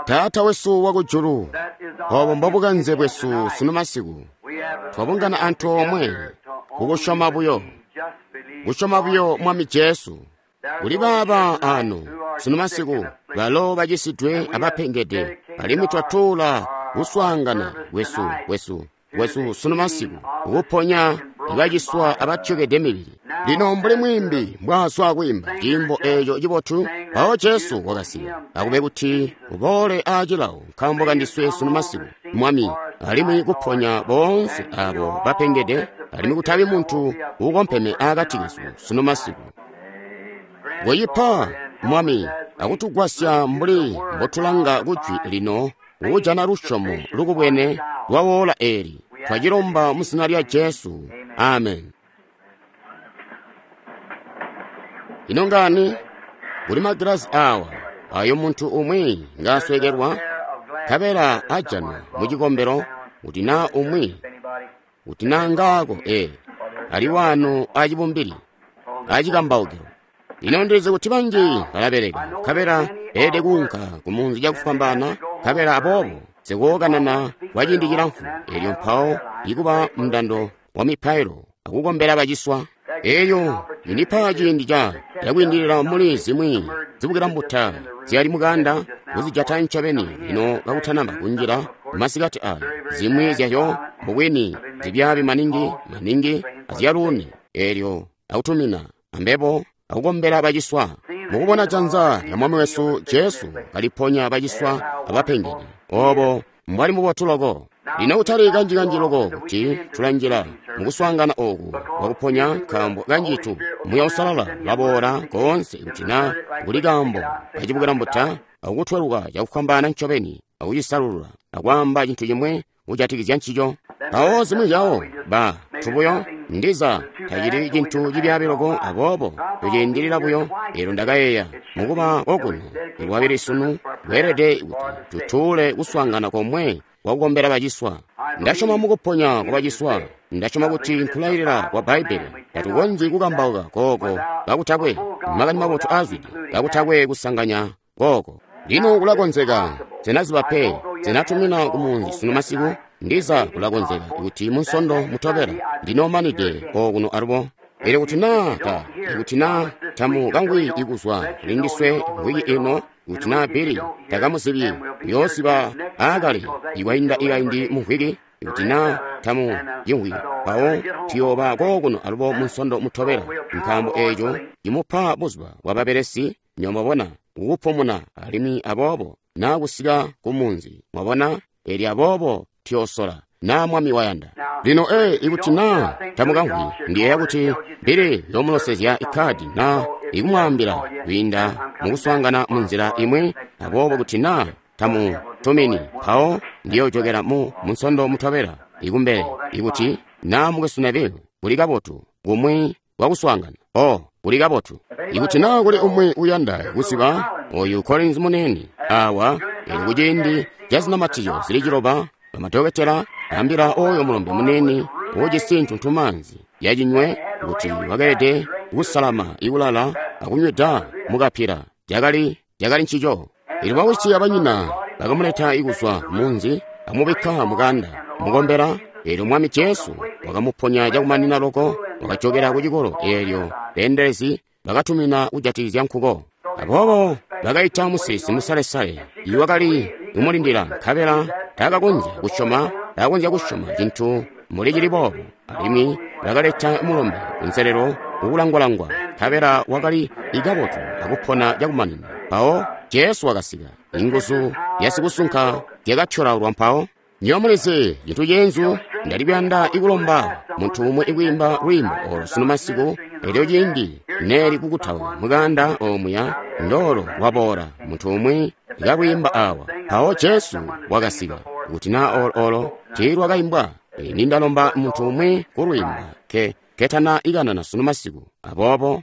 Taata wesu wakujulu, obo mbobukanze bwesu sunu masiku. Twabungana antoomwe kukusyoma buyo, kusyoma buyo Mwami Jesu. Kuli baaba ano sunu masiku balo bacisidwe abapengede, alimwi twatuula kuswaangana kwesu sunu masiku kuponya ibaciswa abatyokede mibili. Lino mbuli mwiimbi mbwaazwa kwiimba ciimbo eeco cibotu, mpawo Jesu wakasika akube kuti uboole aacilawo nkaambo kandiswe sunu masiku, Mwami, alimwi kuponya boonse abo bapengede, alimwi kutabi muntu uukompeme aakati kesu sunu masiku. Koyipa, Mwami, akutugwasya mbuli mbotulanga kujwi lino kujana lusyomo lukubwene lwa woola eeli. Twacilomba mu zina lya Jesu. Amen. Ino ngani? Kuli magilazi awa ayo muntu umwi ngaaswekelwa, nkabela ajanwa mu cikombelo kuti naa umwi kuti naa ngaako ali wano acibumbili acikambaukilo. Lino ndilizi kuti banji balabeleka, nkabela beelede kuunka kumunzi cakufwambaana, nkabela aboobo sikookanana kwa ciindi cilamfu, elyo mpawo ikuba mundando wa mipailo akukombela baciswa. Eyo indipa ciindi cakwiindilila muli zimwi zibukila mbuta zyali mukanda kuzijata ncobeni lino kakutanaba kunjila masikati ayo. Zimwi zyayo mubwini zibyaabi maningi maningi azyaluuni, elyo akutumina ambebo akukombela baciswa. Mukubona janza lya Mwami wesu Jesu kaliponya baciswa abapengede, obo mbwali mubotu loko. Lino kutali kanjikanji loko kuti tulanjila mukuswaangana oku kwakuponya, nkaambo kanjitu Muuya Uusalala ulaboola koonse kuti naa kuli kaambo kacibukila mbuta akutweluka cakufwambaana ncobeni akucisalulula akwaamba cintu cimwe kujatikizya ncico. Mpawo zimwi zyawo ba tubuyo ndiza tacili cintu cibyaabi loko, aboobo tuciindilila buyo. Elyo ndakayeeya mukuba kokuno ilwabili sunu kweelede kuti tutuule kuswaangana komwe kwakukombela baciswa. Ndasyoma mukuponya kwa baciswa. Ndasyoma kuti nkulailila kwa Bbaibbele. Tatukonzyi kukambauka kooko kakutakwe makani mabotu aazwide, kakutakwe kusanganya kooko. Lino kulakonzeka nsenaziba pe, nsenatumina kumunzi sunu masiku. Ndiza kulakonzeka kuti munsondo mutobela ndinoomanide okuno alubo. Elyo kuti naa ikuti naa tamu kangwi ikuzwa kulindiswe mvwiki ino, kuti naa Billy takamuzibyi, uyoosiba aakale ikwainda ikaindi mumvwiki. Ikuti naa tamu cimvwi, mpawo tuyooba kookuno alubo munsondo mutobela, nkaambo eeco cimupa buzuba bwababelesi, nywebo kukupumuna, alimwi aboobo naa kusika kumunzi, mwabona. Elyo aboobo tuyoosola naa Mwami wayanda. Lino ikuti naa tamukamvwi, ndiyeeya kuti Billy yoomulosezya ikkaadi naa ikumwaambila kwiinda mukuswaangana munzila imwi. Aboobo kuti naa tamutumini, mpawo ndiyoojokela mu munsondo mutobela ikumbele. Ikuti naa mukwesu Neville kuli kabotu kumwi kwakuswaangana, kuli kabotu. Ikuti naa kuli umwi uyanda kuziba oyu Collins munene awa, elyo kuciindi ca zinamatizyo zili 9, bamadokotela ambila oyo mulombe munene ujisi ntuntumaanzi yacinywe kuti wakeelede kusalama ikulala akunywida mukapira. Cakali ncico. Elyo bawisi abanyina bakamuleta ikuzwa munzi amubikka mukanda mukombela. Elyo Mwami Jesu wakamuponya cakumanina loko, wakajokela kucikolo. Elyo beendelezi bakatumina kujatikizya nkuko. Aboobo bakaita musilisi musalesale iwakali kumulindila, nkabela taakakonzya kusyoma cintu mbuli cili boobo. Alimwi bakaleta mulombe kunselelo kukulangwalangwa, nkabela wakali ikabotu akupona cakumanina. Mpawo Jesu wakasika, inguzu yasikusunka zyakatyolaulwa. Mpawo nywebo mulizi cintu ceenzu, ndali kuyanda ikulomba muntu umwe ikwiimba lwiimbo olo sunu masiku. Elyo ciindi neeli kukutauka mukanda omuya ndoolo lwaboola, muntu umwi ikalwiimba awa. Mpawo Jesu wakasika. Kuti naa olo tiilwakaimbwa, nindalomba muntu umwi kulwiimba ketana ikanana sunu masiku. Aboobo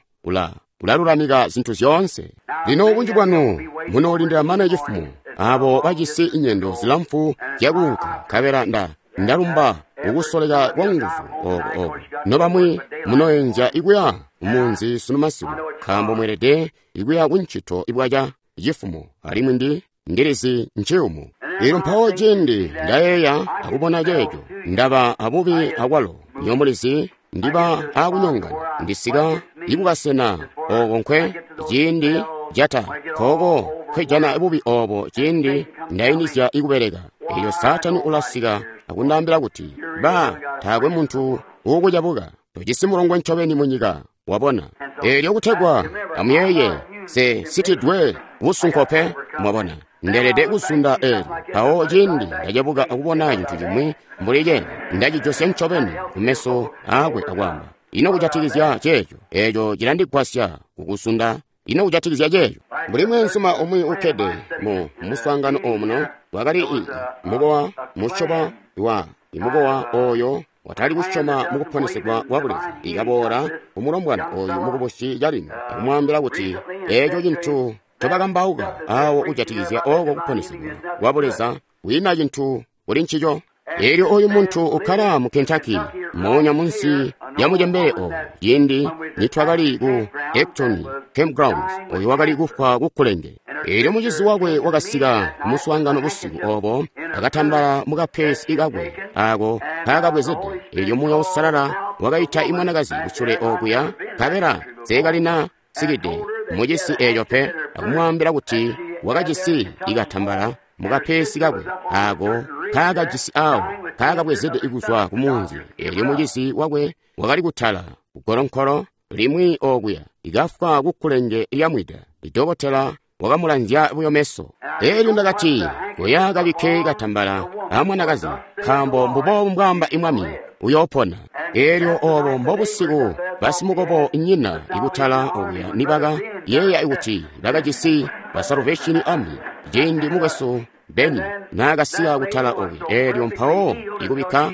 ulalulamika zintu zyoonse. Lino bunji bwanu munoolindila mane cifumo, abo bajisi inyendo zilamfu zyakuunka, nkabela ndalumba kukusoleka kwa nguzu oko. Nobamwi munoenzya ikuya kumunzi sunu masiku, nkaambo mweelede ikuya kuncito ibwaca cifumo. Alimwi Ndi lizi nciyumu. Elyo mpawo cindi Ndayeeya akubona ceeco, Ndaba abubi akwalo. Nywebo mulizi, Ndiba akunyongana. Ndisika ikukasena oko nkwe ciindi jata koko nkwejana bubi obo ciindi ndayinizya ikubeleka. Elyo Saatani ulasika akundaambila kuti, ba, taakwe muntu uukucabuka. Tojisi mulongwe ncobeni mu nyika, wabona. Elyo kutegwa amuyeeye, se sitidwe busunko pe, mwabona. Ndeelede kuzunda eelyo. Mpawo ciindi ndacebuka akubona cintu cimwi mbuli ceeco, ndacijosya ncobeni kumeso aakwe akwaamba, ino kujatikizya ceeco? Eeco cilandigwasya kukuzunda. Ino kujatikizya ceeco? Mbuli mweenzuma umwi ukkede mu muswaangano omuno, wakali i mukowa musyoba wa imukowa oyo watali kusyoma mukuponesegwa kwa Buleza, ikaboola kumulombwana oyu mukubusi calino akumwaambila kuti eeco cintu ncobakambauka awo kujatikizya oko kuponesegwa kwa Buleza kwiina cintu kuli ncico. Elyo oyu muntu ukkala mu Kentucky, moonya munsi lya mucembele oyo, ciindi nitwakali ku Ecton Campgrounds, oyo wakali kufwa kukkulenge. Elyo mucizi wakwe wakasika kumuswaangano busiku obo, akatambala mukapesi kakwe ako kaakabwezede. Elyo Muuya Uusalala wakaita imwanakazi kusule okuya, nkabela seekalina sikide mucisi eeco pe, akumwaambila kuti wakajisi ikatambala mukapesi kakwe ako kaakajisi awo kaakabwezede kuzwa ku munzi. Elyo mucizi wakwe wakali kutala kugolonkolo limwi okuya, ikafwa kukkulenge lyamwida. Idokotela wakamulanzya buyo meso. Elyo ndakati, koya kabikke katambala amwanakazi, nkaambo mbuboobu mbwaamba imwami, uyoopona. Elyo obo mbobusiku basimukobo nyina ikutala okuya nibaka yeeya kuti bakajisi ba Salvation Army, ciindi mukwesu Beni naakasiya kutala okuya. Elyo mpawo ikubikka,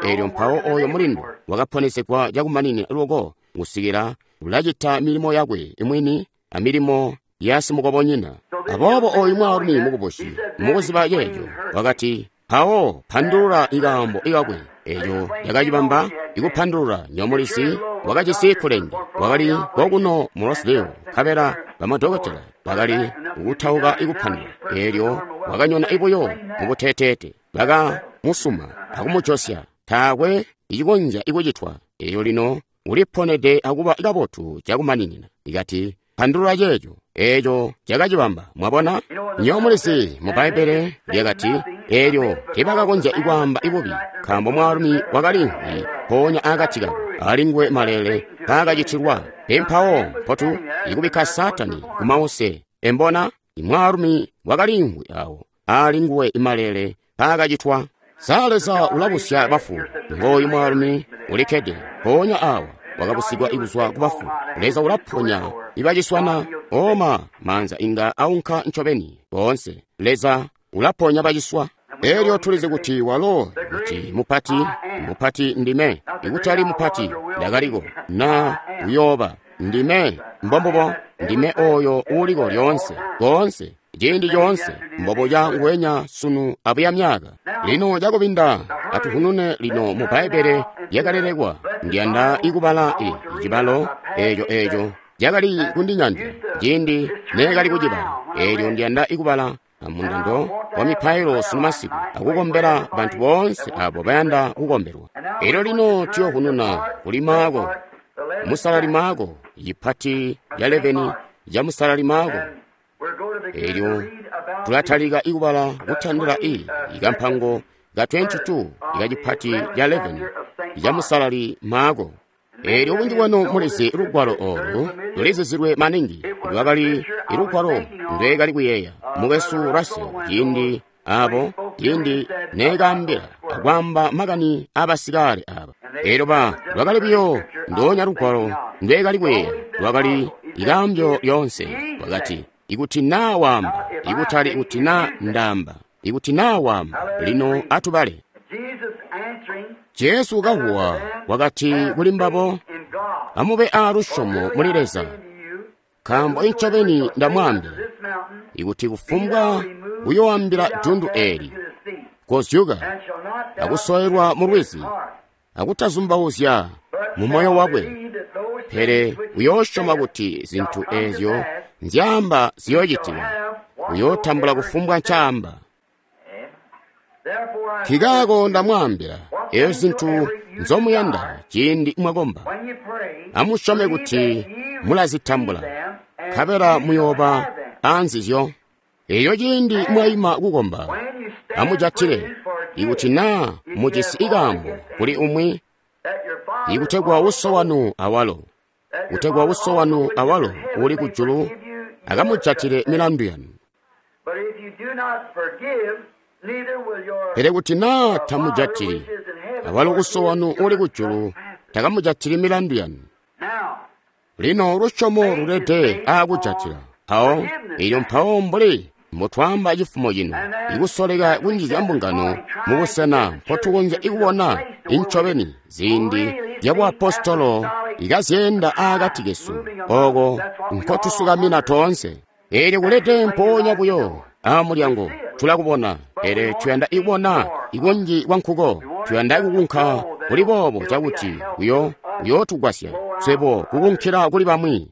elyo mpawo oyo mulindu wakaponesegwa cakumaninina loko kusikila ulacita milimo yakwe mwini amilimo ya simukobonyina. Aboobo oyu mwaalumi mukubusi mukuziba ceeco wakati, mpawo pandulula ikaambo ikakwe. Eco cakacibamba ikupandulula. Nyomulizi wakajisi kkulenge, wakali kokuno mu Rosedale, nkabela bamadokotela bakali kukutauka ikupandula. Elyo wakanyona ibuyo mubuteteete, bakamusuma akumujosya, taakwe icikonzya ikucitwa. Elyo lino uliponede akuba kabotu cakumaninina. Ikati, pandulula ceeco. Eeco cakacibamba. Mwabona? Nywebo mulizi mu Bbaibbele lyakati, eelyo teebakakonzya kwaamba bubi, nkaambo mwaalumi wakaliimvwi mpoonya akati kabo, alinguwe maleele mpaakacitilwa. Pe mpawo mpotu ikubikka Saatani kumause. Embona? Imwaalumi wakaliimvwi awo, alinguwe maleele mpaakacitwa. Sa Leza ulabusya bafu? Ngooyu mwaalumi ulikkede mpoonya awa, wakabusigwa kuzwa kubafu. Leza ulaponya ibaciswana. Oma maanza inga aunka ncobeni boonse. Leza ulaponya baciswa. Elyo tulizi kuti walo kuti mupati, mupati ndime. Ikutali mupati ndakaliko na uyooba ndime. Mbombubo ndime oyo uuliko lyoonse, koonse, ciindi coonse, mbobuca nguwenya sunu abuya myaka. Lino cakubinda atuhunune lino mu Bbaibbele lyakalelekwa. Ndiyanda ikubala icibalo eeco cakali kundinyandya ciindi neekali kucibala. Elyo ndiyanda ikubala amundando wa mipailo sunu masiku akukombela bantu boonse abo bayanda kukombelwa. Elyo lino tuyohununa kuli Maako, musalali Maako, cipati ca 11 ca musalali Maako. Elyo tulatalika ikubala kutandila ikampango ka 22 ikacipati ca 11 ca musalali Maako. Elyo bunji bwanu mulizi lugwalo olu lulizizilwe maningi. Lwakali lugwalo ndweekali kuyeeya mukwesu Russell ciindi abo ciindi neekaambila akwaamba makani aabasikale aba. Elyo lwakali buyo ndoonya lugwalo ndweekali kuyeeya, lwakali ikaambyo lyoonse. Wakati, ikuti naa waamba, ikutali kuti naa ndaamba, ikuti naa waamba. Lino atubale. Jesu kahuwa wakati kuli mbabo, amube aalusyomo muli Leza, nkaambo incobeni ndamwaambila, ikuti kufumbwa uyoambila dundu eeli, kozyuka akusowelwa mu lwizi, akutazumbauzya mu moyo wakwe, pele uyoosyoma kuti zintu eezyo nzyaamba ziyoocitika, uyootambula kufumbwa ncaamba. Nkikaako ndamwaambila, eyo zintu nzomuyanda ciindi mwakomba, amusyome kuti mulazitambula, nkabela muyooba aanzizyo. Eyo ciindi mwaima kukomba, amujatile, ikuti naa mujisi ikaambo kuli umwi, ikutegwa uso wanu awalo, kutegwa uso wanu awalo uli kujulu akamujatile milandu yanu. Pele kuti naa tamujatili, awalo uso wanu uli kujulu takamujatili milandu yanu. Lino lusyomo lulede aakujatila. Mpawo, elyo mpawo mbuli mbotwaamba cifumo cino, ikusoleka kunjizya mbungano mubusena mpotukonzya kubona incobeni ziindi zya buapostolo ikazyeenda aakati kesu, ooko nkotusukamina toonse. Eelyo kulete mpoonya buyo aamulyango tulakubona, pele tuyanda ikubona ikunji kwankuko. Tuyanda kukunka kuli boobo cakuti kuyootugwasya swebo kukunkila kuli bamwi.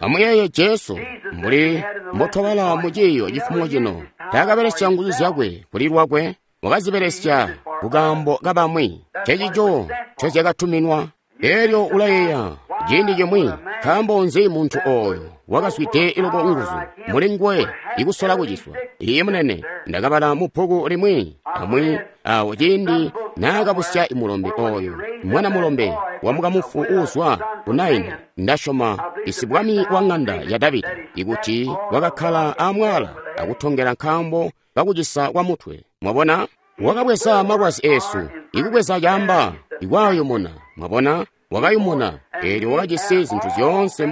Amuyeeye Jesu, mbuli mbotwabala mu ciiyo cifumo cino, taakabelesya nguzu zyakwe kuli lwakwe, wakazibelesya kukaambo kabamwi. Ncencico ncozyakatuminwa. Elyo ulayeeya ciindi cimwi, nkaambo nzi muntu ooyo wakazwide loko nguzu muli nguwe ikusola kuciswa? Iye munene, ndakabala mu bbuku limwi amwi awo ciindi naakabusya mulombe ooyo, mwana mulombe wa mukamufu uuzwa ku Naini, ndasyoma isibwami wa ŋanda ya Davida, ikuti wakakkala amwala akutongela nkaambo kakucisa kwa mutwe. Mwabona? Wakabweza malwazi eesu, ikubweza camba, ikwaayumuna. Mwabona? Wakayumuna. Eelyo wakajisi zintu zyoonse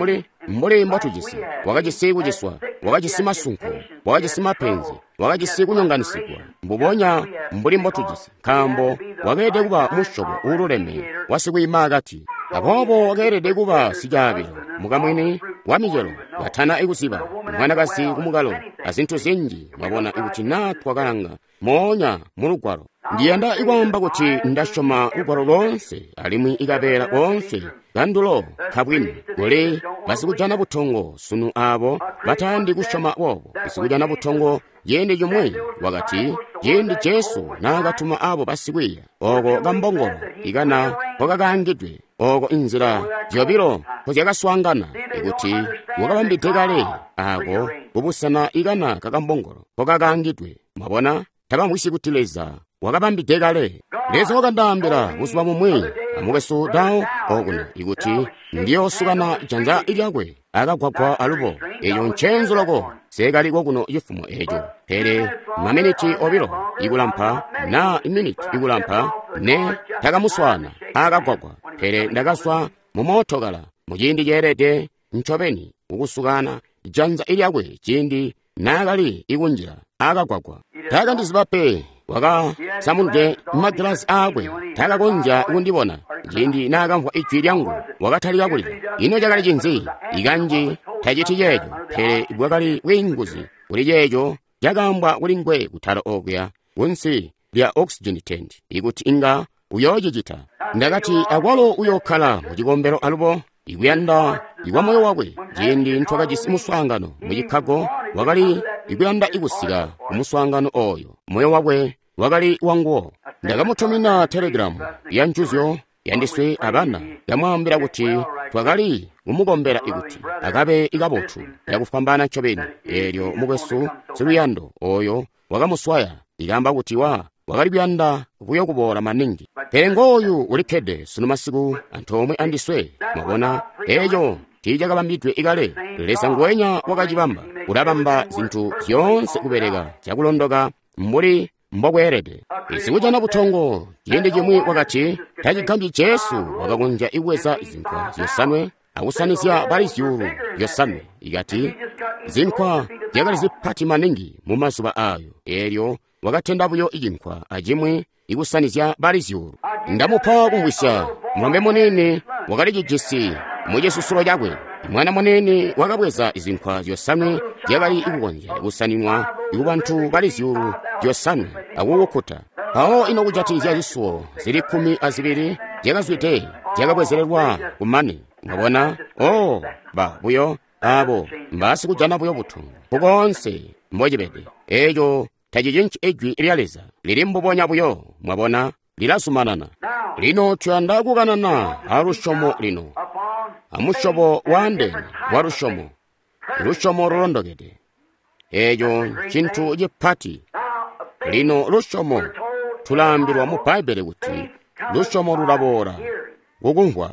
mbuli mbotujisi. Wakajisi kuciswa, wakajisi masunko, wakajisi mapenzi, wakajisi kunyonganisigwa, mbubonya mbuli mbotujisi, nkaambo wakeelede kuba musyobo uululeme wa sikwiimaakati. Aboobo wakeelede kuba sicaabilo, mukamwini wa micelo, katana ikuziba, mwanakazi kumukalo, azintu zinji. Mwabona, ikuti naa twakalanga moonya mu Lugwalo. Ndiyanda ikwaamba kuti ndasyoma Lugwalo loonse, alimwi ikabeela koonse kandulo kabwini. Kuli basikujana butongo sunu aabo batayandi kusyoma boobo. Basikujana butongo ciindi cimwi wakati, ciindi Jesu naakatuma aabo basikwiiya, ooko kambongolo ikana nkokakaangidwe, ooko inzila zyobilo nkozyakaswaangana, ikuti wakabambide kale aako kubusena ikana kakambongolo nkokakaangidwe. Mwabona, tabamvwisyi kuti Leza wakabambide kale. Leza wakandaambila buzuba bumwi amukwesu Dao okuno ikuti ndiyoosukana janza lyakwe akagwagwa alubo. Eco ncenzu loko, seekaliko kuno cifumo eco. Pele maminiti obilo ikulampa naa iminiti ikulampa ne takamuswaana akagwagwa. Pele ndakazwa mu mootokala muciindi ceelede ncobeni kukusukana janza lyakwe ciindi naakali ikunjila akagwagwa. Taakandiziba pe. Wakasamunde magilazi aakwe, taakakonzya kundibona. Ciindi naakamvwa ijwi lyangu, wakatalika kulila. Ino cakali cinzi? Ikanji taciti ceeco, pele bwakali bwiinguzi kuli ceeco cakaambwa kuli nguwe kutala okuya kunsi lya oxygen tent, ikuti inga uyoocicita. Ndakati akwalo uyookkala mu cikombelo alubo, ikuyanda ikwa moyo wakwe. Ciindi ntwakajisi muswaangano mu Chicago, wakali ikuyanda ikusika ku muswaangano ooyo. Moyo wakwe wakali wanguwo. Ndakamutumina telegramu ya njuzyo yandiswe abana, yamwaambila kuti twakali kumukombela ikuti akabe ikabotu yakufwambaana ncobeni. Eelyo mukwesu siluyando ooyo wakamuswaya, ikaamba kuti wakali kuyanda buyo kuboola maningi. Pele ngooyu ulikkede sunu masiku antoomwe andiswe. Mwabona, eeco tiicakabambidwe ikale. Leza nguwenya wakacibamba, ulabamba zintu zyoonse kubeleka cakulondoka mbuli mbokweelede. Sikujana butongo ciindi cimwi wakati, tacigambyi Jesu wakakonzya kubweza zinkwa zyosanwe akusanizya bali zyuulu zyosanwe. Ikati zinkwa zyakali zipati maningi mu mazuba aayo, eelyo wakatenda buyo cinkwa acimwi ikusanizya bali zyuulu. Ndamupa kumvwisya, mulombe muniini wakali cijisi mucisusulo cakwe. Mwana muniini wakabweza zinkwa zyosanwe zyakali kukonzya kusaninwa kubantu bali zyuulu zyosanwe akukukkuta. Mpawo ino kujatikizya zisuwo zili 12 zyakazwide zyakabwezelelwa kumane. Mwabona? Oh, ba buyo abo mbasikujana buyo butongo nkukoonse mbocibede. Eco tacicinci Ijwi lya Leza. Lili mbubonya buyo, mwabona, lilazumanana. Lino tuyanda kukanana a lusyomo lino, a musyobo waandeene wa lusyomo, lusyomo lulondokede. Eco ncintu cipati. Lino lusyomo, tulaambilwa mu Bbaibbele kuti lusyomo lulaboola kukumvwa.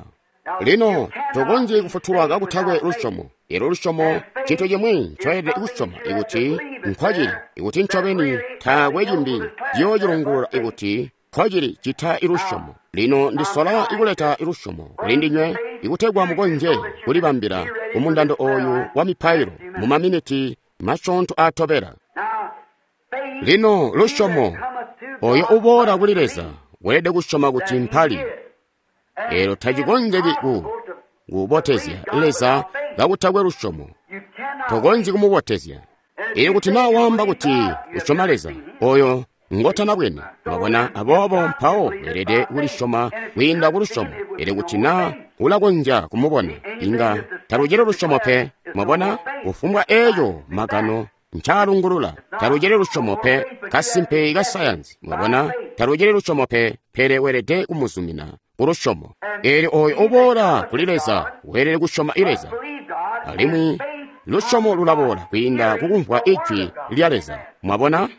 Lino tokonzyi kufutulwa kakutakwe lusyomo. Elyo lusyomo ncintu cimwi ncoyelede kusyoma ikuti nkwacili, ikuti ncobeni taakwe cimbi ciyoocilungulula ikuti nkwacili cita lusyomo. Lino ndisola ikuleta lusyomo kuli ndinywe ikutegwa mukonzye kulibambila kumundando oyu wa mipailo mu maminiti masyoonto aatobela. Lino lusyomo, oyo uboola kuli Leza weelede kusyoma kuti mpali. Elyo tacikonzeki kubotezya Leza kakutakwe lusyomo. Tokonzyi kumubotezya. Elyo kuti naa waamba kuti usyoma Leza, oyo ngotanabwene, mwabona, aboobo mpawo weelede kulisyoma kwiinda ku lusyomo. Elyo kuti naa ulakonzya kumubona, inga talucili lusyomo pe. Mwabona, kufumbwa eeco magano ncaalungulula, talucili lusyomo pe. Kasimpe ka sayansi, mwabona, talucili lusyomo pe, pele weelede kumuzumina ku lusyomo. Elyo oyo uboola kuli Leza weelede kusyoma Leza, alimwi lusyomo lulaboola kwiinda kukumvwa Ijwi lya Leza. Mwabona,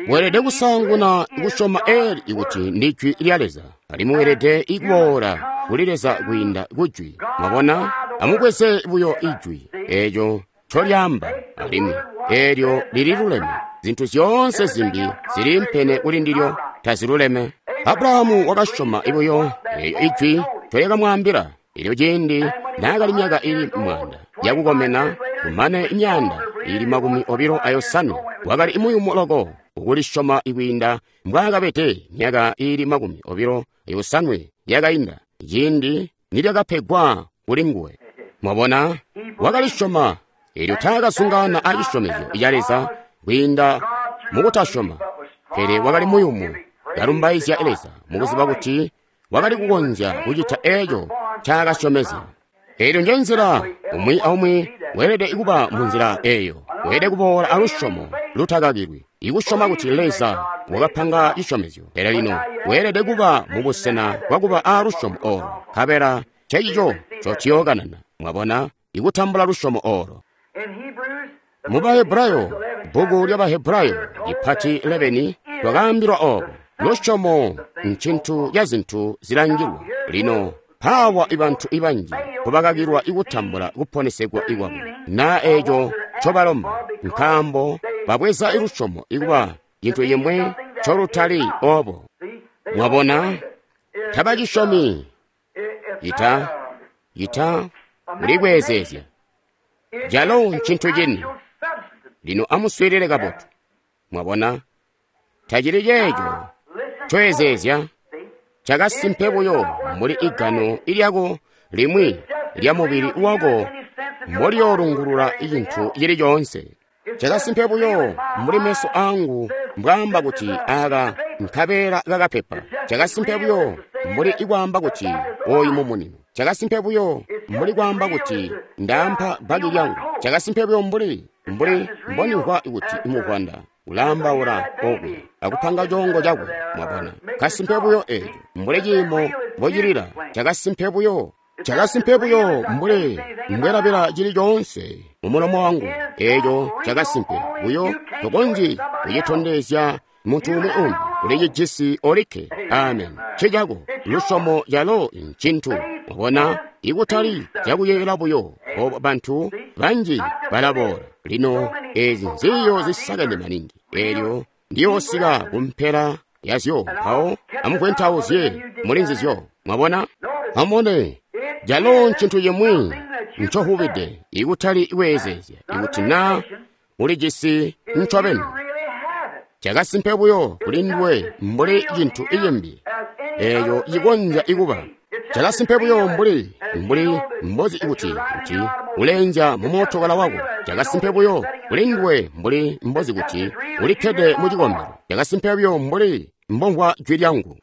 weelede kusaanguna kusyoma eli ikuti ndi Jwi lya Leza, alimwi weelede kuboola kuli Leza kwiinda ku Jwi. Mwabona, amubweze buyo Ijwi eeco ncolyaamba, alimwi eelyo lililuleme. Zintu zyoonse zimbi ziliimpene kuli ndilyo taziluleme. Abrahamu wakasyoma buyo eeyo Ijwi ncolyakamwaambila. Elyo ciindi naakali myaka ili 100 yakukomena, kumane imyanda ili 25, wakali muyumu loko ukulisyoma kwiinda mbwaakabede myaka ili 28 yakainda, ciindi nilyakapegwa kuli nguwe. Mwabona, wakalisyoma. Elyo taakazungaana a cisyomezyo ca Leza kwiinda mukutasyoma, pele wakali muyumu, kalumbaizya Leza mukuziba kuti wakali kukonzya kucita eeco ncaakasyomezya. Elyo njenzila umwi aumwi weelede kuba munzila eeyo. Weelede kuboola alusyomo lutakakilwi, ikusyoma kuti Leza wakapanga cisyomezyo. Pele lino weelede kuba mubusena bwakuba aalusyomo oolo, nkabela ncecico ncotuyookanana. Mwabona, ikutambula lusyomo oolo. Mu Bahebrayo, bbuku lya Bahebrayo lipati 11, twakaambilwa oobo. Lusyomo ncintu ca zintu zilangilwa. Lino mpaawa ibantu ibanji kubakakilwa ikutambula kuponesegwa ikwabo naa eeco ncobalomba, nkaambo babweza lusyomo ikuba cintu cimwi ncolutali oobo. Mwabona, tabacisyomi. Ita kulikweezeezya calo ncintu cini. Lino amuswiilile kabotu. Mwabona, tacili ceeco ncoezeezya, cakasimpe buyo mbuli igano ilyako limwi lya mubili wako mbolyoolungulula cintu cili coonse. Cakasimpe buyo mbuli meso aangu mbwaamba kuti aaka nkabeela kakapepa. Cakasimpe buyo mbuli ikwaamba kuti ooyu mumunino. Cakasimpe buyo mbuli kwaamba kuti ndaampa bbaki lyangu. Cakasimpe buyo mbuli mbonimvwa kuti muvwanda ulaambaula okwe akupanga coongo cakwe. Mwabona, kasimpe buyo eeco mbuli ciimo mbocilila. Cakasimpe buyo. Cakasimpe buyo mbuli mbwelabila cili coonse mumulomo wangu. Eeco cakasimpe buyo tokonzyi kucitondezya muntu umwi umbi. Ulicijisi olikke. Amen. Ncicako lusyomo calo ncintu. Mwabona, ikutali cakuyeeyela buyo. Oobo bantu banji balaboola. Lino eezi nziyo zisakene maningi. Eelyo ndiyoosika kumpela yazyo, mpawo amuvwentauzye muli nzizyo. Mwabona, amubone, calo ncintu cimwi ncohubide ikutali kweezeezya ikuti naa ulijisi ncobeni. Cakasimpe buyo kuli nduwe mbuli cintu cimbi eeco cikonzya ikuba. Cakasimpe buyo mbuli mbozi kuti uleenzya mumootokala wako. Cakasimpe buyo kuli nduwe mbuli mbozi kuti ulikkede mu cikombelo. Cakasimpe buyo mbuli mbomvwa jwi lyangu.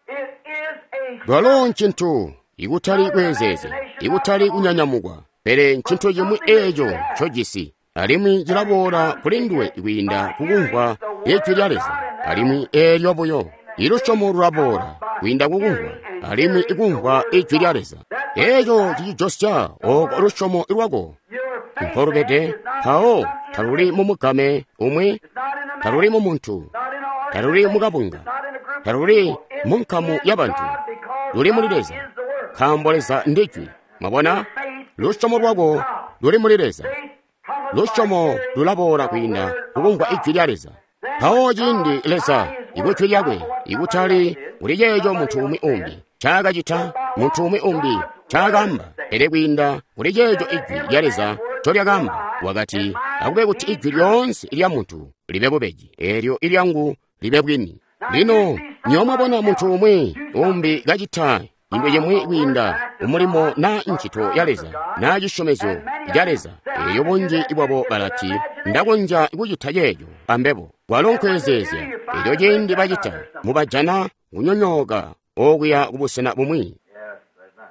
Calo ncintu ikutali kweezeezya, ikutali kunyanyamukwa, pele ncintu cimwi eeco ncojisi. Alimwi cilaboola kuli nduwe kwiinda kukumvwa Ijwi lya Leza. Alimwi eelyo buyo. Ilusyomo lulaboola kwiinda kukumvwa, alimwi ikumvwa Ijwi lya Leza. Eeco cicijosya oko lusyomo lwako mpolubede, mpawo taluli mumugame umwi, taluli mu muntu, taluli mukabunga, taluli mu nkamu ya bantu, luli muli Leza, nkaambo Leza ndijwi. Mwabona, lusyomo lwako luli muli Leza. Lusyomo lulaboola kwiinda kukumvwa Ijwi lya Leza. Mpawo ciindi Leza ikujwi lyakwe ikutali kuli ceeco muntu umwi umbi ncaakacita, muntu umwi umbi ncaakaamba, pele kwiinda kuli ceeco Ijwi lya Leza ncolyakaamba, wakati, akube kuti ijwi lyoonse lya muntu libe bubeji, eelyo ilyangu libe bwini. Lino nywebo mwabona muntu umwi umbi kacita cintu cimwi kwiinda umulimo naa ncito ya Leza naa cisyomezyo ca Leza, eelyo bunji bwabo balati, ndakonzya kucita ceeco ambebo. Kwalo nkweezeezya. Eelyo ciindi bacita, mubajana kunyonyooka okuya kubusena bumwi.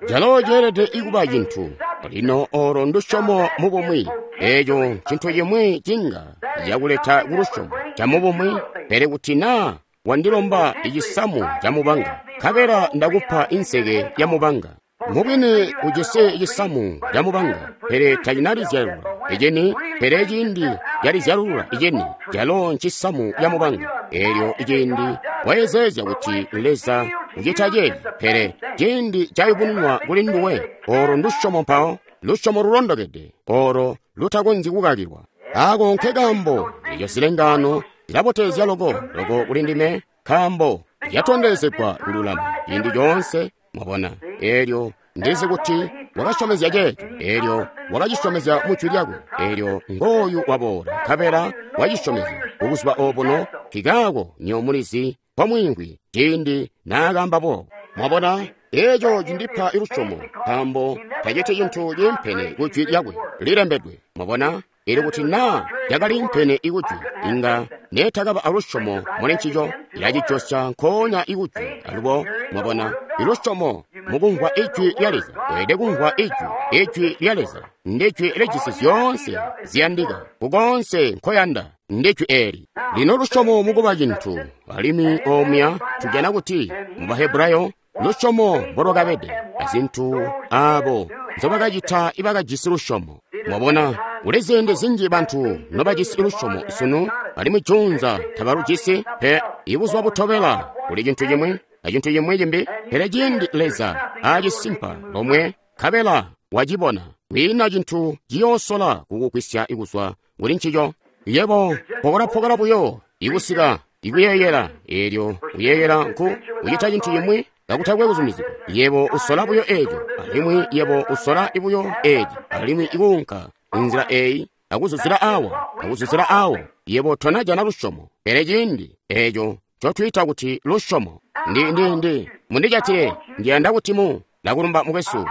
Calo ceelede kuba cintu. Lino olo ndusyomo mubumwi. Eeco ncintu cimwi cinga cakuleta kulusyomo camubumwi, pele kuti naa wandilomba icisamu camubanga, nkabela ndakupa inseke yamubanga. Mubwini ujisi cisamu camubanga, pele tacinalizyalulula icini, pele ciindi calizyalulula icini, calo ncisamu camubanga. Eelyo iciindi wayezeezya kuti Leza ucita ceeci, pele ciindi cayubununwa kuli nduwe, olo ndusyomo mpawo, lusyomo lulondokede, olo lutakonzyi kukakilwa. Ako nke kaambo eco zilengaano zilabotezya loko loko kuli ndime, nkaambo zyatondezegwa kululama ciindi coonse. Mwabona, eelyo ndizi kuti wakasyomezya ceeco, eelyo wakacisyomezya mu jwi lyakwe, eelyo ngooyu waboola nkabela wacisyomezya kubuzuba obuno. Nkikaako nywebo mulizi mpomwiimvwi ciindi naakaamba boobo. Mwabona, eeco cindipa lusyomo, nkaambo taciti cintu ciimpene ku jwi lyakwe lilembedwe. Mwabona, eelyo kuti naa cakaliimpene ikujwi, inga neetakaba alusyomo muli ncico. Ilacijosya nkoonya ikujwi. Alubo mwabona, ilusyomo mukumvwa Ijwi lya Leza. Weelede kumvwa Ijwi. Ijwi lya Leza ndijwi lijisi zyoonse ziyandika kukoonse nkoyanda. Ndijwi eeli. Lino lusyomo mukuba cintu. Alimwi omuya tujana kuti mu Bahebrayo lusyomo mbolwakabede azintu aabo nzobakacita ibakajisi lusyomo. Mwabona, kuli ziindi zinji bantu nobajisi lusyomo sunu, alimwi juunza tabalujisi pe. Ibuzuba butobela kuli cintu cimwi acintu cimwi cimbi, pele ciindi Leza aacisimpa lomwe nkabela wacibona, kwiina cintu ciyoosola kukugwisya kuzwa kuli ncico. Yebo pokola-pokola buyo ikusika ikuyeeyela, eelyo kuyeeyela nku kucita cintu cimwi kakutakwe kuzumizigwa. Yebo usola buyo eeco, alimwi yebo usola buyo eeci, alimwi ikuunka inzila eeyi, akuzuzila awa, akuzuzila awo. Yebo tonajana lusyomo, pele ciindi eeco ncotwiita kuti lusyomo. Ndi mundijatile, ndiyanda kuti mu ndakulumba mukwesu,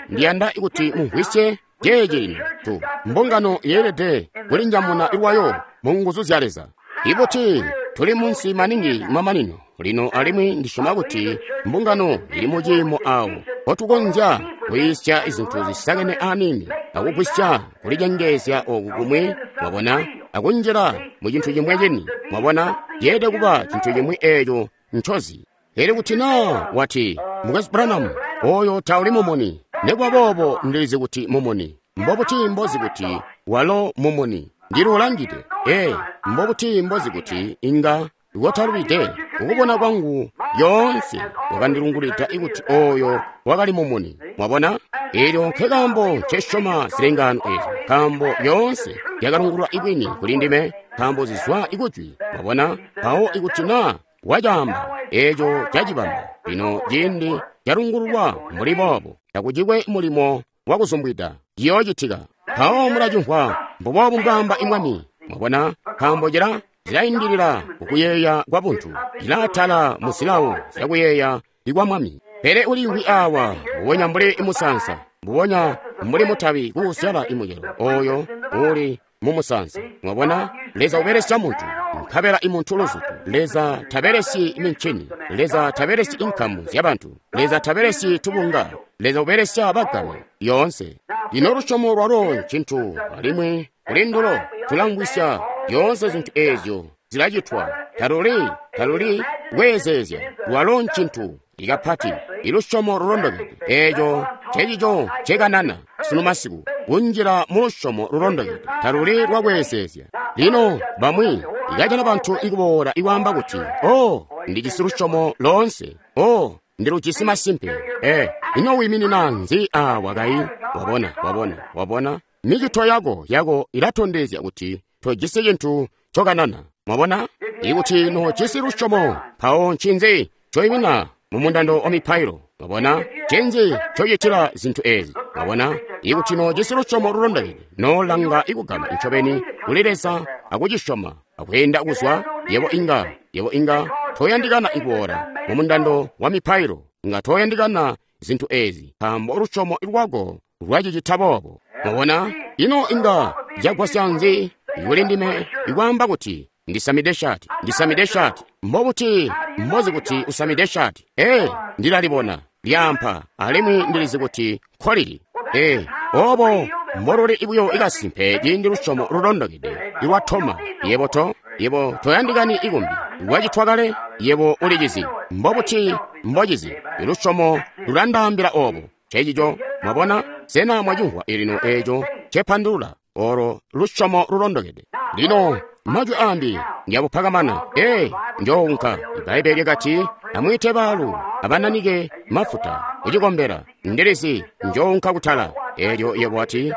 ndiyanda kuti mumvwisye ceeci lino. Tu mbungano yeelede kulinjamuna lwayo mu nguzu zya Leza. Ikuti tuli munsi maningi mamanino lino, alimwi ndisyoma kuti mbungano ili muciimo awo mpotukonzya kuyisya izintu zisakene aniini, akugwisya kulicengeezya oku kumwi, mwabona, akunjila mu cintu cimwe cini. Mwabona, ceelede kuba cintu cimwi eeco ncozi. Pele kuti naa wati, Mukwesu Branham, oyo tauli mumuni, nekuba boobo ndilizi kuti mumuni. Mbobuti mbozi kuti walo mumuni? Ndiluulangide. Ee, mbobuti mbozi kuti inga kotalubide? Kukubona kwangu lyoonse wakandilungulida kuti oyo wakali mumuni. Mwabona, eelyo nkekaambo ncesyoma zilengaano ezo, nkaambo lyoonse lyakalungulwa ibwini kuli ndime, nkaambo zizwa ikujwi. Mwabona, mpawo ikuti naa wacaamba, eeco cacibamba. Lino ciindi calungululwa mbuli boobo, takucikwe mulimo wakuzumbwida, ciyoocitika. Mpawo mulacimvwa, mbuboobu mbwaamba Mwami. Mwabona, nkaambo zilaindilila kukuyeeya kwa buntu, cilaatala mu zilawo zyakuyeeya kwa Mwami. Pele uliimvwi awa mbubonya mbuli musaansa, mbubonya mbuli mutabi kuuzyala imucelo oyo uli mu musaansa. Mwabona, Leza ubelesya muntu, nkabela imuntu luzutu. Leza tabelesyi mincini, Leza tabelesyi inkamu zyabantu, Leza tabelesyi tubunga, Leza ubelesya bagame lyoonse. Lino lusyomo lwalo ncintu, alimwi kuli ndulo tulamvwisya zyoonse zintu eezyo zilacitwa. Taluli kweezeezya, lwalo ncintu ikapati ilusyomo lulondokede. Eeco ncecico ncekanana sunu masiku, kunjila mu lusyomo lulondokede, taluli lwakweezeezya. Lino bamwi ikajana bantu ikuboola ikwaamba kuti, "Oh, ndijisi lusyomo loonse. Oh, ndilujisi masimpe." Ino wiiminina nzi awa kayi? Wabona, wabona, wabona? Micito yako ilatondezya kuti tojisi cintu ncokanana. Mwabona? Ikuti nojisi lusyomo, mpawo ncinzi ncoimina mu mundando wa mipailo? Mwabona? Ncinzi ncocitila zintu ezi? Mwabona? Ikuti nojisi lusyomo lulondokede, nolanga ikugama ncobeni kuli Leza akucisyoma akweenda kuzwa, yebo inga toyandikana ikuboola mu mundando wa mipailo, inga toyandikana zintu ezi, nkaambo lusyomo lwako lwacicita boobo. Mwabona? Ino inga cagwasya nzi kuli ndime ikwaamba kuti ndisamide shati, ndisamide shati? Mbobuti mbozi kuti usamide shati? Ndilalibona lyaampa, alimwi ndilizi kuti nkolili. Obo mboluli buyo ikasimpe ciindi lusyomo lulondokede ilwatoma. Yebo toyandikani ikumbi, lwacitwa kale, yebo ulicizi. Mbobuti mbocizi? Ilusyomo lulandaambila obo. Ncecico. Mwabona? Sena mwacimvwa lino eeco cepandulula? Olo lusyomo lulondokede. Lino majwi ambi njabupakamana. Njounka. Ibbaibbele lyakati, amwiite baalu abananike mafuta kucikombela. Ndilizi njounka kutala. Eelyo yebo wati,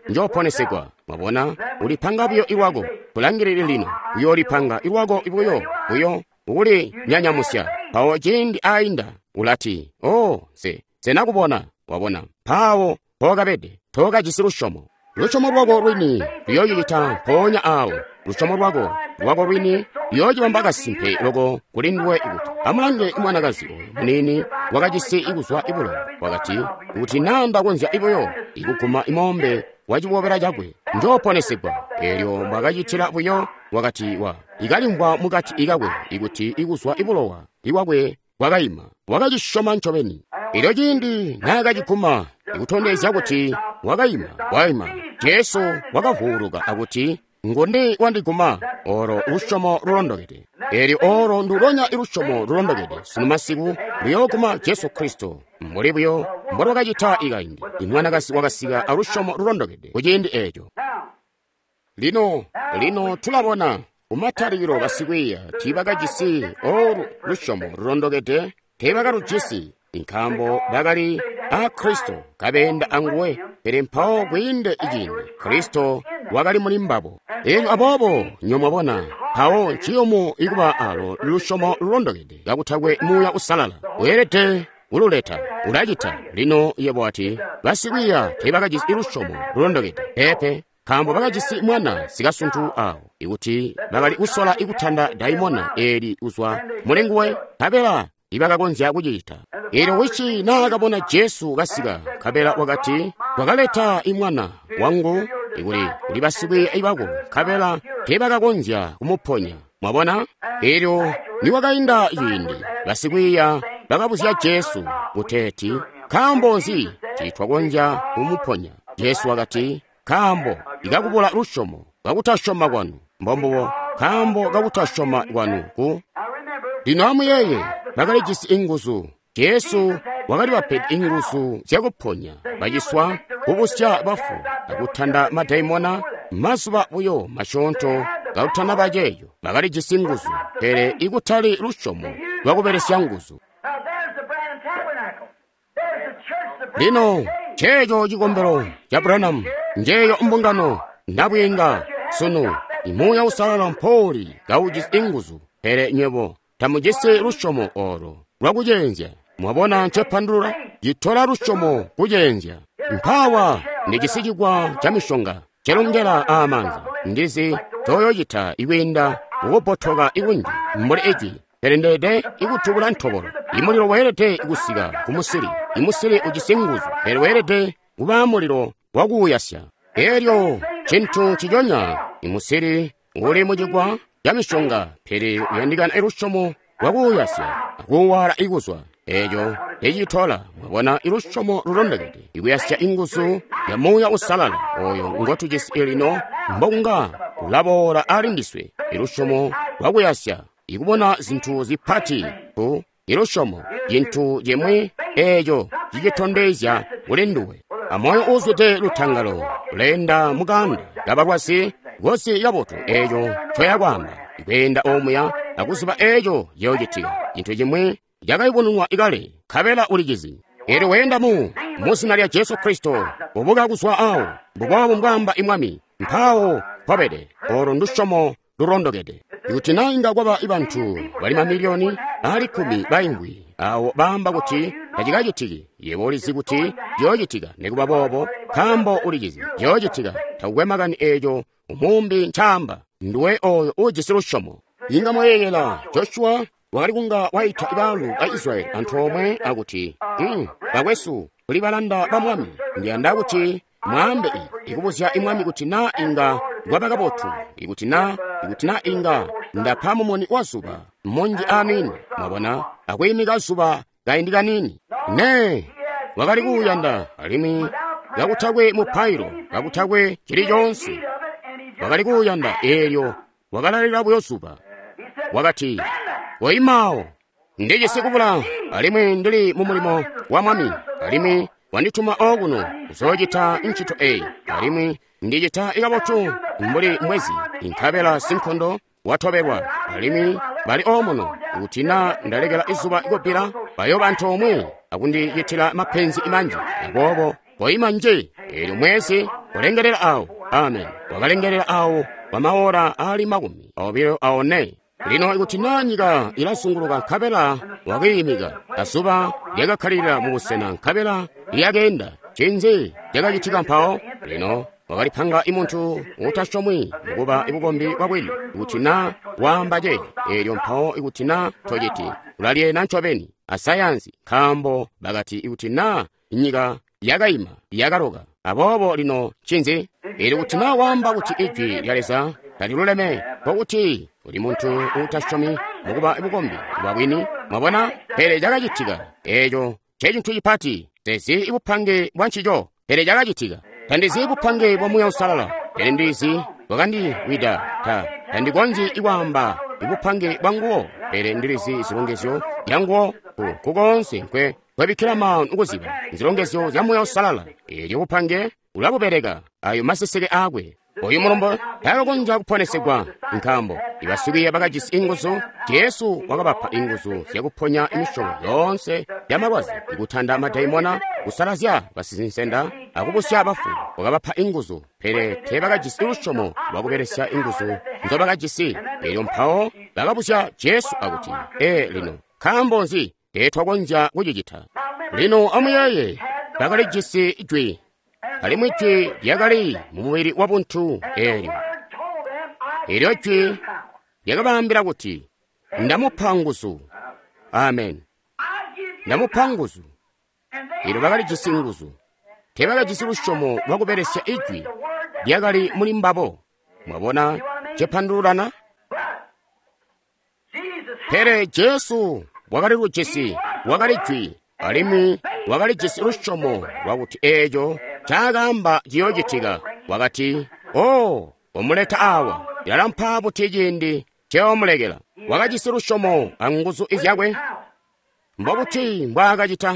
njooponesegwa. Mwabona, ulipanga buyo ilwako. Kulangilili lino, uyoolipanga ilwako buyo uli nyanyamusya. Mpawo ciindi ainda ulati, "Oh, nse nakubona." Wabona, mpawo pookabede, tookajisi lusyomo. Lusyomo lwako lwini luyoocicita mpoonya aawo. Lusyomo lwako lwini luyoocibamba kasimpe loko kuli nduwe kuti, amulange mwanakazi oyo muniini wakajisi ikuzwa ibulowa. Wakati, kuti naa ndakonzya buyo ikuguma imoombe wa cibobela cakwe, njooponesegwa. Eelyo mbwakacitila buyo, wakati ikalimvwa mukati ikakwe ikuti ikuzwa ibulowa iwakwe bwakaima. Wakacisyoma ncobeni. Elyo ciindi naakaciguma ikutondezya kuti wakaima, Jesu wakavuuluka akuti, "Nguni wandiguma?" Olo lusyomo lulondokede. Eelyo olo ndulonya ilusyomo lulondokede sunu masiku luyooguma Jesu Kristo, mbuli buyo mbolwakacita ikaindi. Imwanakazi wakasika alusyomo lulondokede kuciindi eeco. Lino tulabona kumatalikilo basikwiiya tiibakajisi olu lusyomo lulondokede, teebakalujisi, nkaambo bakali a Kristo kabeenda anguwe. Pele mpawo kwiinde iciindi Kristo wakali muli mbabo. Eelyo aboobo nyomwabona, mpawo nciyumu ikuba alo lusyomo lulondokede kakutakwe Muuya Usalala. Weelede kululeta, ulacita. Lino yebo wati, basikwiiya teebakajisi lusyomo lulondokede. Peepe, nkaambo bakajisi mwana sikasuntu awo, ikuti bakali kusola ikutanda daimona eeli kuzwa muli nguwe, nkabela ibakakonzya kucicita. Eelyo wisi naakabona Jesu kasika, nkabela wakati, "Wakaleta imwana wangu ikuli basikwiiya bako, nkabela teebakakonzya kumuponya." Mwabona? Eelyo niwakainda ciindi, basikwiiya bakabuzya Jesu kuteeti, "Nkaambo nzi tiitwakonzya kumuponya?" Jesu wakati, "Nkaambo ikakubula lusyomo, kakutasyoma kwanu." Mbombubo, nkaambo kakutasyoma kwanu ku. Lino amuyeeye, bakalijisi inguzu. Jesu wakalibapede inguzu zyakuponya baciswa, kubusya bafu, akutanda madaimona. Mazuba buyo masyoonto kakutanaba ceeco, bakalijisi nguzu, pele ikutali lusyomo lwakubelesya nguzu. Lino nceeco cikombelo ca Branham, njeeyo mbungano nabwiinga sunu. Imuuya Usalala mpouli kaujisi inguzu, pele nywebo tamujisi lusyomo olo lwakuceenzya. Mwabona ncepandulula? Citola lusyomo kuceenzya. Mpawa ndijisi cikwa ca mishonga celongela aamanza. Ndizi toyoocita ikwiinda kukubbotoka ikunji mbuli ijwi, pele ndeede ikutubula ntobolo. Imulilo weelede kusika kumusili. Imusili ujisi nguzu, pele weelede kubaa mulilo wakuuyasya. Eelyo cintu nciconya, imusili uli mucikwa ca mishonga, pele uyandikana lusyomo lwakuuyasya akuuwaala ikuzwa. Eco ecitola, mwabona, ilusyomo lulondokede, ikuyasya inguzu ya Muuya Uusalala oyo ngotujisi lino, mbokunga ulaboola ali ndiswe. Ilusyomo lwakuyasya, ikubona zintu zipati ku ilusyomo, cintu cimwi eco cicitondezya kuli nduwe. Amoyo uuzwide lutangalo uleenda mukanda kabalwazi kozi kabotu eco ncoya kwaamba, kweenda omuya akuziba eco ciyoocitika. Cintu cimwi cakayubununwa ikale, nkabela ulicizi. Elyo weenda mu zina lya Jesu Kristo, kubuka kuzwa awo, mbuboobo mbwaamba Mwami, mpaawo mpobede. Olo ndusyomo lulondokede. Ikuti na inga kwaba bantu bali mamiliyoni ali 10 baingwi awo baamba kuti tacikacitiki, yebo ulizi kuti ciyoocitika nikuba boobo, nkaambo ulicizi ciyoocitika. Takukwe makani eco umuumbi ncaamba, nduwe oyo uujisi lusyomo. Inga mwayeeyela Joshua wakali kunga waita baalu ba Israyeli antoomwe akuti, bakwesu, kuli balanda ba Mwami, ndiyanda kuti mwaambe ikubuzya Mwami kuti na inga kwaba kabotu, ikuti na inga ndapa mumuni wa zuba munji aniini, mwabona, akwiimika zuba kaindi kaniini. Ne wakali kuuyanda, alimwi kakutakwe mupailo, kakutakwe cili coonse, wakali kuuyanda. Eelyo wakalalila buyo zuba, wakati, koimaawo, ndijisi kubula, alimwi ndili mu mulimo wa Mwami, alimwi wandituma okuno kuzoocita ncito eyi, alimwi ndicita ikabotu mbuli mwezi, nkabela sinkondo watobelwa, alimwi bali omuno. Kuti na ndalekela izuba ikubbila, bayooba antoomwe akundicitila mapenzi manji. Aboobo koima nje. Eelyo mwezi ulengelela awo. Amen. Wakalengelela awo kwa maora ali 24. Lino ikuti na nyika ilazunguluka nkabela wakiimika, azuba lyakakkalilila mu busena nkabela lyakeenda, ncinzi cakacitika mpawo? Lino wakalipanga imuntu utasyomwi mukuba ibukombi bwabwini. Ikuti na waamba ceeci, eelyo mpawo ikuti na tociti, ulalyeena ncobeni asayansi, nkaambo bakati ikuti na nyika yakaima yakaloka. Aboobo lino ncinzi? Eelyo kuti na waamba kuti ijwi lya Leza taliluleme, nkokuti uli muntu uutasyomi mukuba bukombi bwabwini. Mwabona? Pele cakacitika. Eeco ncecintu cipati. Tezi ibupange bwa ncico, pele cakacitika. Tandizi bupange bwa Muuya Uusalala, pele ndizi bwakandiwida. Tandikonzyi kwaamba ibupange bwa nguwo, pele ndilizi zilongezyo zya nguwo. Kukoonse nkwe kwebikkila maanu kuziba zilongezyo zya Muuya Uusalala. Eelyo bupange ulabubeleka ayo maseseke aakwe. Oyu mulombo takakonzya kuponesegwa, nkaambo ibasikwiiya bakajisi inguzu. Jesu wakabapa inguzu zyakuponya imisyobo yoonse yamalwazi, ikutanda madaimona, kusalazya basizinsenda, akubusya bafu. Wakabapa inguzu, pele teebakajisi lusyomo lwakubelesya inguzu nzobakajisi. Eelyo mpawo bakabusya Jesu akuti, lino nkaambo nzi teetwakonzya kucicita? Lino amuyeeye, bakalijisi jwi, alimwi jwi lyakali mu mubili wa buntu. Eelyo jwi lyakabaambila kuti, ndamupa nguzu. Amen. Ndamupa nguzu. Eelyo bakalijisi nguzu. Teebakajisi lusyomo lwakubelesya ijwi lyakali muli mbabo. Mwabona cepandululana? Pele Jesu wakali lujisi, wakali jwi, alimwi wakalijisi lusyomo lwakuti eeco ncaakaamba ciyoocitika. Wakati, "Oh, komuleta awa, cilalampa buti ciindi nceomulekela?" Wakajisi lusyomo anguzu zyakwe. Mbobuti mbwaakacita?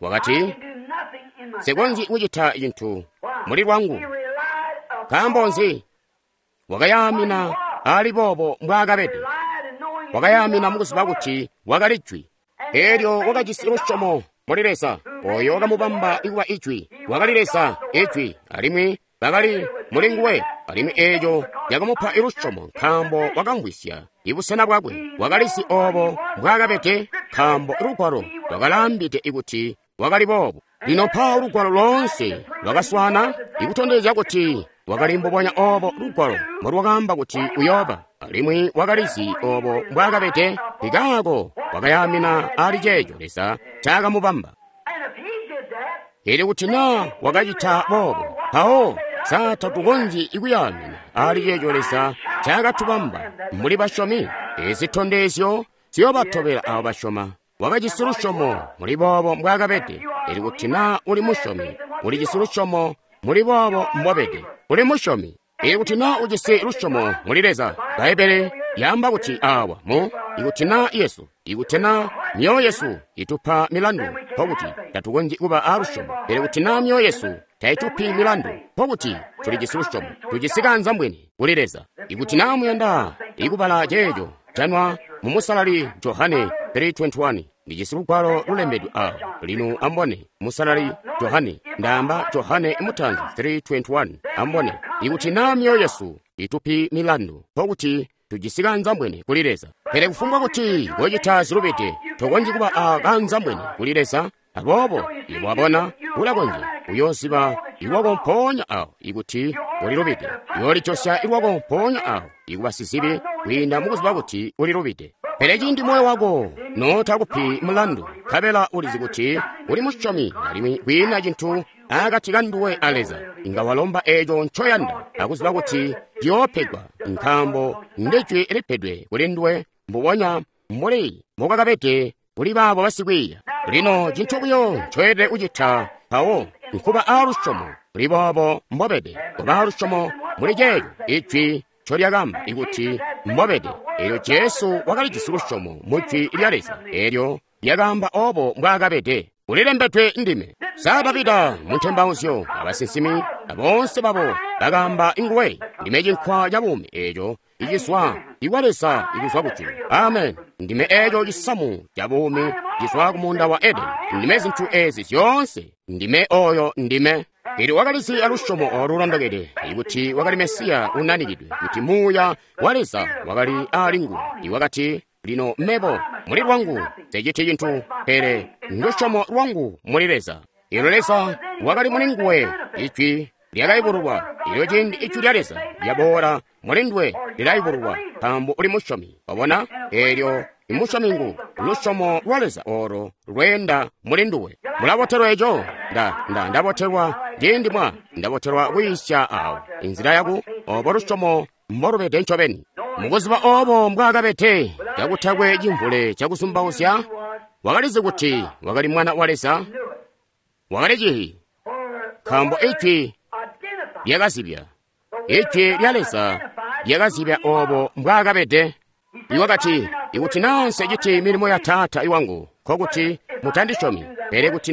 Wakati, "Nsikonzyi kucita cintu muli lwangu." Nkaambo nzi? Wakayaamina ali boobo mbwaakabede. Wakayaamina mukuziba kuti wakali jwi. Eelyo wakajisi lusyomo muli Leza, oyo wakamubamba kuba ijwi. Wakali Leza, ijwi, alimwi bakali muli nguwe. Alimwi eeco yakamupa lusyomo, nkaambo wakamvwisya ibusena bwakwe. Wakalizi oobo mbwaakabede, nkaambo lugwalo lwakalaambide kuti wakali boobo. Lino mpawo lugwalo loonse lwakaswana ikutondezya kuti wakali mbubonya oobo lugwalo mbolwakaamba kuti uyooba. Alimwi wakalizi oobo mbwaakabede, nkaako wakayaamina ali ceeco Leza ncakamubamba. Eelyo kuti naa wakacita boobo, mpawo sa tatukonzyi kuyaamina ali ceeco Leza ncaakatubamba mbuli basyomi? Ezi zitondezyo ziyoobatobela aabo basyoma. Wakajisi lusyomo muli boobo mbwaakabede. Elyo kuti naa uli musyomi, ulijisi lusyomo muli boobo mbobede. Uli musyomi. Ikuti naa ujisi lusyomo muli Leza, Bbaibbele lyaamba kuti awa mu, ikuti naa yesu, ikuti naa myoyo yesu itupa milandu, nkokuti tatukonzyi kuba a lusyomo. Pele kuti naa myoyo yesu taitupi milandu, nkokuti tulijisi lusyomo, tujisi kaanzambwene kuli Leza. Ikuti naa muyanda ikubala ceeco, janwa mu Musalali Johane 3:21. Ndijisi lugwalo lulembedwe awa. Lino ambone, Musalali Johane, ndaamba Johane Mutanzi 3:21. Ambone, ikuti naa myoyo yesu itupi milandu, nkokuti tujisi kaanzambwene kuli Leza. Pele kufumbwa kuti kocita zilubide, tokonzyi kuba a kaanzambwene kuli Leza. Aboobo, iwe wabona, ulakonzya uyooziba iwako mpoonya awo ikuti ulilubide. Uyoolijosya iwako mpoonya awo ikuba sizibi kwiinda mukuziba kuti ulilubide. Pele ciindi moyo wako notakupi mulandu, nkabela ulizi kuti uli musyomi alimwi kwiina cintu akati kanduwe a Leza, inga walomba eeco ncoyanda akuziba kuti ciyoopegwa, nkaambo ndijwi lipedwe kuli nduwe mbubonya mbuli mbokakabede kuli baabo basikwiiya. Lino cintu buyo ncoyelede kucita mpawo nkuba aalusyomo muli boobo mbobede, kuba aalusyomo muli ceeco ijwi ncolyakamba ikuti mbobede. Eelyo Jesu wakalijisi lusyomo mu jwi lya Leza, eelyo lyakaamba oobo mbwaakabede. Ulilembedwe ndime. Sa Davida mu ntembauzyo abasinsimi aboonse babo bakaamba nguwe, ndime cinkwa ca buumi eeco icizwa ikwa Leza ikuzwa kujulu. Amen. Ndime eeco cisamu ca buumi cizwa ku muunda wa Edeni. Ndime zintu ezi zyoonse. Ndime oyo ndime. Elyo wakalizi alusyomo olu lulondokede ikuti wakali Mesiya unanikidwe, kuti Muuya wa Leza wakali ali nguwe. Iwakati, lino mebo muli lwangu nseciti cintu, pele ndusyomo lwangu muli Leza. Elyo Leza wakali muli nguwe, ijwi lyakayubululwa. Elyo ciindi ijwi lya Leza lyaboola muli nduwe lilayubululwa, nkaambo uli musyomi. Wabona? Elyo imusyomi ngu lusyomo lwa Leza olo lweenda muli nduwe. Mulabotelwa eco? Ndabotelwa ciindi mwa ndabotelwa kwiisya awo inzila yaku obo lusyomo mbolubede ncobeni. Mukuziba obo mbwaakabede, kakutakwe cimvule cakuzumbauzya, wakalizi kuti wakali mwana wa Leza. Wakali cihi, nkaambo ijwi lyakazibya. Ijwi lya Leza lyakazibya obo mbwaakabede. Iwakati, ikuti naa nseciti milimo ya Taata iwangu, nkokuti mutandisyomi. Pele kuti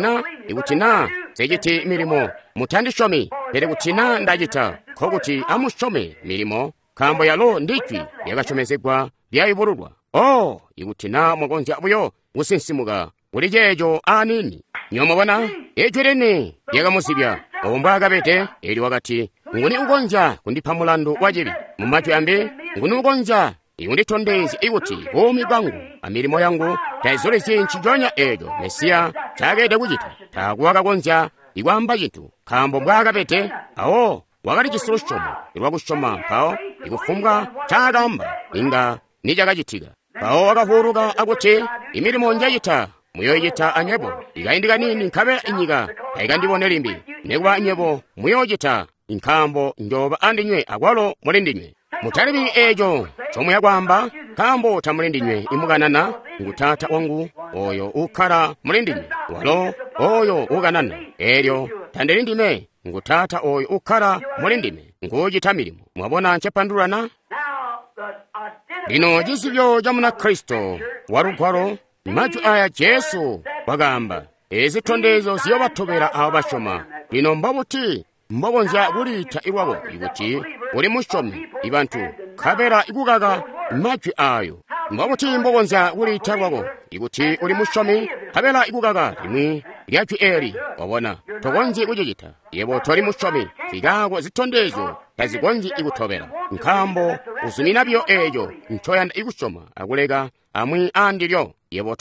naa nseciti milimo, mutandisyomi. Pele kuti naa ndacita, nkokuti amusyome milimo, nkaambo yalo ndijwi lyakasyomezegwa lyayubululwa. Oh, ikuti naa mwakonzya buyo kusinsimuka kuli ceeco aniini. Nyomubona, ijwi lini lyakamuzibya obo mbwaakabede. Elyo wakati, nguni ukonzya kundipa mulandu wa cibi? Mu majwi ambi, nguni ukonzya ikunditondezya ikuti buumi bwangu amilimo yangu taizulizyi nciconya eeco Mesiya ncaakelede kucita? Taakwe wakakonzya ikwaamba cintu, nkaambo mbwaakabede. Awo wakalijisi lusyomo lwakusyoma, mpawo ikufumbwa ncaakaamba inga nicakacitika. Mpawo wakavuuluka akuti, imilimo njacita muyoocita anywebo. Ikaindi kaniini nkabela inyika tayikandibone limbi, nekuba nywebo muyoocita, nkaambo njooba andinywe akwalo muli ndinywe. Mutalibili eeco ncomuya kwaamba, nkaambo tamuli ndinywe imukanana, ngu Taata wangu oyo uukkala muli ndinywe, walo oyo uukanana. Eelyo tandili ndime, ngu Taata oyo uukkala muli ndime, nguucita milimo. Mwabona ncepandulula? Lino cizibyo ca Munakristo wa Lugwalo, majwi aya Jesu wakaamba, ezi zitondezyo ziyoobatobela abo basyoma. Lino mbobuti mbokonzya kuliita ilwako ikuti uli musyomi ibantu, nkabela ikukaka majwi ayo? Mbobuti mbokonzya kuliita lwako ikuti uli musyomi, nkabela ikukaka limwi lya jwi eli? Wabona, tokonzyi kucicita. Yebo toli musyomi, zikaako zitondezyo tazikonzyi ikutobela, nkaambo uzumina biyo eeco ncoyanda ikusyoma akuleka amwi aandilyo. Yebo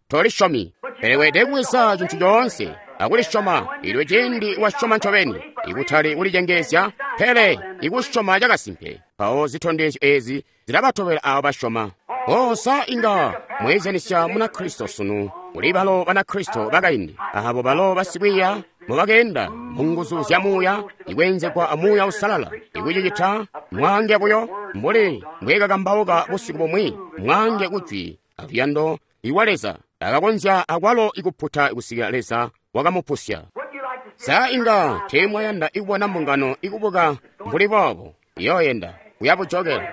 tolisyomi. Pele weelede kubweza cintu coonse akulisyoma. Elyo ciindi wasyoma ncobeni, ikutali kulicengeezya, pele ikusyoma cakasimpe, mpawo zitondezyo ezi zilabatobela abo basyoma. Oh, sa inga mweezyanisya Munakristo sunu kuli balo Banakristo bakaindi, abo balo basikwiiya mubakeenda mu nguzu zya Muuya, ikweenzegwa a Muuya Uusalala, ikucicita mwaange buyo mbuli mbwekakambauka busiku bumwi, mwaange kujwi aluyando iwa Leza. Takakonzya akwalo ikuputa kusikila Leza wakamupusya. Sa inga teemwayanda ikubona mbungano ikubuka mbuli boobo, iyooyenda kuya bujokela.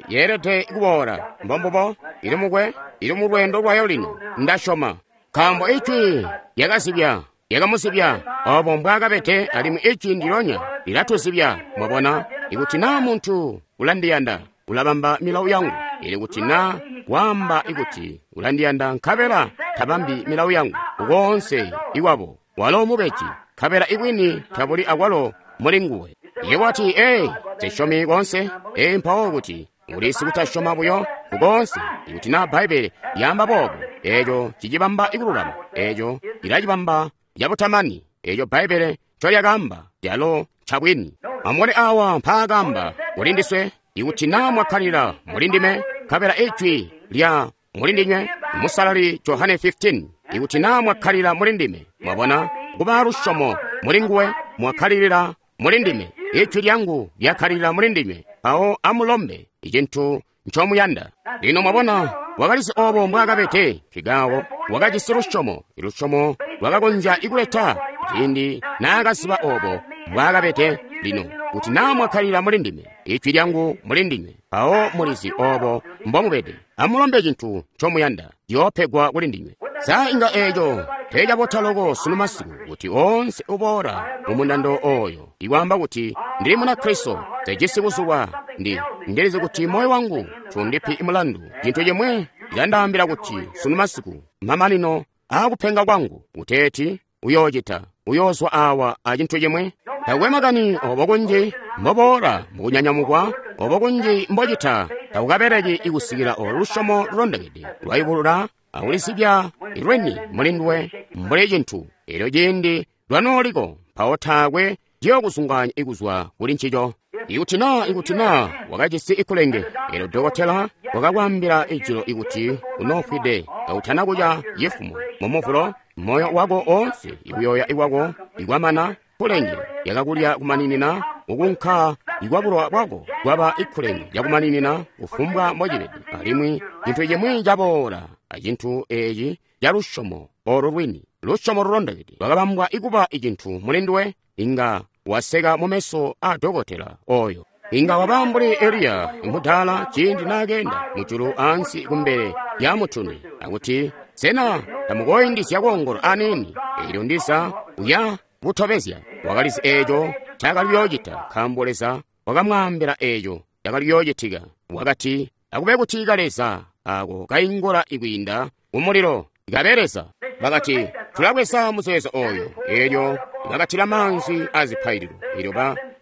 Yeelede kuboola. Mbombubo, ili mukwe, ili mu lweendo lwayo lino, ndasyoma. Nkaambo Ijwi lyakazibya, lyakamuzibya obo mbwaakabede, alimwi Ijwi ndilyonya lilatuzibya. Mwabona, ikuti naa muntu ulandiyanda, ulabamba milawo yangu. Ili kuti naa waamba ikuti ulandiyanda nkabela tabambi milawo yangu, koonse iwabo walo mubeji, nkabela ibwini tabuli akwalo muli nguwe. Iye wati, ee, sisyomi koonse. Ee, mpawo kuti uli sikutasyoma buyo kukoonse. Ikuti naa Bbaibbele lyaamba boobo, eeco cicibamba ikululama, eeco cilacibamba cabutamani. Eeco Bbaibbele ncolyakaamba calo ncabwini. Amubone awa mpaakaamba kuli ndiswe, ikuti naa mwakkalila muli ndime, nkabela ijwi lya muli ndinywe, Musalali Johane 15, ikuti naa mwakkalila muli ndime, mwabona, kuba lusyomo muli nguwe, mwakkalilila muli ndime, ijwi lyangu lyakkalilila muli ndinywe, mpawo amulombe icintu ncomuyanda. Lino mwabona, wakalizi obo mbwaakabede, nkikaako wakajisi lusyomo, ilusyomo lwakakonzya ikuleta ciindi naakaziba obo mbwaakabede. Lino kuti naa mwakkalila muli ndime, ijwi lyangu muli ndinywe, mpawo mulizi obo mbomubede. Amulombe cintu ncomuyanda, ciyoopegwa kuli ndinywe. Sa inga eeco teecabota loko sunu masiku kuti oonse uboola mu mundando oyo ikwaamba kuti ndili Munakristo, sejisi kuzulwa, ndilizi kuti moyo wangu tundipi mulandu. Cintu cimwe cilandaambila kuti sunu masiku mamanino aakupenga kwangu, kuteeti uyoocita, uyoozwa awa a cintu cimwe. Takwe makani obo kunji mboboola mukunyanyamukwa, obo kunji mbocita, takukabeleki ikusikila olo lusyomo lulondokede lwaibulula akulizibya lweni muli nduwe mbuli cintu. Elyo ciindi lwanooliko, mpawo taakwe ciyokuzungaanya ikuzwa kuli ncico. Ikuti naa wakajisi ikulenge, elyo dokotela wakakwaambila ijilo ikuti unoofwide kautana kuca cifumo mumuvulo, moyo wako oonse ikuyoya ikwako ikwamana, kulenge lyakakulya kumaninina, kukunka ikwabulwa bwako kwaba ikulenge lyakumaninina kufumbwa mbocibede. Alimwi cintu cimwi caboola acintu eeci ca lusyomo olo lwini, lusyomo lulondokede lwakabambwa ikuba icintu muli nduwe, inga waseka mumeso a dokotela oyo. Inga waba mbuli Eliya mudaala ciindi naakeenda mujulu ansi kumbele lya mutuni akuti, sena tamukoindizya koongolo aniini? Eelyo ndiza uya butobezya. Wakalizi eeco ncaakali kuyoocita, nkaambo Leza wakamwaambila eeco cakali kuyoocitika. Wakati, akube kuti kaleza ako kaingula ikwiinda kumulilo kabe Leza. Bakati, tulabweza muzeezo oyo. Eelyo bakatila maanzi azipaililo. Eelyo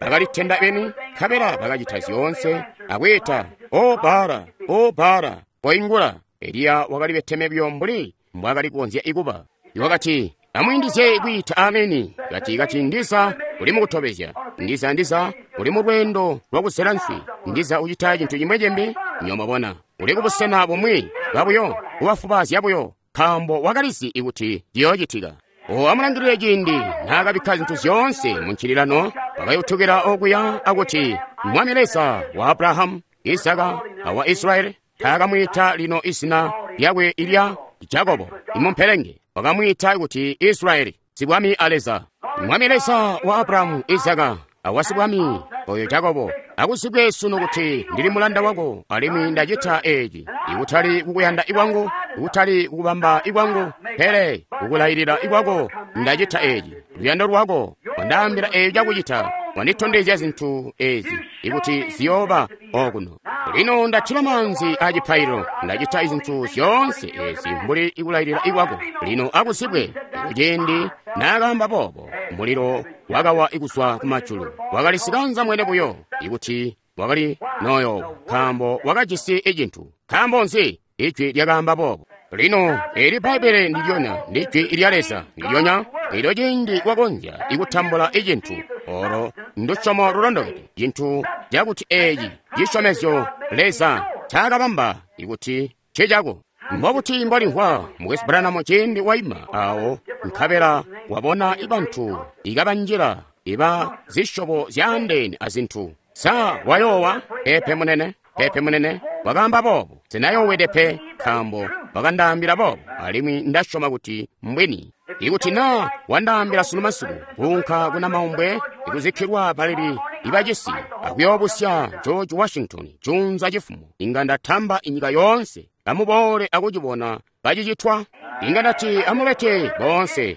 bakalitenda beni, nkabela bakacita zyoonse akwiita, O Baala, O Baala, koingula. Eliya wakali beteme buyo mbuli mbwaakali kukonzya ikuba. Wakati, amwiindizye kwiita ameni. Kati ndiza uli mukutobezya, ndiza uli mu lweendo lwakuzela nswi, ndiza ucita cintu cimwe cimbi. Nyomabona uli kubusena bumwi bwabuyo, kubafubaazya buyo, nkaambo wakalizi ikuti ciyoocitika. O amulangilile ciindi naakabikka zintu zyoonse mu ncililano, wakayutukila okuya akuti, Mwami Leza wa Abrahamu, Isaka awa Israeli, taakamwiita lino izina lyakwe ilya Jakobo imumpelenge, wakamwiita kuti Israeli, sibwami a Leza. Mwami Leza wa Abrahamu, Isaka awa sibwami oyo Jakobo, akuzibwe sunu kuti ndili mulanda wako, alimwi ndacita eeci ikutali kukuyanda ikwangu, ikutali kukubamba ikwangu, pele kukulailila ikwako ndacita eeci. Luyando lwako wandaambila eeci cakucita, wanditondezya zintu eezi ikuti ziyooba okuno. Lino ndatila maanzi acipaililo, ndacita izintu zyoonse eezi mbuli ikulailila ikwako. Lino akuzibwe. Ciindi naakaamba boobo, mulilo wakawa ikuzwa kumajulu. Wakali sikanza mwene buyo ikuti wakali noyo, nkaambo wakajisi icintu. Nkaambo nzi? Ijwi lyakaamba boobo. Lino eli Bbaibbele ndilyonya, ndijwi lya Leza ndilyonya. Elyo ciindi wakonzya ikutambula icintu, olo ndusyomo lulondokede, cintu cakuti eeci cisyomezyo Leza ncaakabamba ikuti ncicako. Mbobuti mbolimvwa Mukwesu Branham ciindi waima awo nkabela wabona ibantu ikabanjila iba zisyobo zyaandeene azintu? Sa wayoowa? Peepe munene, peepe munene. Wakaamba boobo, sinayoowede pe, nkaambo wakandaambila boobo, alimwi ndasyoma kuti mbwini. Ikuti na wandaambila sunu masiku kuunka kuna maumbwe ikuzikkilwa baleli ibacisi akuyoobusya George Washington juunza cifumo, inga ndatamba inyika yoonse amuboole akucibona kacicitwa. Inga ndati amulete boonse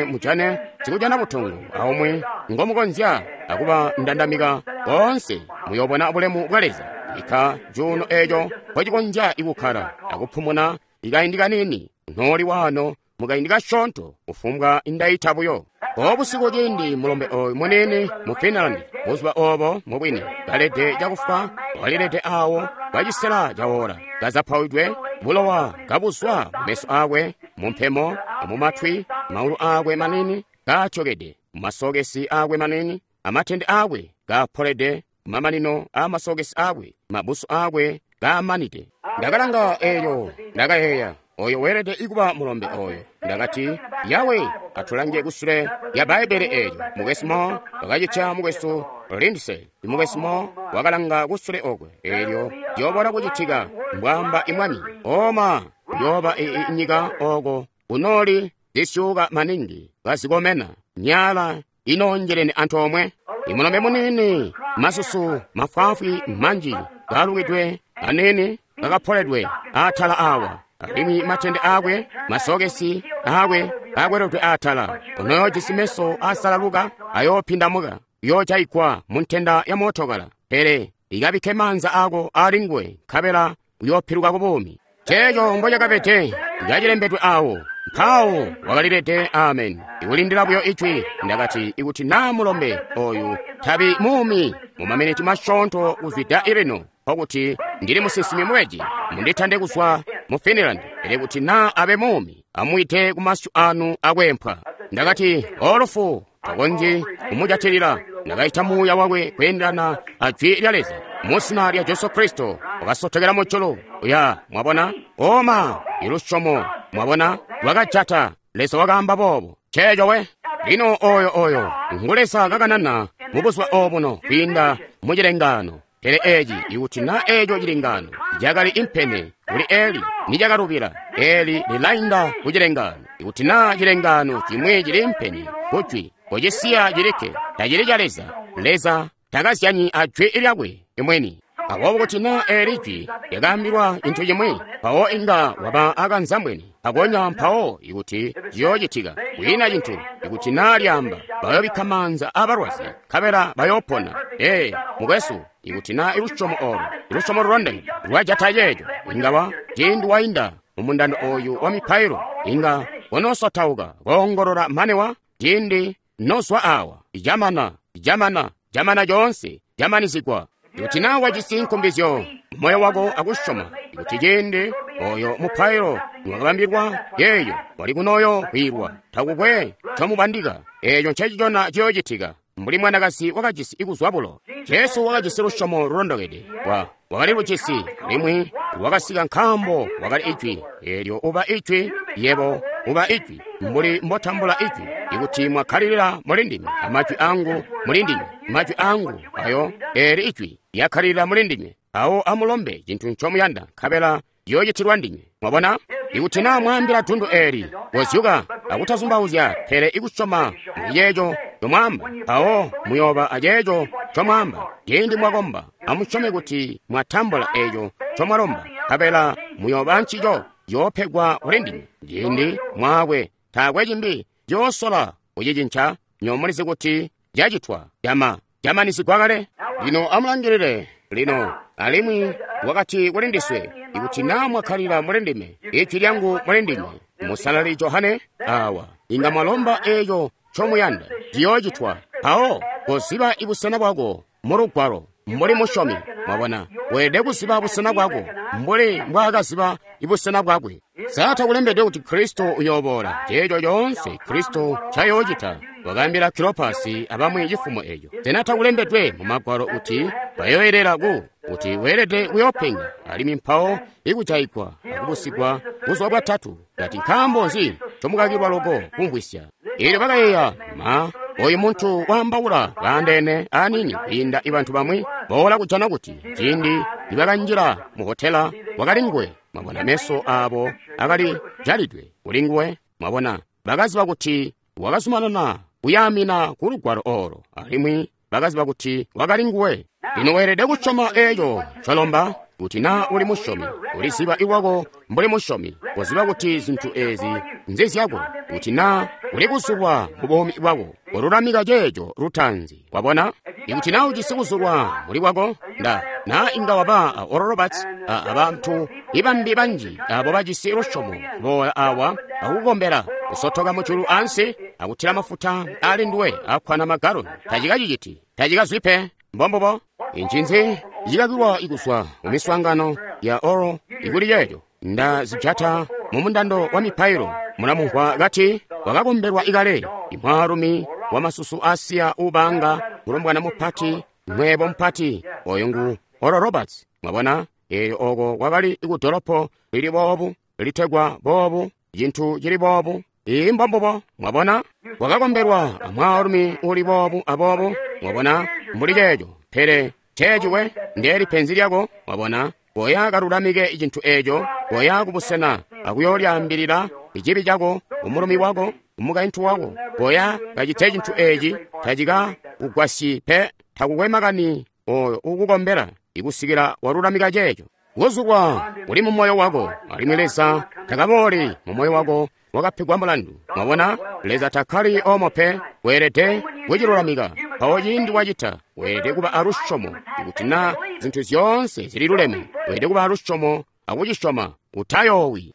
mujane sikujana butongo aumwi ngomukonzya akuba ndandamika boonse, muyobona bulemu bwa Leza. Ika juno eeco mpocikonzya ikukkala akupumuna ikaindi kanini noli wano mukaindi kasyoonto kufumbwa indaita buyo. Obusiku ciindi mulombe oyu munene mu Finland, buzuba obo mubwini kalede cakufa, walilede awo kwacisela cawola, kazapawidwe bulowa kabuzwa mumeso akwe, mumpemo amumatwi, maulu akwe manini katyokede, mumasokesi akwe manini, amatende akwe kapolede, mamanino amasokesi akwe, mabusu akwe kamanide. Ndakalanga eyo, ndakayeeya, oyo weelede ikuba mulombe oyo. Ndakati, Yawe, atulange kusule ya Bbaibele eyo. Mukwesu Mo wakacitya mukwesu Lindsay. Mukwesu Mo wakalanga kusule okwe. Elyo yobola kucitika, mbwamba imwami. Oma, yoba inyika oko kunoli zisyuka maningi kazikomena, nyala inonjelene antoomwe. Imulombe munini, masusu mafwaafwi manji kalukidwe anene kakapoledwe atala awa, alimwi matende akwe, masokesi akwe akweledwe atala. Onoyojisi meso asalaluka ayopindamuka, uyoojayigwa mu ntenda ya mootokala, pele ikabikke maanza ako ali nguwe, nkabela uyoopiluka ku buumi. Ceeco mbocakabede kacilembedwe awo. Mpawo wakalilede. Amen. Ikulindila buyo ijwi. Ndakati, ikuti naa mulombe oyu tabi muumi mu maminiti masyoonto kuzwida ilino, nkokuti ndili musinsimi mubeji, munditande kuzwa mu Finland. Pele kuti naa abe muumi, amwiite ku masyu anu akwempwa. Ndakati, olufu takonzyi kumujatilila. Ndakaita muuya wakwe kweendelana a jwi lya Leza muzina lya Jesu Kristo, wakasotokela mujulu. Uya, mwabona? Oma, ilusyomo, mwabona, lwakajata. Leza wakaamba boobo. Ceeco we. Lino oyo ngu Leza kakanana mu buzuba obuno kwiinda mu cilengaano. Pele eci, ikuti na eco cilengaano cakali impene kuli Eli, nicakalubila. Eli lilainda ku cilengaano. Ikuti na cilengaano cimwi cili impene kujwi, kocisiya cilikke, tacili ca Leza. Leza takazyanyi a jwi lyakwe imweni. Aboobo kuti na eli jwi lyakaambilwa cintu cimwi, mpawo inga waba akanzambweni akonya, mpawo ikuti ciyoocitika kwiina cintu. Ikuti na lyaamba, bayobikka maanza abalwazi nkabela bayoopona. Ee, mukwesu, ikuti na ilusyomo olo, ilusyomo lulondeke lwajata ceeco, inga wa ciindi wainda mumundando oyu wa mipailo, inga konosotauka koongolola mane wa ciindi nozwa awa, camana, camana, camana coonse, camanizigwa. Ikuti na wajisi nkumbizyo moyo wako akusyoma ikuti ciindi oyo mupailo niwakabambilwa yeeyo wali kunoyo kwiilwa, takukwe ncomubandika, eeco ncecicona ciyoocitika. Mbuli mwanakazi wakajisi ikuzwa bulo, Jesu wakajisi lusyomo lulondokede. Wakali lujisi, limwi lwakasika nkaambo wakali ijwi. Eelyo uba ijwi, yebo uba ijwi, mbuli mbotambula ijwi. Ikuti mwakkalilila mulindime, amajwi angu mulindime, majwi angu ayo eeli ijwi lyakkalilila mulindime, awo amulombe cintu ncomuyanda, nkabela ciyoocitilwa ndinywe. Mwabona? Ikuti naa mwaambila dundu eeli, kozyuka akutazumbauzya, pele ikusyoma muliceeco comwaamba, mpawo muyooba aceeco comwaamba. Ciindi mwakomba, amusyome kuti mwatambula eeco comwalomba, nkabela muyooba ancico, ciyoopegwa kulindinywe. Ciindi mwaakwe taakwe cimbi ciyoosola kucicinca, nywebo mulizi kuti cacitwa, camanizigwa kale. Lino amulangilile lino. Alimwi wakati kulindiswe, ikuti naa mwakkalila mulindime, ijwi lyangu mulindime, Musalali Johane awa, inga mwalomba eeco ncomuyanda, ciyoocitwa. Mpawo koziba ibusena bwako mu Lugwalo mbuli musyomi. Mwabona, weelede kuziba busena bwako mbuli mbwaakaziba ibusena bwakwe. Sa takulembedwe kuti Kristo uyooboola? Ceeco coonse Kristo ncayoocita, wakaambila Kilopasi abamwi cifumo eco. Sena takulembedwe mu Magwalo kuti bayoyelela kuti weelede kuyoopenga, alimwi mpawo ikujayigwa akubusigwa buzuba bwatatu? Kati, nkaambo nzi ncomukakilwa loko kumvwisya? Eelyo bakayeeya, ma, oyu muntu waambaula baandeene aniini kwiinda ibantu bamwi. Boola kujana kuti ciindi nibakanjila mu hotela wakali nguwe. Mwabona, meso abo akali jalidwe kuli nguwe. Mwabona, bakaziba kuti wakazumanana kuyaamina ku lugwalo olo, alimwi bakaziba kuti wakali nguwe. Lino weelede kusyoma eco ncolomba. Kuti naa uli musyomi, uliziba iwako mbuli musyomi, koziba kuti zintu ezi nzizyako. Kuti naa uli kuzulwa mu buumi bwako, kolulamika ceeco lutaanzi. Wabona? Ikuti naa ujisi kuzulwa muli kwako, nda naa inga waba a Oral Roberts a abantu ibambi banji abo bajisi lusyomo boola awa akukukombela, kusotoka mujulu ansi akutila mafuta ali nduwe akkwana magaloni, tacikaciciti, tacikazwi pe. Mbombubo. Ncinzi cikakilwa ikuzwa mu miswaangano ya oro ikuli ceeco? Nda zijata mu mundando wa mipailo. Mulamumvwa kati wakakombelwa ikale, imwaalumi wa masusu asiya ubaanga mulombwana mupati, mweebo mupati, oyo ngu Oral Roberts. Mwabona, eyo oko kwakali ikudolopo lili boobu, litegwa boobu, cintu cili boobu. Ii mbombubo. Mwabona, wakakombelwa amwaalumi uli boobu aboobu. Mwabona, mbuli ceeco. Pele ceeciwe ndeeli penzi lyako. Mwabona, koya kalulamike cintu eco, koya kubusena akuyoolyaambilila icibi cako, umulumi wako, umukaintu wako. Koya kacite cintu eci, tacika kugwasyi pe, takukwe makani oyo ukukombela ikusikila walulamika ceeco. Kuzulwa kuli mu moyo wako, alimwi Leza takabooli mu moyo wako wakapegwa mulandu. Mwabona, Leza takkali omo pe, weelede kucilulamika. Mpawo ciindi wacita, weelede kuba alusyomo. Ikuti na zintu zyoonse zili luleme, weelede kuba alusyomo akucisyoma. Utayoowi.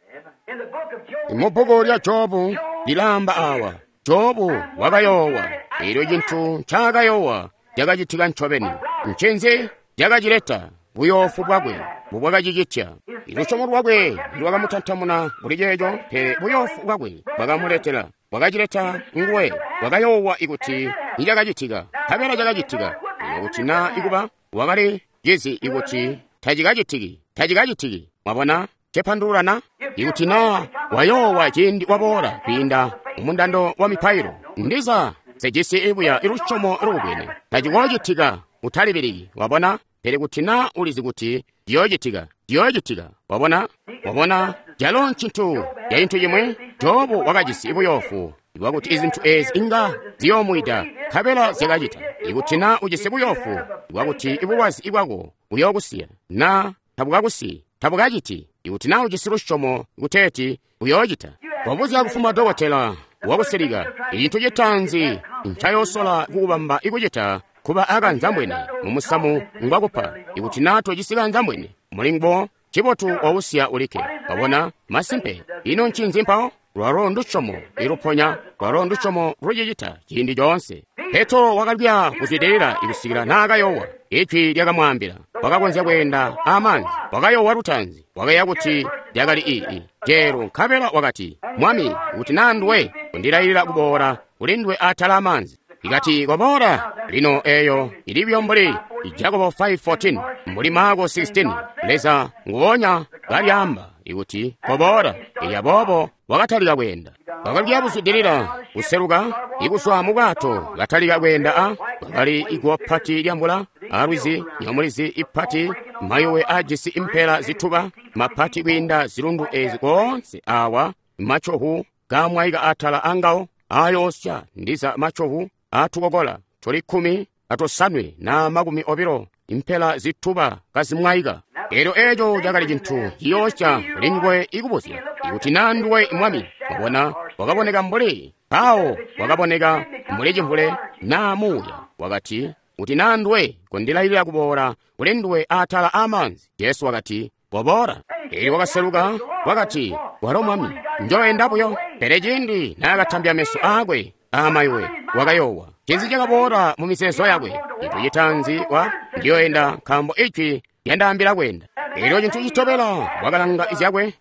Mu bbuku lya Jobu lilaamba awa, Jobu wakayoowa. Elyo cintu ncaakayoowa cakacitika ncobeni. Ncinzi cakacileta? Buyoofu bwakwe mbubwakacicitya. Lusyomo lwakwe lwakamutantamuna kuli ceeco, pele buyoofu bwakwe bwakamuletela, bwakacileta nguwe. Wakayoowa ikuti nicakacitika, nkabela cakacitika. Lino kuti naa ikuba wakali cizi ikuti tacikacitiki, tacikacitiki. Mwabona cepandulula na? Ikuti naa wayoowa ciindi waboola kwiinda mumundando wa mipailo, ndiza sejisi ibuya ilusyomo lukubwene, tacikoocitika. Utalibiliki. Wabona? Pele kuti naa ulizi kuti ciyoocitika, ciyoocitika. Wabona? Wabona, calo ncintu ca cintu cimwi. Jobu wakajisi buyoofu bwakuti izintu ezi inga ziyoomwida, nkabela zyakacita. Ikuti naa ujisi buyoofu bwakuti ibulwazi bwako buyookusiya, naa tabukakusiyi, tabukaciti. Ikuti naa ujisi lusyomo kuteeti buyoocita, wabuzya kufuma dokotela wakusilika, icintu citaanzi ncayoosola kukubamba ikucita kuba akanzambwene mumusamu ngwakupa. Ikuti naa tojisi kanzambwene mulinguwo, cibotu wausiya ulikke. Wabona, masimpe. Ino ncinzi mpawo? Lwalo ndusyomo iluponya, lwalo ndusyomo lucicita ciindi coonse. Petro wakalya kuzwidilila ikusikila naakayoowa. Ijwi lyakamwaambila, wakakonzya kweenda amaanzi. Wakayoowa lutaanzi, wakayeeya kuti lyakali ii jeelo, nkabela wakati, Mwami, kuti naa nduwe, undilailila kuboola kuli nduwe atala amaanzi. Ikati koboola. Lino eyo ili buyo mbuli Jakobo 5:14, mbuli Marko 16. Leza nguonya kalyaamba ikuti koboola. Elyo aboobo wakatalika kweenda. Wakalya buzwidilila kuseluka ikuswa mu bwato, katalika kweenda a kwakali iguwo pati lya mvula alwizi, nyamulizi ipati, mayuwe ajisi impela zituba mapati kwiinda zilundu ezi koonse awa, macohu gamwaika atala angawo ayoosya, ndiza macohu atukokola tuli 15 na 20, impela zituba kazimwaika. Elyo eco cakali cintu ciyoosya kuli nguwe ikubuzya ikuti naa nduwe Mwami. Wabona, wakaboneka mbuli mpawo, wakaboneka mbuli cimvule naa muuya. Wakati, kuti naa nduwe, kondilailila kuboola kuli nduwe atala amaanzi. Jesu wakati, koboola. Elyo wakaseluka, wakati, walo Mwami, njoenda buyo. Pele ciindi naakatambya meso aakwe amayuwe, wakayoowa. Cinzi cakaboola mu mizeezo yakwe? Cintu citaanzi wa ndiyoenda, nkaambo ijwi lyandaambila kweenda. Elyo cintu citobela wakalanga zyakwe,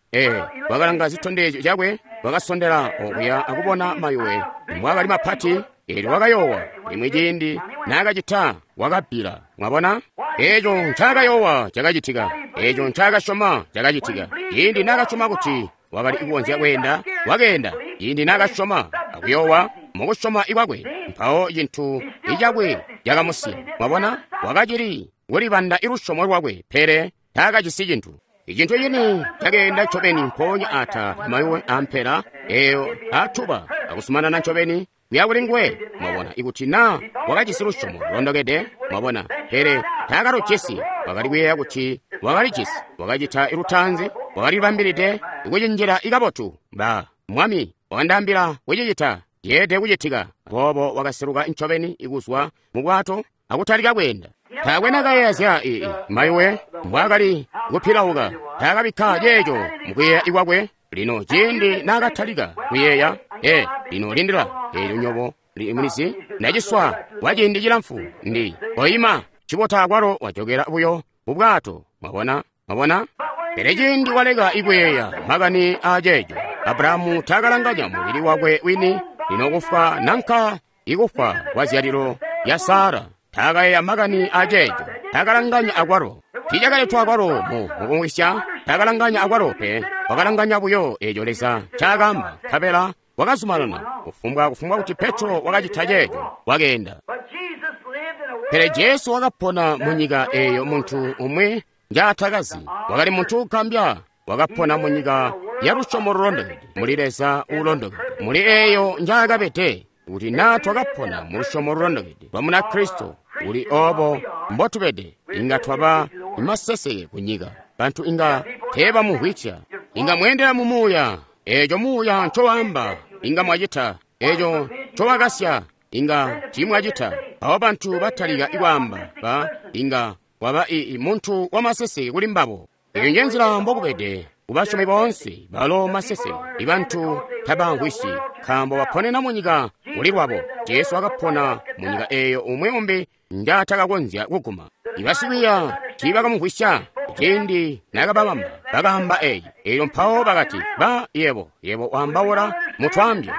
wakalanga zitondezyo zyakwe, wakasondela okuya akubona mayuwe mbwaakali mapati. Elyo wakayoowa. Limwi ciindi naakacita, wakabbila. Mwabona, eco ncaakayoowa cakacitika, eco ncaakasyoma cakacitika. Ciindi naakasyoma kuti wakali kukonzya kweenda, wakeenda. Ciindi naakasyoma akuyoowa mukusyoma ikwakwe, mpawo cintu icakwe cakamusiya. Mwabona, wakacili kulibanda ilusyomo lwakwe, pele taakajisi cintu. Icintu cini cakeenda ncobeni mpoonya ata mayuwe ampela eyo atuba akusumanana ncobeni kuya kuli nguwe. Mwabona, ikuti na wakajisi lusyomo lulondokede, mwabona, pele taakalujisi. Wakali kuyeeya kuti wakalijisi. Wakacita lutaanzi, wakalibambilide kucinjila ikabotu. Ba Mwami wakandaambila kucicita, ceelede kucitika. Aboobo wakaseluka ncobeni kuzwa mu bwato akutalika kweenda. Taakwe nakayeeya zya mayuwe mbwaakali kupilauka. Taakabikka ceeco mukuyeeya kwakwe. Lino ciindi naakatalika kuyeeya, lino lindila, eelyo nyobo mulizi, ndaciswa kwa ciindi cilamfu ndi koima cibota akwalo wajokela buyo mu bwato. Mwabona, mwabona? Pele ciindi waleka ikuyeeya makani aaceeco, Abrahamu taakalanganya mubili wakwe wini, lino kufwa nanka ikufwa kwa zyalilo lya Sara. Taakayeeya makani aaceeco, taakalanganya akwalo. Tiicakaletwa akwalo mu mukumwisya, taakalanganya akwalo pe. Wakalanganya buyo eeco Leza ncaakaamba, nkabela wakazumanana. Kufumbwa kuti Petro wakacita ceeco, wakeenda. Pele Jesu wakapona mu nyika eeyo muntu umwi njaatakazi. Wakali muntu uugambya. Wakapona mu nyika ya lusyomo lulondokede, muli Leza uulondokede, muli eeyo njaakabede. Kuti naa twakapona mu lusyomo lulondokede lwa Munakristo, uli oobo mbotubede, inga twaba maseseke ku nyika. Bantu inga teebamumvwisya. Inga mweendela mu muuya, eeco muuya ncowaamba inga mwacita, eeco ncowakasya inga tiimwacita. Mpawo bantu batalika kwaamba ba inga waba muntu wamaseseke kuli mbabo. Eyo nje nzila mbokubede kubasyomi boonse balo maseseke. Ibantu tabamvwisyi nkaambo baponena mu nyika kuli lwabo. Jesu wakapona mu nyika eeyo umwi umbi njaatakakonzya kuguma. Ibasikwiiya tiibakamumvwisya ciindi naakababamba, bakaamba eeci. Eelyo mpawo bakati, ba yebo waambaula mutwaambyo,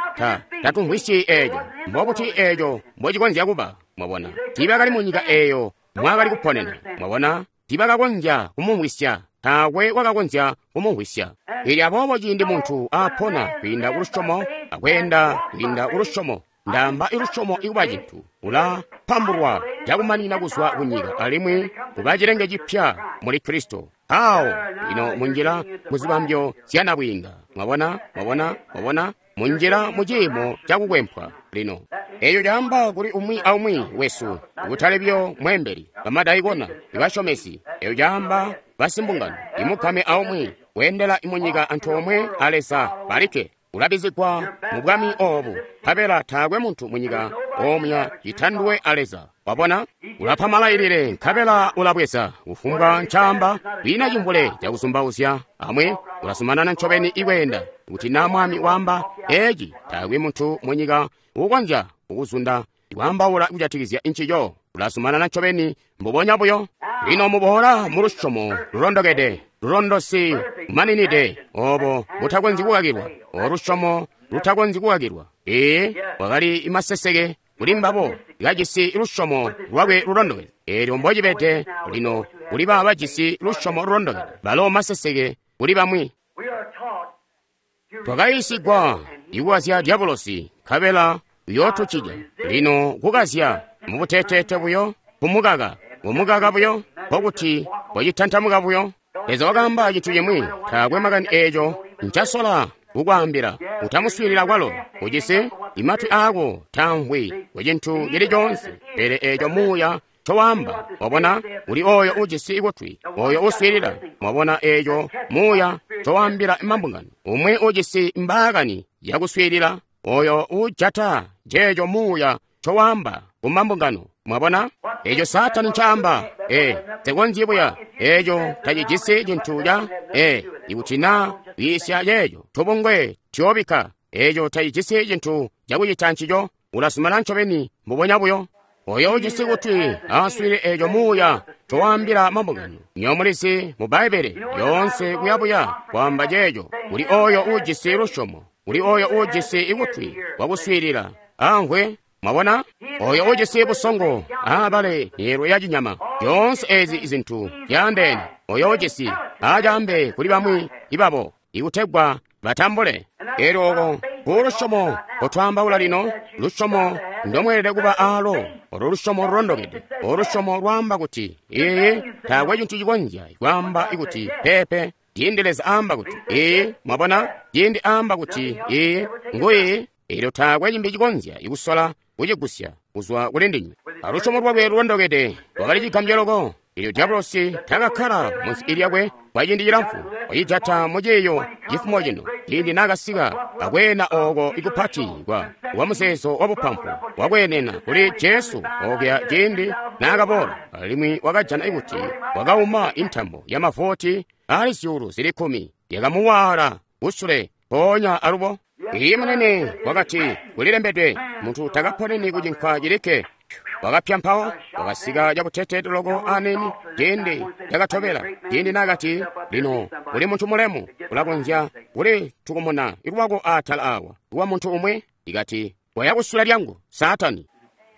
tatumvwisyi eeco. Mbobuti eeco mbocikonzya kuba? Mwabona, tiibakali mu nyika eeyo mwakali kuponena. Mwabona, tiibakakonzya kumumvwisya. Taakwe wakakonzya kumumvwisya. Eelyo aboobo ciindi muntu aapona kwiinda kulusyomo akweenda kwiinda kulusyomo, ndaamba ilusyomo ikuba cintu, ulapambulwa cakumanina kuzwa kunyika alimwi kuba cilenge cipya muli Kristo. Awo lino munjila muzibambyo zya nabwiinga. Mwabona, mwabona, mwabona, munjila mu ciimo cakukwempwa lino. Eeyo caamba kuli umwi aumwi wesu, kutali buyo mweembeli, bamadaikona, ibasyomesi. Eeyo caamba basimbungano, imugame aumwi weendela munyika antoomwe a Leza balikke. Ulabizigwa mu bwami oobu, nkabela taakwe muntu munyika omuya citandwe a Leza. Wabona, ulapa malailile nkabela ulabweza kufumbwa ncaamba, kwiina cimvule cakuzumbauzya. Amwi ulazumanana ncobeni ikweenda. Kuti naa mwami waamba eeci, taakwe muntu munyika uukonzya kukuzunda ikwaambaula kujatikizya ncico. Ulazumanana ncobeni mbubonya buyo. Lino muboola mu lusyomo lulondokede, lulondosi lumaninide, oobo butakonzyi kukakilwa, olusyomo lutakonzyi kukakilwa. Ee, wakali maseseke kuli mbabo, kajisi lusyomo lwakwe lulondokede. Eelyo mbocibede lino kuli baabo bajisi lusyomo lulondokede, balo maseseke kuli bamwi. Twakayiisigwa ikukazya dyabulosi, nkabela uyootucija. Lino kukazya mubuteteete buyo, kumukaka buyo, nkokuti wacitantamuka buyo. Leza wakaamba cintu cimwi, taakwe makani eeco ncasola kukwaambila. Utamuswiilila kwalo, ujisi imatwi aako taamvwi ku cintu cili coonse, pele eeco muuya ncowaamba. Wabona, uli ooyo ujisi kutwi, ooyo uswiilila. Mwabona eeco muuya ncowaambila mambungano. Umwi ujisi mbaakani yakuswiilila, oyo uujata ceeco muuya ncowaamba ku mambungano. Mwabona eeco Saatani ncaamba? Nsekonzyi buya. Eeco tacijisi cintu ca ikuti naa wiisya ceeco tubungwe tuyoobikka. Eeco tacijisi cintu cakucita ncico. Ulazumana ncobeni mbubonya buyo. Oyo ujisi kutwi aswiilile eeco muuya ncowaambila mambungano. Nywebo mulizi mu Bbaibbele yoonse kuyabuya kwaamba ceeco. Kuli oyo uujisi lusyomo, kuli oyo uujisi kutwi kwakuswiilila, amvwe. Mwabona, oyo ujisi busongo aabale myeelwe ya cinyama. Zyoonse eezi zintu zyaandeene. Oyo ujisi aacaambe kuli bamwi ibabo, ikutegwa batambule. Eelyo oko kulusyomo nkotwaambaula lino, lusyomo ndomweelede kuba aalo, olo lusyomo lulondokede, olo lusyomo lwaamba kuti iiyi. Taakwe cintu cikonzya kwaamba kuti peepe ciindi Leza aamba kuti iiyi. Mwabona, ciindi aamba kuti iiyi, ngu iiyi. Eelyo taakwe cimbi cikonzya kusola kucigusya kuzwa kuli ndinywe. Alusyomo lwakwe lulondokede lwakali cigambyo loko. Eelyo dyabulosi takakkala munsi lyakwe kwa ciindi cilamfu. Wacijata mu ciiyo cifumo cino, ciindi naakasika akweena ooko ikupati kwa muzeezo wa bupampu wakweenena kuli Jesu okuya ciindi naakaboola, alimwi wakajana kuti wakauma intambo ya mavoti ali 10,000 yakamuwaala kusule mpoonya alubo. Iiyi munene, wakati, kulilembedwe, muntu takaponeni ku cinkwa cilikke. Wakapya mpawo, wakasika cabutete loko aneni, ciindi cakatobela, ciindi naakati, lino kuli muntu mulemu, ulakonzya kuli tukumuna lwako atala awa, kuwa muntu umwi, ikati, waya kusula lyangu, Saatani.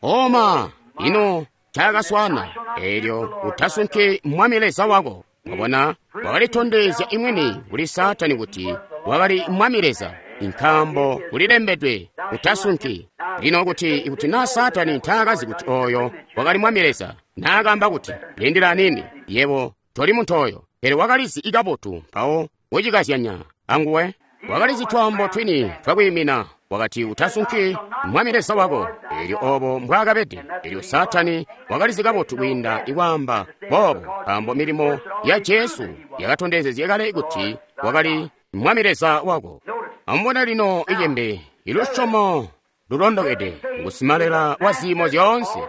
Oma, ino cakaswana, eelyo utasunki Mwami Leza wako. Mwabona, wakalitondezya imwini kuli Saatani kuti wakali Mwami Leza, nkaambo kulilembedwe, utasunki. Lino kuti na Saatani taakazi kuti oyo wakali Mwami Leza, naakaamba kuti, lindila nini, yebo toli muntu oyo, pele wakalizi ikabotu mpawo kucikazyanya anguwe. Wakalizi twaambo twini twakwiimina, wakati utasunki Mwami Leza wako. Eelyo obo mbwaakabede. Eelyo Saatani wakalizi kabotu kwiinda ikwaamba boobo, nkaambo milimo ya Jesu yakatondezezye kale kuti wakali Mwami Leza wako. Amubone lino icembe, ilusyomo lulondokede ngusimalela wa ziimo zyoonse.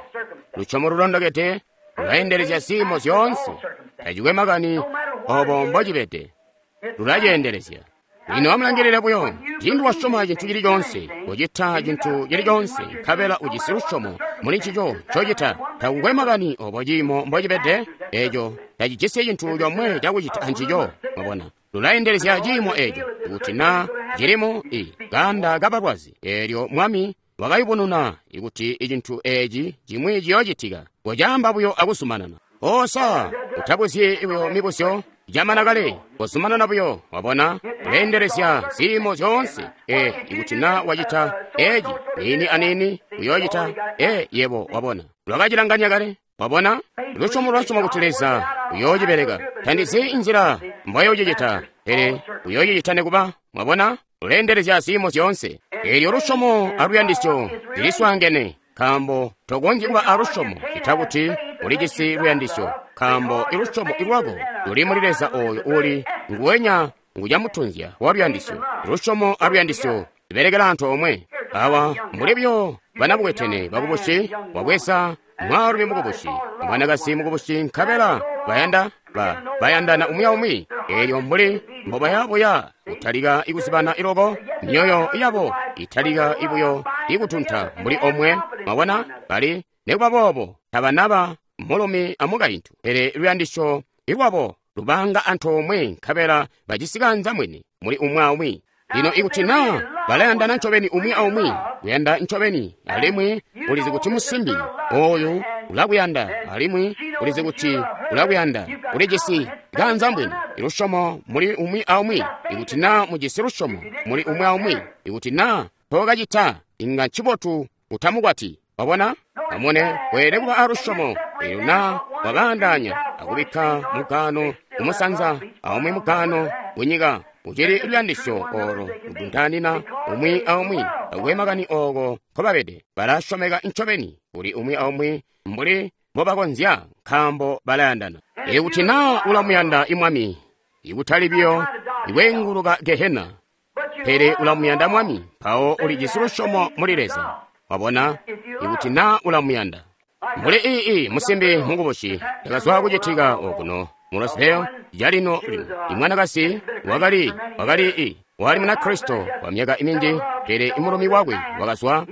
Lusyomo lulondokede lulaendelezya ziimo zyoonse, tacikwe makani obo mbocibede, lulaceendelezya. Lino amulangilile buyo, ciindi wasyoma cintu cili coonse, kucita cintu cili coonse, nkabela ujisi lusyomo muli ncico ncocita, takukwe makani obo ciimo mbocibede, eco tacijisi cintu comwe cakucita ancico. Mwabona, lulaendelezya ciimo eco, kuti na cilimo i kaanda kabalwazi. Eelyo Mwami wakayubununa ikuti icintu eci cimwi ciyoocitika, kocaamba buyo akuzumanana. Osa, utabuzyi buyo mibuzyo, camana kale, kozumanana buyo. Wabona, uleendelezya ziimo zyoonse. Ikuti na wacita eci niini aniini, uyoocita yebo wabona. Lwakacilanganya kale. Wabona, lusyomo lwasyoma kuti Leza uyoocibeleka. Tandizi inzila mbwayoocicita, pele uyoocicita nekuba. Mwabona, uleendelezya ziimo zyoonse. Eelyo lusyomo aluyandisyo ziliswaangene, nkaambo tokonzyi kuba alusyomo cita kuti ulijisi luyandisyo, nkaambo ilusyomo lwako luli muli Leza oyo uli nguwenya ngucamutunzya wa luyandisyo. Lusyomo aluyandisyo zibelekela antoomwe. Awa mbuli buyo banabukwetene bakubusi, wabweza mwaalumi mukubusi, mwanakazi mukubusi, nkabela bayanda bayandana umwi aumwi. Eelyo mbuli mbobaya buya kutalika ikuzibana iloko, myoyo yabo italika ibuyo ikutunta mbuli omwe. Mwabona, bali nekuba boobo tabanaba mulumi amukaintu, pele luyandisyo lwabo lubanga antoomwe, nkabela bajisi kanza mwini muli umwi aumwi. Lino ikuti na balayandana ncobeni umwi aumwi, kuyanda ncobeni, alimwi ulizi kuti musimbi oyu ulakuyanda, alimwi ulizi kuti ulakuyanda, ulijisi kanza mbwini, lusyomo muli umwi aumwi. Ikuti na mujisi lusyomo muli umwi aumwi, ikuti na tokacita, inga ncibotu utamukwati. Wabona, amone weelede kuba alusyomo. Eelyo na wabaandaanya akubikka mugaano kumusanza aumwi mugaano kunyika, ucili luyandisyo olo luduntaanina umwi aumwi. Takukwe makani ooko nkobabede, balasyomeka ncobeni kuli umwi aumwi mbuli mbobakonzya, nkaambo balayandana. Ikuti na ulamuyanda Mwami, ikutali biyo ikweenguluka Gehena, pele ulamuyanda Mwami, mpawo ulijisi lusyomo muli Leza. Wabona, ikuti na ulamuyanda. Mbuli ii musimbi mukubusi yakazwa kucitika okuno mu Roseville calino lino. Imwanakazi wakali wali Munakristo kwa myaka minji, pele imulumi wakwe wakazwa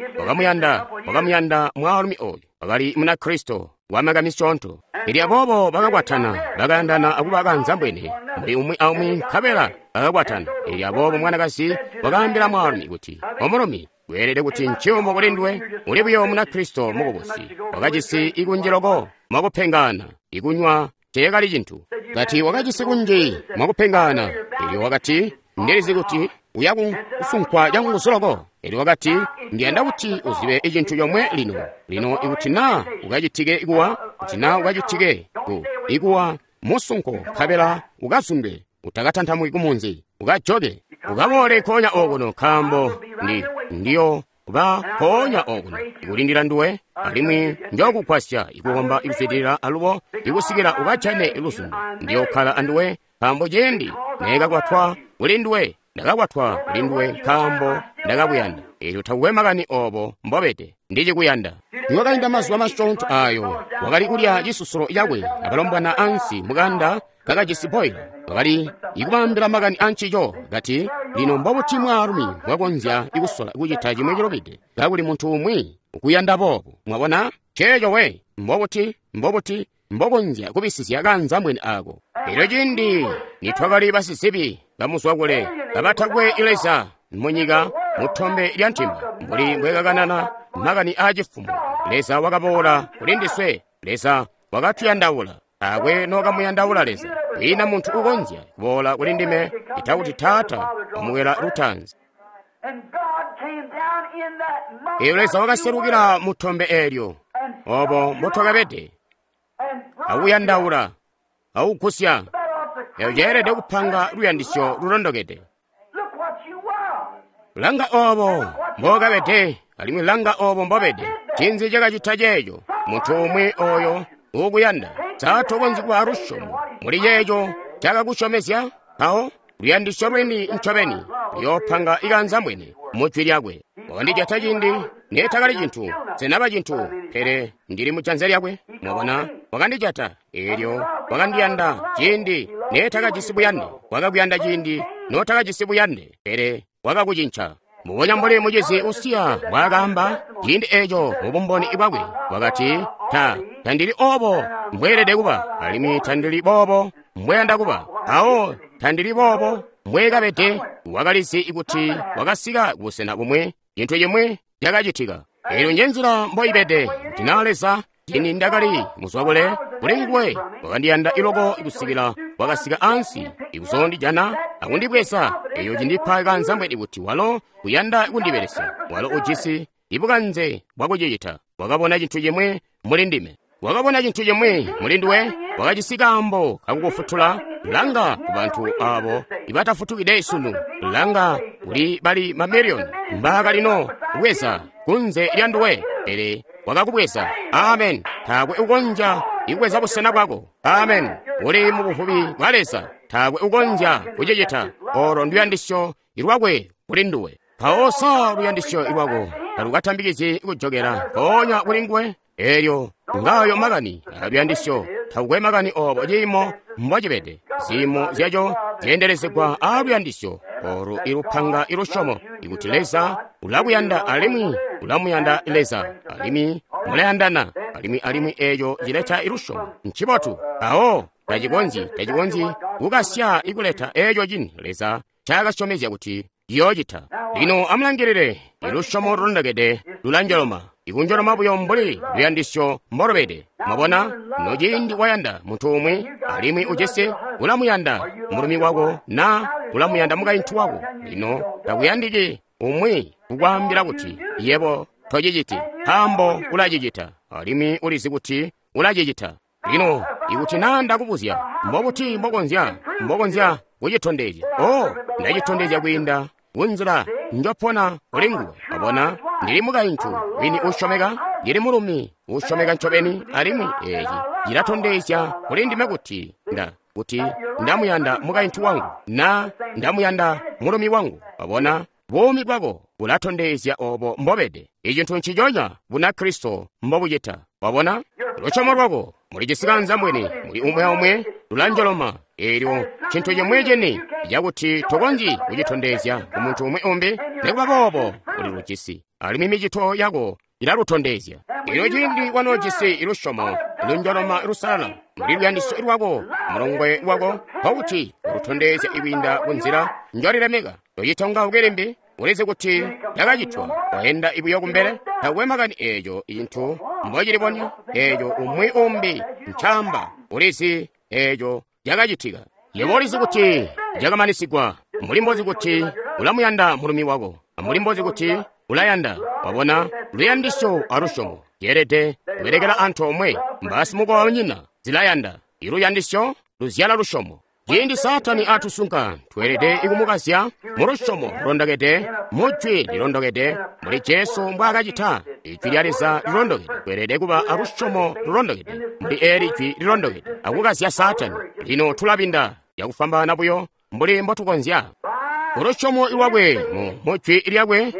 wakamuyanda mwaalumi oyu wakali Munakristo wa myaka misyoonto. Pele aboobo bakakwatana, bakayandana akuba kanzambwene muli umwi aumwi, nkabela bakakwatana. Pele aboobo mwanakazi wakaambila mwaalumi kuti, omulumi, weelede kuti nciyumu kuli nduwe, uli buyo Munakristo mukubusi, wakajisi ikunji loko mwakupengana, ikunywa teekali cintu. Kati wakajisi kunji mwakupengana. Elyo wakati, ndilizi kuti uya kusunkwa canguzu loko. Elyo wakati, Ndi yanda kuti uzibe cintu comwe lino. Lino ikuti na ukacitike kuwa, kuti na ukacitike ku ikuwa musunko, nkabela ukazundwe, utakatantamuki kumunzi, ukajoke, ukaboole nkoonya okuno, nkaambo ndi ndiyo ba nkoonya okuno ikulindila nduwe, alimwi njokugwasya ikukomba ikuzwidilila alubo ikusikila ukajane luzundo. Ndiyokkala anduwe, nkaambo ciindi neekakwatwa kuli nduwe, ndakakwatwa kuli nduwe nkaambo ndakakuyanda. Eelyo takukwe makani obo mbobede, ndicikuyanda. Nikwakainda mazuba masyoonto aayo, wakali kulya cisusulo cakwe abalombwana ansi mukanda kakajisi boila. Wakali ikubaambila makani ancico, kati, lino mbobuti mwaalumi mbwakonzya kusola kucita cimwi cilubide kakuli muntu umwi ukuyanda boobu? Mwabona? Ceeco we, mbobuti, mbobuti mbokonzya kubisizya kanzambwene aako? Elyo ciindi nitwakali basizibi bamuzwakule kabatakwe Leza munyika mutombe lya ntimba, mbuli mbwekakanana makani aacifumo, Leza wakaboola kuli ndiswe. Leza wakatuyandaula. Taakwe nokamuyandaula Leza. Kwiina muntu ukonzya kuboola kuli ndime ita kuti Taata wamukwela lutaanzi. Eelyo Leza wakaselukila mu tombe eelyo, obo mbotwakabede, akuyandaula, akugusya. Eeyo ceelede kupanga luyandisyo lulondokede. Langa obo mbokabede, alimwi langa obo mbobede. Ncinzi cakacita ceeco? Muntu umwi oyo uukuyanda. Sa tokonzyi kuba alusyomo muli ceeco cakakusyomezya? Mpawo luyandisyo lweni ncobeni luyoopanga ikanzambwene mu jwi lyakwe. Wakandijata ciindi neetakali cintu, nsenaba cintu, pele ndili mu janza lyakwe. Mwabona, wakandijata eelyo wakandiyanda ciindi neetakajisi buyande. Wakakuyanda ciindi nootakajisi buyande, pele wakakucinca. Mbubonya mbuli mucizi usiya mbwaakaamba ciindi eeco mu bumboni bwakwe, wakati, Ta, tandili obo mbweelede kuba, alimwi tandili boobo mbweyanda kuba. Awo tandili boobo mbweekabede. Wakalizi kuti wakasika kubusena bumwi, cintu cimwi cakacitika. Eelyo njenzila mboibede kuti naa Leza, ciindi ndakali muzwakule kuli nguwe, wakandiyanda iloko kusikila wakasika ansi ikuzoondijana akundibweza. Eeyo cindipa kanzambwene kuti walo uyanda kundibelesya. Walo ujisi ibukanze bwakucicita. Wakabona cintu cimwi muli ndime. Wakabona cintu cimwi muli nduwe. Wakajisi kaambo kakukufutula. Langa ku bantu abo ibatafutukide sunu. Langa kuli bali mamiliyoni mbaakalino kubweza kunze lya nduwe, pele wakakubweza. Amen. Taakwe ukonzya ikubweza busena bwako. Amen. Uli mu buvubi bwa Leza. Taakwe ukonzya kucicita. Olo nduyandisyo lwakwe kuli nduwe. Mpawo sa luyandisyo lwako talukatambikizyi kujokela mpoonya kuli nguwe? Eelyo ngayo makani aluyandisyo. Takukwe makani obo ciimo mbocibede. Ziimo zyaco zyeendelezegwa aaluyandisyo olu ilupanga ilusyomo ikuti Leza ulakuyanda alimwi ulamuyanda Leza alimwi mulayandana alimwi alimwi eeco cileta ilusyomo. Ncibotu. Mpawo tacikonzyi tacikonzyi kukasya ikuleta eeco cini Leza ncaakasyomezya kuti ciyoocita. Lino amulangilile, ilusyomo lulondokede lulanjoloma, ikunjoloma buyo mbuli luyandisyo mbolubede. Mwabona, nociindi wayanda muntu umwi alimwi ujisi ulamuyanda mulumi wako na ulamuyanda mukaintu wako. Lino takuyandiki umwi kukwaambila kuti yebo tociciti, nkaambo ulacicita, alimwi ulizi kuti ulacicita. Lino ikuti naa ndakubuzya, mbobuti mbokonzya mbokonzya kucitondezya? Oh, ndacitondezya kwiinda kunzila njopona kuli nguwe. Wabona, ndili mukaintu wini uusyomeka, ndili mulumi uusyomeka ncobeni, alimwi eeci cilatondezya kuli ndime kuti nda kuti ndamuyanda mukaintu wangu na ndamuyanda mulumi wangu. Wabona, buumi bwako bulatondezya obo mbobede. Icintu nciconya Bunakristo mbobucita. Wabona, lusyomo lwako mulijisi kanzambwene muli umwi aumwi lulanjoloma. Eelyo cintu cimwi cini cakuti tokonzyi kucitondezya kumuntu umwi umbi, nikuba boobo ulilujisi, alimwi micito yako ilalutondezya. Eelyo ciindi wanoojisi lusyomo lunjoloma lusalala muli luyandisyo lwako mulongwe wako, nkokuti ulutondezya ikwiinda kunzila njolilemeka. Tocitongauki limbi, ulizi kuti cakacitwa, waenda buyo kumbele. Takukwe makani eeco cintu mbocilibonya, eeco umwi umbi ncaamba, ulizi eeco cakacitika. Yebo ulizi kuti cakamanisigwa, mbuli mbozi kuti ulamuyanda mulumi wako, ambuli mbozi kuti Ulayanda. Wabona, luyandisyo a lusyomo zyeelede kubelekela antoomwe. Mbasimukobanyina, zilayanda. I luyandisyo luzyala lusyomo. Ciindi Saatani atusunka, tweelede ikumukazya mu lusyomo lulondokede, mu Jwi lilondokede, mbuli Jesu mbwaakacita. Ijwi lya Leza lilondokede. Tweelede kuba a lusyomo lulondokede mbuli eeli Jwi lilondokede, akukazya Saatani. Lino tulabinda cakufwambaana buyo mbuli mbotukonzya. Ku lusyomo lwakwe mu Jwi lyakwe,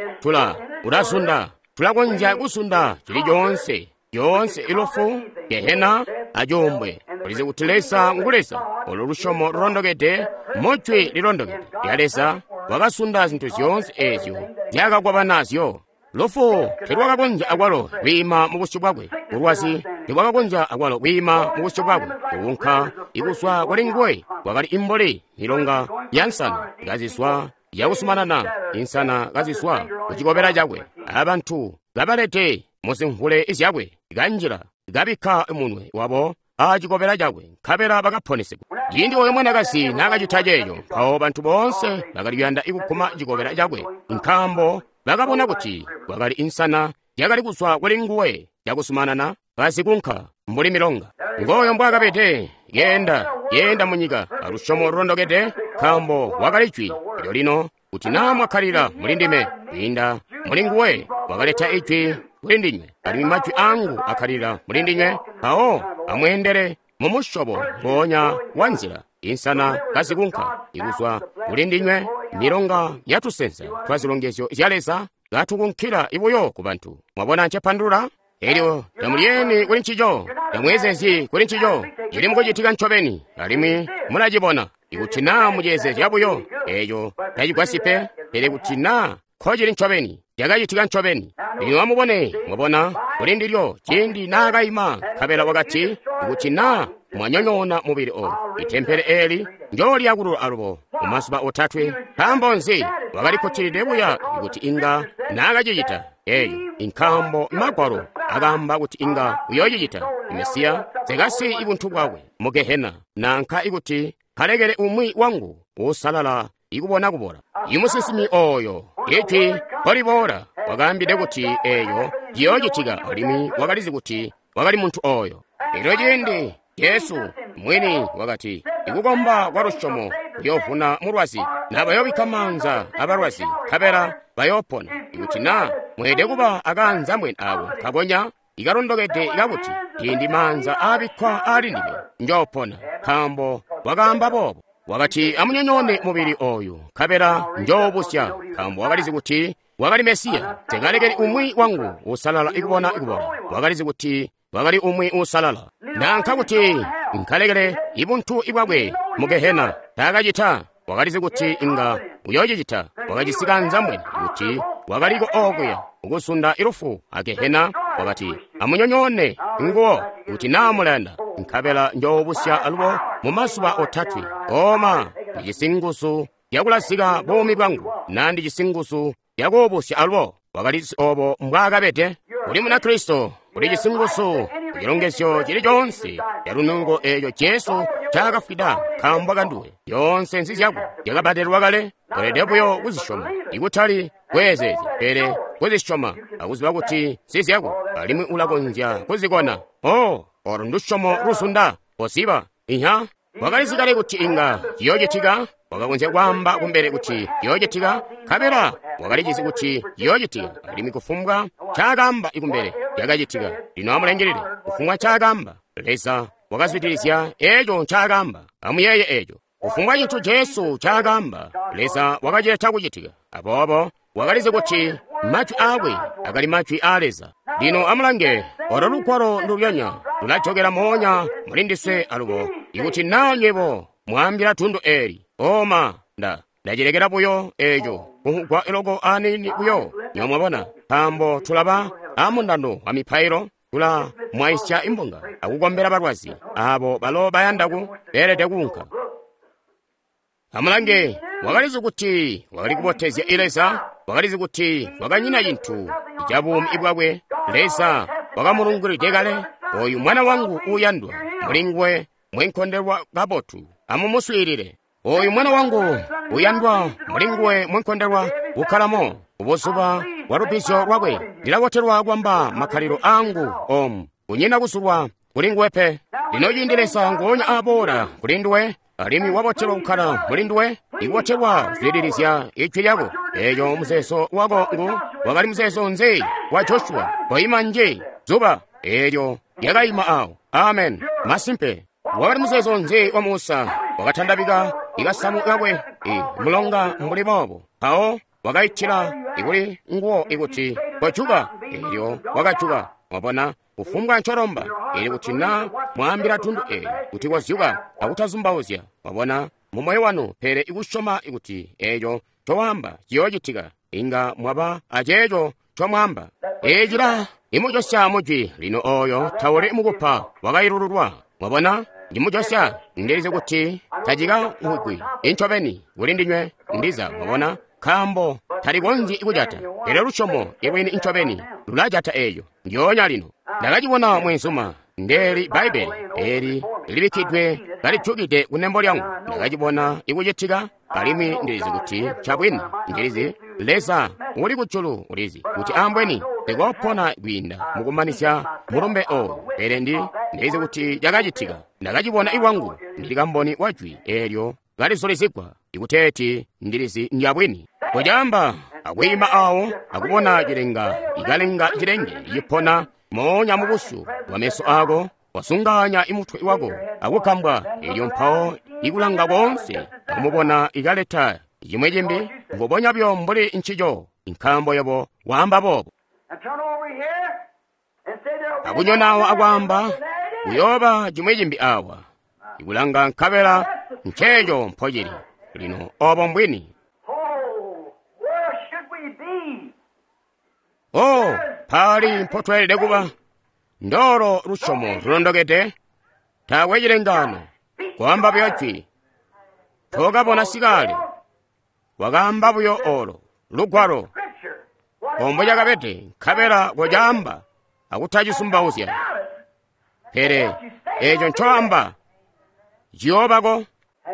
tulazunda. Tulakonzya kuzunda cili coonse, lyoonse ilufu, gehena, acuumbwe. Ulizi kuti Leza ngu Leza. Olo lusyomo lulondokede mu Jwi lilondokede lya Leza wakazunda zintu zyoonse eezyo nzyaakakwaba nazyo. Lufu telwakakonzya akwalo kwiima mu busyu bwakwe. Bulwazi tebwakakonzya akwalo kwiima mu busyu bwakwe. Kuunka ikuzwa kuli nguwe kwakali imbuli milonga ya nsana kazizwa yakusumanana, insana kazizwa ku cikobela cakwe, abantu kabalede muzimvule zyakwe, kanjila kabikka munwe wabo a cikobela cakwe, nkabela bakaponesegwa. Ciindi oyo mwanakazi naakacita ceeco, mpawo bantu boonse bakali kuyanda ikuguma cikobela cakwe, nkaambo bakabona kuti kwakali insana yakali kuzwa kuli nguwe yakusumanana kazikunka mbuli milonga. Ngooyo mbwaakabede, yeenda yeenda munyika alusyomo lulondokede, nkaambo wakali Jwi. Elyo lino kuti naa mwakkalila muli ndime, kwiinda muli nguwe wakaleta Ijwi kuli ndinywe, alimwi majwi aangu akkalila muli ndinywe, mpawo amweendele mumusyobo ngoonya wa nzila, insana kazikunka ikuzwa kuli ndinywe, milonga yatusensa twa zilongezyo zya Leza katukunkila ibuyo ku bantu. Mwabona ncepandulula? Elyo tamulyeni kuli ncico, tamweezezyi kuli ncico, cili mukucitika ncobeni, alimwi mulacibona. Ikuti naa muceezezya buyo, eeco tacigwasyi pe, pele kuti naa nkocili ncobeni, cakacitika ncobeni. Lino amubone, mwabona, kuli ndilyo, ciindi naakaima, nkabela wakati, ikuti naa mwanyonyoona mubili oyu, itempele eeli njooliyakulula alubo mu mazuba otatwe. Nkaambo nzi? Wakali kkutilide buya kuti inga naakacicita eeco, nkaambo Magwalo akaamba kuti inga uyoocicita. Mesiya nsekasiyi ibuntu bwakwe mu gehena, nanka ikuti kalekele umwi wangu uusalala ikubona kubola. Imusinsimi ooyo, Ijwi nkoliboola, wakaambide kuti eeyo ciyoocitika, alimwi wakalizi kuti wakali muntu ooyo. Elyo ciindi Jesu mwini wakati, ikukomba kwa lusyomo kuyoovuna mulwazi, na bayoobikka maanza abalwazi, nkabela bayoopona. Ikuti naa mweelede kuba akaanzambwene aako nkakonya ikalondokede kakuti ciindi maanza aabikkwa aali ndime njoopona, nkaambo wakaamba boobo. Wakati, amunyonyoone mubili ooyu, nkabela njoobusya, nkaambo wakalizi kuti wakali Mesiya. Nsekalekeli umwi wangu uusalala ikubona kubola. Wakalizi kuti wakali umwi uusalala, nanka kuti nkalekele ibuntu ibwakwe mu gehena. Taakacita. Wakalizi kuti inga uyoocicita. Wakajisi kaanzambwene kuti wakaliko okuya ukuzunda ilufu a gehena. Wakati, amunyonyoone nguwo kuti naa mulayanda, nkabela njoobusya alubo mu mazuba otatwe. Oma, ndijisi nguzu zyakulazika buumi bwangu, naa ndijisi nguzu zyakuubusya alubo. Wakalizi obo mbwaakabede. Uli Munakristo, ulijisi nguzu kucilongezyo cili coonse calunungo eeco Jesu ncaakafwida nkaambo kanduwe. Zyoonse nzizyako, zyakabbadelwa kale. Weelede buyo kuzisyoma, ikutali kweezeezya, pele kuzisyoma akuziba kuti nzizyako, alimwi ulakonzya kuzikona. Oh, olo ndusyomo luzunda. Koziba. Inya, wakalizi kale kuti inga ciyoocitika. Wakakonzya kwaamba kumbele kuti ciyoocitika, nkabela wakalicizi kuti ciyoocitika, alimwi kufumbwa ncaakaamba kumbele cakacitika. Lino amulangilile, kufumbwa ncaakaamba, Leza wakazwidilizya eeco ncaakaamba. Amuyeeye eeco. Kufumbwa cintu Jesu ncaakaamba, Leza wakacileta kucitika. Aboobo wakalizi kuti majwi aakwe akali majwi aa Leza. Lino amulange, olo lugwalo ndulyonya lulajokela moonya muli ndiswe alubo. Ikuti naa nywebo mwaambila tundu eeli, oma, ndacilekela buyo eeco kuhugwa loko aniini buyo, nywebo mwabona, nkaambo tulaba amundando wa mipailo, tula mwaisya imbunga akukombela balwazi, aabo balo bayanda ku beelede kuunka. Amulange, wakalizi kuti wakali kubotezya Leza, wakalizi kuti wakanyina cintu ca buumi bwakwe. Leza wakamulungulide kale, oyu mwana wangu uuyandwa, muli nguwe mwenkondelwa kabotu, amumuswiilile. Oyu mwana wangu uyandwa, muli nguwe mwenkondelwa kukkalamo. Kubuzuba wa lubbizyo lwakwe. Ndilabotelwa kwamba makkalilo angu omu. Kunyina kusulwa kuli nguwe pe. Lino ciindi Leza nguonya aboola kuli nduwe, alimwi wabotelwa kukkala muli nduwe, ikubotelwa kuzwidilizya ijwi lyako. Eeco muzeezo wako ngu wakali muzeezo nzi wa Joshua? Koima nji zuba eelyo lyakaima awo. Amen. Masimpe. Wakali muzeezo nzi wa Musa? Wakatandabika ikasamu kakwe mulonga mbuli boobo, mpawo wakaitila ikuli nguwo ikuti kojuka, eelyo wakajuka. Mwabona, kufumbwa ncolomba, ili kuti na mwaambila tundu eli kuti kozyuka akutazumbauzya, mwabona, mu moyo wanu, pele ikusyoma ikuti eeco ncowaamba ciyoocitika, inga mwaba aceeco ncomwaamba. Eeci imujosya mujwi lino ooyo tauli mukupa wakailululwa. Mwabona, ndimujosya, ndilizi kuti tacikamvwigwi incobeni kuli ndinywe ndiza, mwabona, nkaambo talikonzyi kujata. Pele lusyomo ilwini incobeni lulajata eeco ndyoonya lino. Ndakacibona mweenzuma, ndeeli Bbaibbele eeli libikkidwe kalijukide kunembo lyangu. Ndakacibona ikucitika, alimwi ndilizi kuti ncabwini. Ndilizi Leza uli kujulu ulizi kuti ambweni ndikoopona kwiinda mukumanizya mulumbe ooyu, pele ndilizi kuti cakacitika. Ndakacibona iwangu, ndili kamboni wa jwi eelyo kalizulizigwa, ikuteeti ndilizi ndyabwini. Kucaamba akwiima awo akubona cilenga ikalenga cilenge cipona moonya mubusyu bwa meso ako, wasunganya imutwe wako akukambwa, eelyo mpawo ikulanga koonse akumubona ikaleta cimwe cimbi mbubonya byo mbuli ncico, nkaambo yobo waamba boobo. Akunyonawo akwaamba kuyooba cimwe cimbi awa, ikulanga nkabela nceeco mpocili lino. Obo mbwini. Oh, pali mpotweelede kuba. Ndolo lusyomo lulondokede, taakwe cilengano, kwaamba buyo jwi. Tokabona sikale, wakaamba buyo olo lugwalo ombo cakabede, nkabela kocaamba akutacisumbauzya. Pele eeco ncoamba ciyoobako.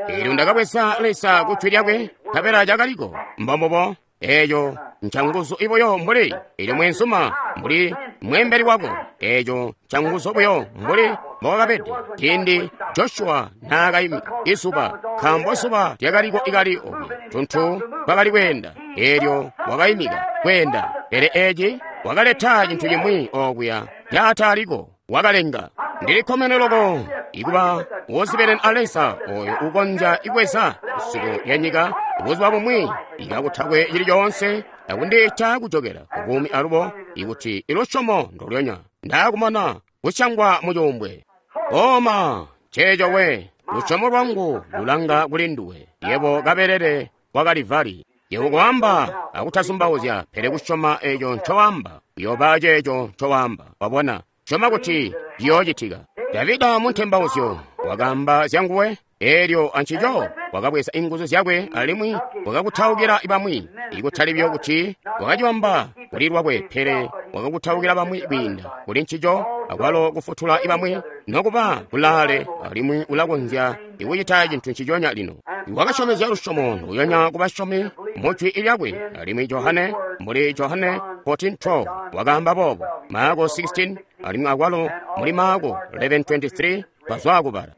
Eelyo ndakabweza Leza ku jwi lyakwe, nkabela cakaliko. Mbombubo, eeco ncanguzu ibuyo mbuli eelyo mweenzuma mbuli mweembeli wako. Eeco ncanguzu buyo mbuli mbowakabede ciindi Joshua naakaimika izuba, nkaambo zuba lyakaliko ikali okuya, tuntu twakali kweenda. Eelyo wakaimika kweenda, pele eeci wakaleta cintu cimwi okuya caataaliko, wakalenga. Ndilikkomene loko ikuba wozibeleni a Leza oyo ukonzya ikweza isuko lya nyika buzuba bumwi ikakutakwe cili coonse akundiita kujokela kubuumi alubo, ikuti ilusyomo ndolyonya ndaakumana kusyangwa mucuumbwe. Oma nceeco we, lusyomo lwangu lulanga kuli nduwe, yebo kabelele wa Kalivali. Yebo kwaamba akutazumbauzya, pele kusyoma eeco ncowaamba, uyooba ceeco ncowaamba. Wabona, syoma kuti ciyoocitika. Davida muntembauzyo wakaamba zyanguwe, eelyo ancico wakabweza inguzu zyakwe alimwi wakakutaukila bamwi, ikutali buyo kuti wakacibamba kuli lwakwe, pele wakakutaukila bamwi kwiinda kuli ncico, akwalo kufutula bamwi nokuba kulaale, alimwi ulakonzya ikucita cintu nciconya lino. Wakasyomezya lusyomo nduyonya kubasyomi mujwi lyakwe, alimwi Johane mbuli Johane 14:12 wakaamba boobo, Maako 16, alimwi akwalo muli Maako 11:23 bazwa kubala.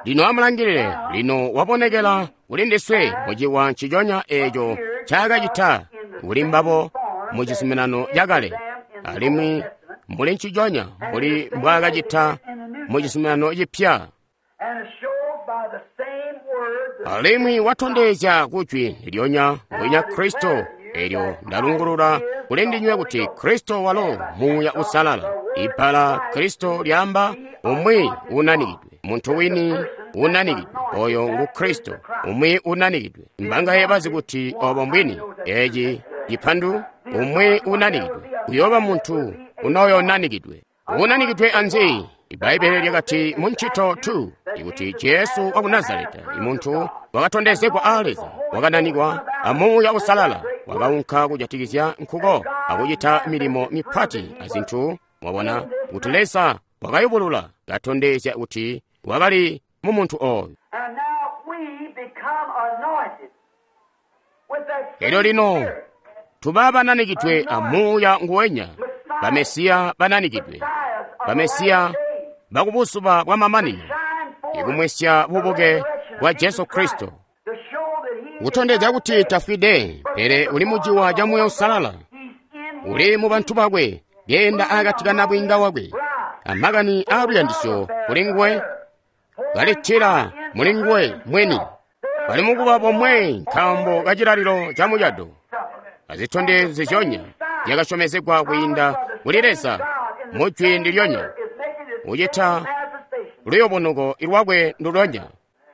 Lino amulangilile, lino wabonekela kuli ndiswe muciwa nciconya eeco ncaakacita kuli mbabo mu cizuminano cakale, alimwi muli nciconya mbuli mbwaakacita mu cizuminano cipya. Alimwi watondezya kujwi ndilyonya mbwinya Kristo, eelyo ndalungulula kuli ndinywe kuti Kristo walo Muuya Uusalala. Ibbala Kristo lyaamba umwi unanikidwe, muntu wini unanikidwe, oyo ngu Kristo, umwi unanikidwe. Mbangaye bazi kuti obo mbwini? Eci cipandu umwi unanikidwe uyooba muntu unoyonanikidwe. Unanikidwe anzi? Ibbaibbele lyakati mu Ncito 2 ikuti Jesu waku Nazareta, imuntu wakatondezegwa a Leza, wakananikwa a Muuya Uusalala, wakaunka kujatikizya nkuko akucita milimo mipati azintu. Mwabona kuti Leza wakayubulula katondezya kuti wakali mu muntu oyu. Elyo lino Tuba bananikidwe a Muuya nguwenya, bamesiya bananikidwe, bamesiya bakubuzuba bwa mamanino, ikumwesya bubuke bwa Jesu Kristo, kutondezya kuti tafwide, pele uli muciwa ca Muuya Uusalala, uli mu bantu bakwe, keenda akati ka nabwiinga wakwe, amakani aaluyandisyo kuli nguwe, kalitila muli nguwe mweni, bali mukuba bomwe nkaambo ka cilalilo ca mucado, azitondezyo zizyonya zyakasyomezegwa kwiinda kuli Leza mu jwi ndilyonya, ucita luyobonuko lwakwe ndulonya.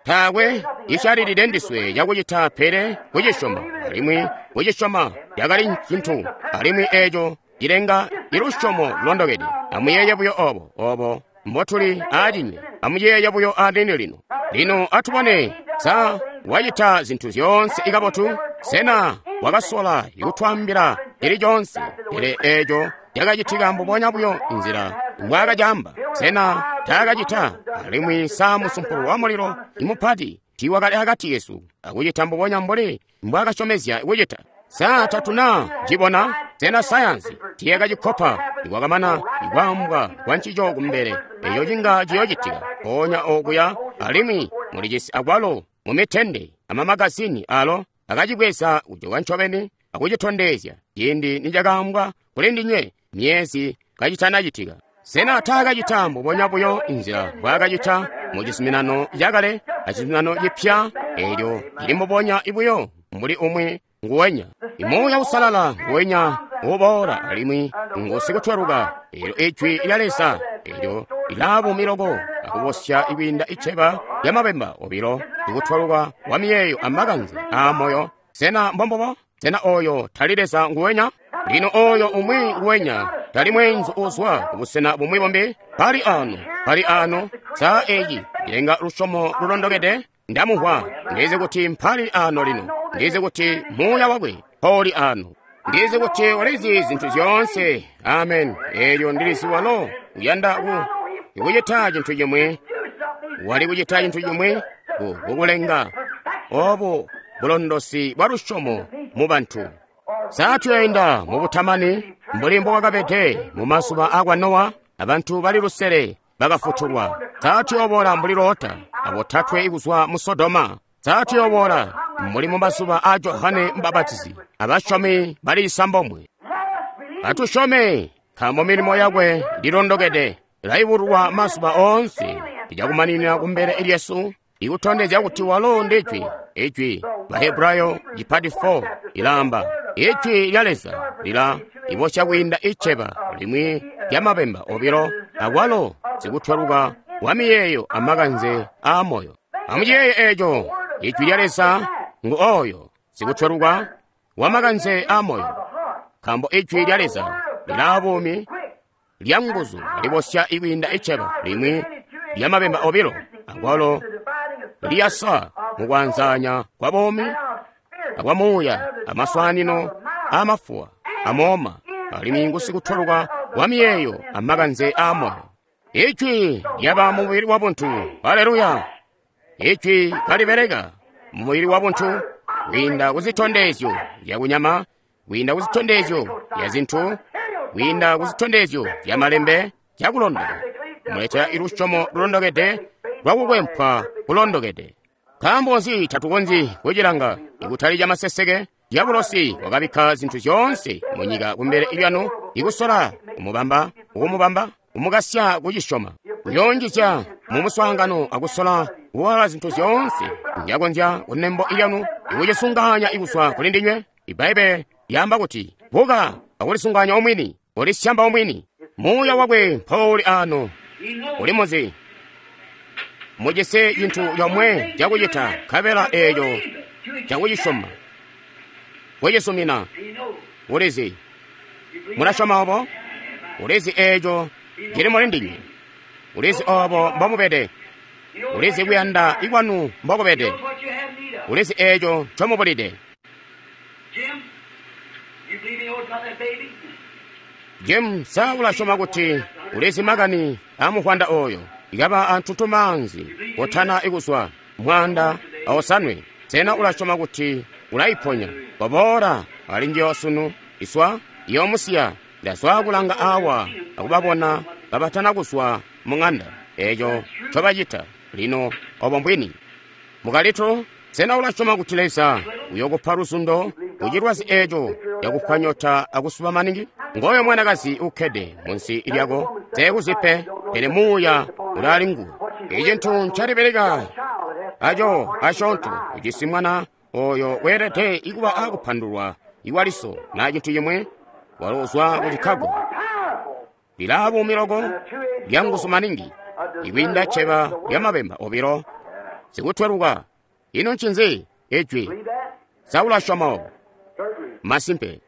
Taakwe icalilile ndiswe cakucita pele kucisyoma, alimwi kucisyoma cakali cintu, alimwi eeco cilenga ilusyomo lulondokede. Amuyeeye buyo obo, obo mbotuli aacinywe. Amuyeeye buyo aaniini lino. Lino atubone, sa wacita zintu zyoonse ikabotu? Sena wakasola ikutwaambila cili coonse? Pele eeco cakacitika mbubonya buyo nzila mbwaakacaamba. Sena taakacita? Alimwi sa musumpulu wa mulilo imupati tiiwakali akati kesu akucita mbubonya mbuli mbwaakasyomezya kucita? Sa tatuna cibona? Sena sayansi tiyakacikopa nikwakamana ikwaambwa kwa ncico kumbele eco cinga ciyoocitika mpoonya okuya? Alimwi mulijisi akwalo mumitende amamagazini alo akacibweza kujoka ncobeni akucitondezya ciindi nicakaambwa kuli ndinywe myezi kacitanacitika. Sena taakacita mbubonya buyo nzila mbwaakacita mu cizuminano cakale acizuminano cipya? Eelyo cili mbubonya buyo mbuli umwi nguwenya. Imuuya Uusalala nguwenya uboola alimwi ngu sikutweluka. Eelyo ijwi lya Leza eelyo lilaabuumi loko akubosya ikwiinda iceba lyamabemba obilo, sikutweluka wa miyeeyo amakanze aamoyo. Sena mbombubo? Sena ooyo tali Leza nguwenya? Lino ooyo umwi nguwenya tali mweenzu uzwa kubusena bumwi bumbi. Pali ano, pali ano, sa eeci cilenga lusyomo lulondokede? Ndamumvwa, ndizi kuti mpali ano lino, ndizi kuti muuya wakwe mpoli ano, ndizi kuti ulizi zintu zyoonse. Amen. Eelyo ndilizi walo uyanda kucita cintu cimwi, wali kucita cintu cimwi kukulenga obu bulondosi bwa lusyomo mu bantu. Sa tuyainda mubutamani mbuli mbokwakabede mu mazuba akwa Nowa, abantu bali lusele bakafutulwa. Sa tuyoboola mbuli Lota abotatwe ikuzwa mu Sodoma. Sa tuyoboola mbuli mu mazuba a Johane Mbapatizi, abasyomi bali isambomwe. Atusyome, nkaambo milimo yakwe ililondokede, ilaibulwa mazuba oonse, icakumaninina kumbele lyesu, ikutondezya kuti walo ndijwi. Ijwi Bahebrayo cipati 4 ilaamba ijwi lya Leza lila ibosya kwiinda iceba limwi lyamabemba obilo, akwalo sikutweluka wa miyeeyo amakanze aamoyo. Amuciyeeye eeco, ijwi lya Leza ngu oyo sikutweluka wa makanze aamoyo, nkaambo ijwi lya Leza lilaa buumi, lya nguzu, libosya ikwiinda iceba limwi lyamabemba obilo, akwalo liyasa mukwanzanya kwa buumi akwa muuya, amaswanino amafuwa amooma, alimwi ngusikutweluka wa miyeeyo amakanze aamoyo. Ijwi lyaba mumubili wa buntu. Haleluya! Ijwi kalibeleka mumubili wa buntu kwiinda kuzitondezyo zyakunyama, kwiinda kuzitondezyo zya zintu, kwiinda kuzitondezyo zya malembe zyakulondoka, kumuletela ilusyomo lulondokede lwakukwempwa kulondokede. Nkaambo nzi tatukonzyi kucilanga ikutali camaseseke? Diabolosi wakabikka zintu zyoonse munyika kumbele lyanu, ikusola kumubamba, ukumubamba, kumukasya kucisyoma, kuyonjizya mumuswaangano akusola kuwala zintu zyoonse nzyakonzya kunembo lyanu, ikucisunganya ikuzwa kuli ndinywe. Ibbaibbele lyaamba kuti, buka akulisunganya omwini, ulisyamba omwini. Muuya wakwe mpouli ano, uli muzi. Mujisi cintu comwe cakucita, nkabela eeco cakucisyoma, kucisumina. Ulizi, mulasyoma obo? Ulizi eeco cili muli ndinywe. Ulizi obo mbomubede. Ulizi kuyanda ikwanu mbokubede. Ulizi eeco ncomubulide. Jim, sa ulasyoma kuti ulizi makani amuhwanda oyo? Ikaba antutumaanzi kotana ikuzwa mwaanda awosanwe. Sena ulasyoma kuti ulaiponya? Koboola ali njiyo sunu, iswa iyoomusiya. Ndazwa kulanga awa akubabona kabatana kuzwa mu ng'anda. Eco ncobacita lino, obo mbwini. Mukalito, sena ulasyoma kuti Leza uyokupa luzundo kucilwazi eco cakupa nyota akusuba maningi? Ngoyo mwanakazi ukkede munsi lyako, teekuzi pe, pele muuya ulaali nguwe. Icintu ncalibeleka aco asyoonto, ujisi mwana oyo weelede ikuba akupandulwa iwaliso na cintu cimwi, walo uzwa ku Chicago. Lilaa buumi loko, lyanguzu maningi, ikwiinda cceba lya mabemba obilo, sikutweluka. Ino ncinzi? Ijwi. Sa ulasyoma obo? Masimpe.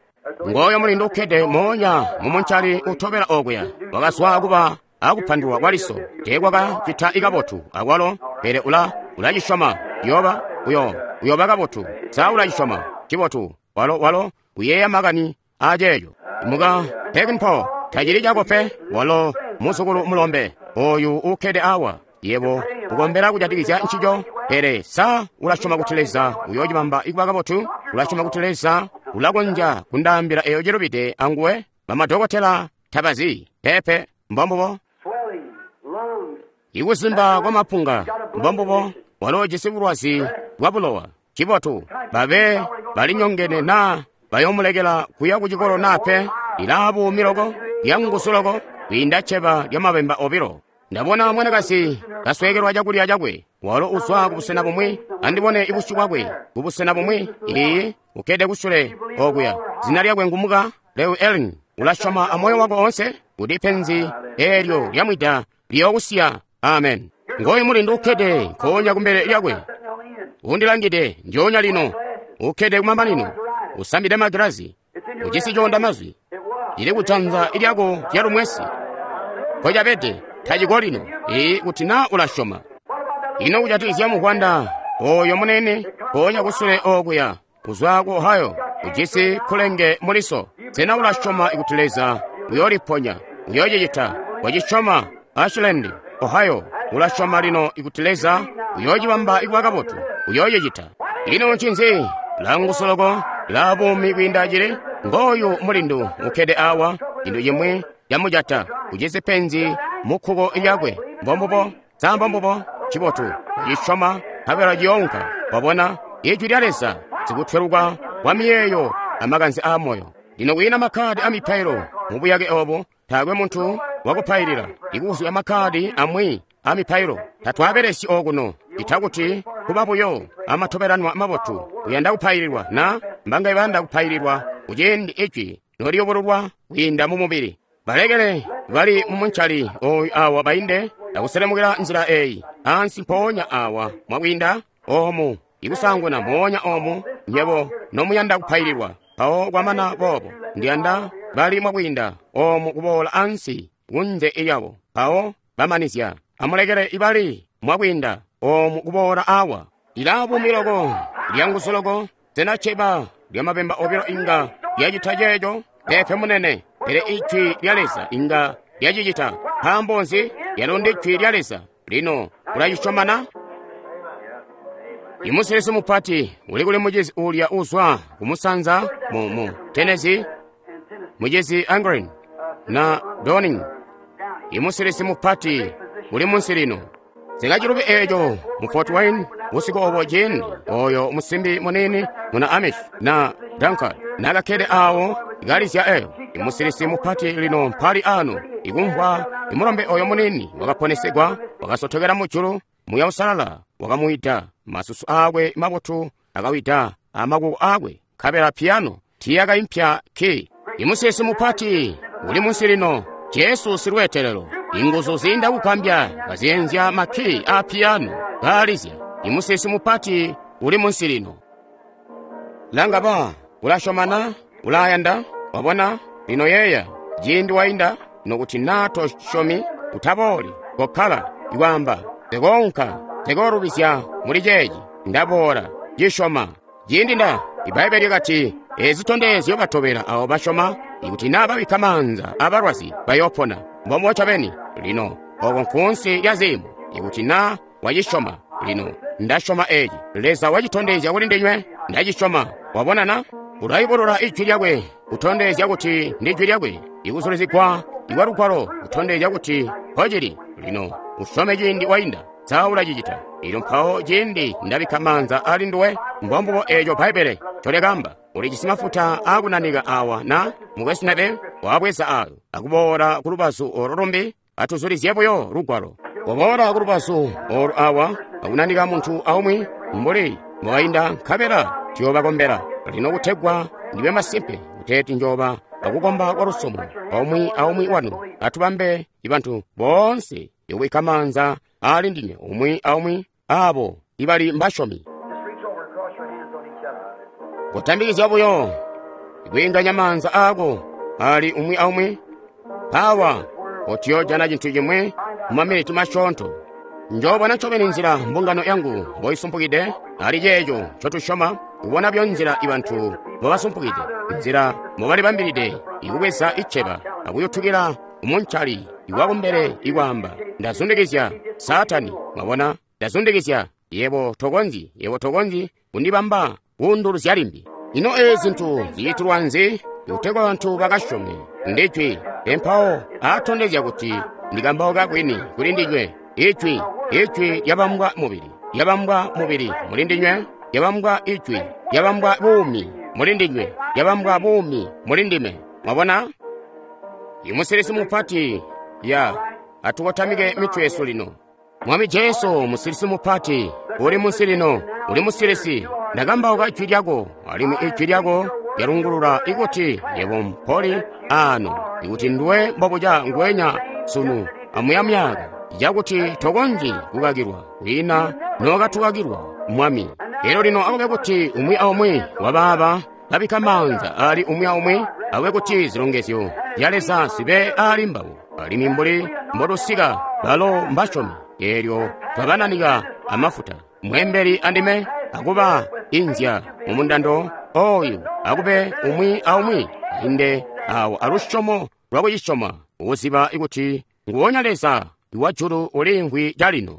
Ngooyo mulindu ukkede moonya mu muncali utobela okuya, wakazwa kuba akupandulwa kwaliso, teekwaka cita kabotu akwalo, pele ula cisyoma. Yoba, uyo, uyoba kabotu. Sa ula cisyoma? Cibotu. Walo, walo uyeeya makani aceeco. Muka Peckinpah, tacili cako pe, walo muzukulu mulombe oyu ukkede awa. Yebo ukombela kujatikizya ncico, pele sa ulasyoma kuti Leza uyoocibamba ikuba kabotu? Ulasyoma kuti Leza ulakonzya kundaambila eyo cilubide anguwe? Bamadokotela tabazi. Peepe, mbombubo. Ikuzimba kwa mapunga, mbombubo. Walo jisi bulwazi bwa bulowa. Cibotu, babe balinyongene na bayomulekela kuya ku cikolo na pe. Lilaa buumi loko, lyanguzu loko, kwiinda cceba lya mabemba obilo. Ndabona mwanakazi kasweekelwa cakulya cakwe. Walo uzwa kubusena bumwi, andibone ibusyu bwakwe kubusena bumwi. Iiyi, ukkede kusule okuya. Zina lyakwe ngumuka Leo Ellen. Ulasyoma amoyo wako oonse kuti penzi eelyo lyamwida liyookusiya. Amen. Ngoyu mulindu ukkede nkoonya kumbele lyakwe, undilangide njoonya lino, ukkede kumamanino, usambide magilazi, ujisi coonda mazwi, cili kujanza lyako lyalumwesi. Nkocabede taciko lino. Ee, kuti na ulasyoma. Ino kujatikizya muvwanda oyo munene nkoonya kusule okuya, kuzwa ku Ohio, ujisi kulenge muliso. Sena ulasyoma kuti Leza uyooliponya? Uyoocicita. Wacisyoma. Ashland, Ohio, ulasyoma lino kuti Leza uyoocibamba kuba kabotu? Uyoocicita. Ino ncinzi? Languzu loko, la buumi kwiinda cili. Ngooyu mulindu ukkede awa, cintu cimwi camujata, ujisi penzi mu kkuko lyakwe. Mbombubo, sa mbombubo? Cibotu, cisyoma, nkabela ciyoonka. Wabona, Ijwi lya Leza, sikutweluka kwa miyeeyo amakanze aa moyo. Lino kwiina makkadi a mipailo mu buyake obo, taakwe muntu wakupailila. Ikuzwa makkadi amwi a mipailo tatwaabelesyi okuno, ita kuti kuba buyo amatobelanwa mabotu. Uyanda kupaililwa na mbangaye bayanda kupaililwa kuciindi Ijwi noliyubululwa kwiinda mu mubili? Balekele bali mu muncali oyu awa bainde akuselemukila nzila eyi ansi mpoonya awa mwakwiinda omu ikusanguna moonya omu nyebo nomuyanda kupaililwa. Mpawo kwamana boobo ndiyanda bali mwakwiinda omu kuboola ansi kunze lyabo. Mpawo bamanizya, amulekele ibali mwakwiinda omu kuboola awa. Lilaa buumi loko, lyanguzu loko. Sena cceba lya mabemba obilo inga lyacita ceeco? Peepe munene, pele Ijwi lya Leza inga lyacicita. Nkaambo nzi? Lyalo ndi Jwi lya Leza. Lino ulacisyoma na? Imusilisi mupati uli kuli mucizi uulya uzwa kumusanza mu Tennessee, mucizi Angren na Downing. Imusilisi mupati uli munsi lino. Sikacilubi eeco mu Fort Wayne busiku obo ciindi oyo musimbi muniini muna Amish na Dunkard nakakkede awo kalizya eyo. Imusilisi mupati lino mpali ano ikumvwa imulombe oyo muniini wakaponesegwa, wakasotokela mujulu, Muuya Uusalala wakamuwida, masusu aakwe mabotu akawida amakuko aakwe, nkabela piyano tiiyakaimpya ki. Imusilisi mupati uli munsi lino, Jesu silweetelelo, inguzu ziinda kugambya kazyenzya makki aa piyano kaalizya. Imusilisi mupati uli munsi lino. Langa ba, ulasyoma na? Ulayanda? Wabona? Lino yeeya, ciindi wainda, nokuti naa tosyomi, utabooli, kokkala, ikwaamba, Nsekoonka, nsekoolubizya muli ceeci, ndaboola, cisyoma. Ciindi nda, Ibbaibbele lyakati, ezi zitondezyo batobela abo basyoma, ikuti naa babikka maanza abalwazi bayoopona. Mbombubo ncobeni. Lino, oko nkuunsi lya ziimo, ikuti na wacisyoma. Lino, Nda syoma eci. Leza wacitondezya kuli ndinywe. Nda cisyoma. Wabona na? Ulayubulula Ijwi Lyakwe, kutondezya kuti ndi Ijwi Lyakwe. Ikuzulizigwa ikwa Lugwalo kutondezya kuti mpocili. Lino, usyome ciindi wainda, sa ulacicita? Elyo mpawo ciindi ndabikka maanza ali nduwe, mbombubo eeco Bbaibbele ncolyakaamba. Ulijisi mafuta aakunanika awa na, Mukwesu Neville? Wabweza ayo, akuboola ku lubazu olo lumbi, atuzulizye buyo Lugwalo. Waboola ku lubazu olu awa, akunanika muntu aumwi, mbuli mbowainda, nkabela tuyoobakombela. Lino kutegwa ndibe masimpe kuteeti njooba akukomba kwa lusyomo aumwi aumwi wanu, atubambe bantu boonse ikubikka maanza ali ndinywe umwi aumwi abo ibali mbasyomi. Kutambikizya buyo ikwiinganya maanza aako ali umwi aumwi, mpawa otiyoojana cintu cimwi mu maminiti masyoonto. Njoobona ncobeni nzila mbungano yangu mboisumpukide ali ceeco ncotusyoma, kubona buyo nzila ibantu mbobasumpukide, nzila mbobalibambilide ikubweza iceba akuyutukila umuncali iwakumbele ikwaamba, ndazundikizya Saatani, mwabona, ndazundikizya, yebo tokonzyi, yebo tokonzyi kundibamba kuunduluzya limbi. Ino eezi zintu zicitilwa nzi? Kutegwa bantu bakasyome ndijwi, empawo aatondezya kuti ndikambauka kwini kuli ndinywe. Ijwi, Ijwi lyabambwa mubili, lyabambwa mubili muli ndinywe, lyabambwa Ijwi, lyabambwa buumi muli ndinywe, lyabambwa buumi muli ndime. Mwabona? Imusilisi mupati ya atukotamike mitwe yesu lino. Mwami Jesu, musilisi mupati, uli munsi lino, uli musilisi. Ndakambauka Ijwi lyako, alimwi Ijwi lyako lyalungulula ikuti yebo mpoli ano, ikuti nduwe mbobuca nguwenya sunu amuya myaka, cakuti tokonzyi kukakilwa, kwiina nokatukakilwa, Mwami. Elyo lino akube kuti umwi aumwi wabaaba babikka maanza ali umwi aumwi, akube kuti zilongezyo zya Leza zibe ali mbabo, alimwi mbuli mbotusika balo mbasyomi, eelyo twabananika amafuta. Mwembeli andime akuba inzya mu mundando oyu, akube umwi aumwi ainde awo alusyomo lwakucisyoma, ukuziba kuti nguwonya Leza wa julu uliimvwi calino.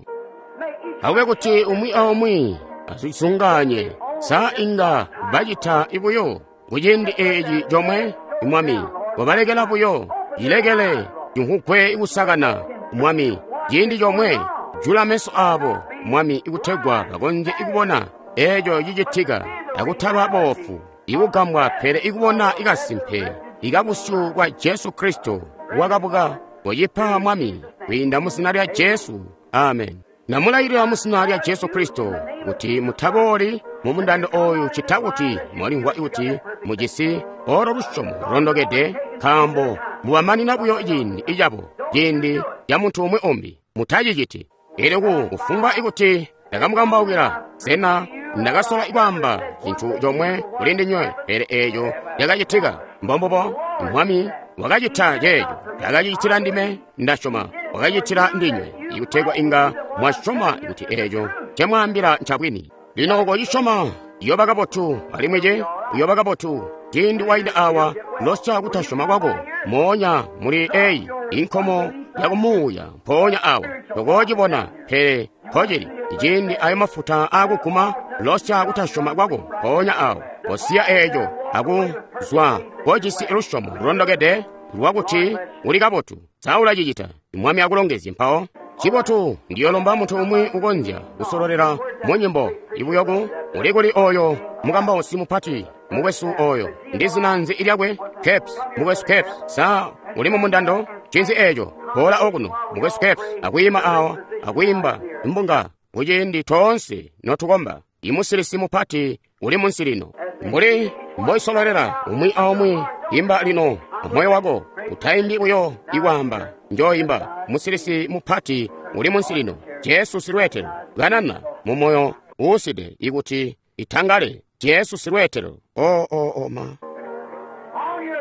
Akube kuti umwi aumwi azisunganye, sa inga bacita buyo kuciindi eeci comwe, Mwami, wabalekela buyo, cilekele cimvugwe kusakana, Mwami, ciindi comwe, jula meso aabo, Mwami, ikutegwa bakonzye kubona eeco cicitika, akutaba boofu, ikugambwa pele ikubona ikasimpe ikabusyu bwa Jesu Kristo wakabuka. Kocipa, Mwami, kwiinda mu zina lya Jesu. Amen. Namulayilila mu zina lya Jesu Kristo kuti mutabooli mu mundando oyu cita kuti mwalimvwa kuti mujisi olo lusyomo lulondokede, nkaambo mubamanina buyo ciindi icabo, ciindi ca muntu umwi umbi. Mutaciciti. Elyo kufumbwa ikuti ndakamukambaukila, sena ndakasola kwaamba cintu comwe kuli ndinywe, pele eeco cakacitika. Mbombubo Mwami wakacita ceeco, takacicitila ndime, ndasyoma wakacitila ndinywe, ikutegwa inga mwasyoma kuti eeco ncemwaambila ncabwini. Lino kocisyoma, iyoba kabotu, alimwi ce uyoba kabotu. Ciindi wainda awa, losya kutasyoma kwako moonya muli eyi inkomo yakumuuya mpoonya awa tokoocibona, pele mpocili. Ciindi ayo mafuta aakuguma, losya kutasyoma kwako mpoonya awo, kosiya eeco akuzwa kojisi lusyomo lulondokede lwakuti uli kabotu. Sa ulacicita? Mwami akulongezye mpawo. Cibotu, ndiyolomba muntu umwi ukonzya kusololela mu nyimbo ibuyoku. Uli kuli oyo mukambausi mupati, mukwesu oyo? Ndi zina nzi lyakwe? Capes, mukwesu Capes. Sa uli mu mundando? Cinzi eeco? Boola okuno, mukwesu Capes, akwiima awa, akwiimba imbunga kuciindi toonse notukomba. Imusilisi mupati uli munsi lino. Mbuli mboisololela umwi aumwi, imba lino amoyo wako, utaimbi buyo ikwaamba, njoimba. Musilisi mupati uli munsi lino, Jesu silweetelo. Kanana mu moyo uuside ikuti itangale, Jesu silweetelo. O, o, o, ma.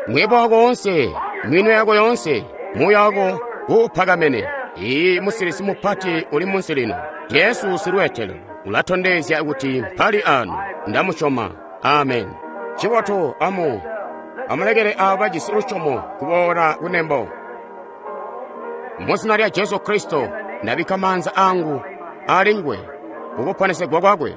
Mwebo wako wonse, minwe yako yonse, muuya wako uupakamene. Iyi musilisi mupati uli munsi lino, Jesu silweetelo. Ulatondezya kuti mpali ano, ndamusyoma. Amen. Cibotu, amulekele aabo bajisi lusyomo kuboola kunembo. Mu zina lya Jesu Kristo, ndabikka maanza angu ali nguwe kukuponesegwa kwakwe.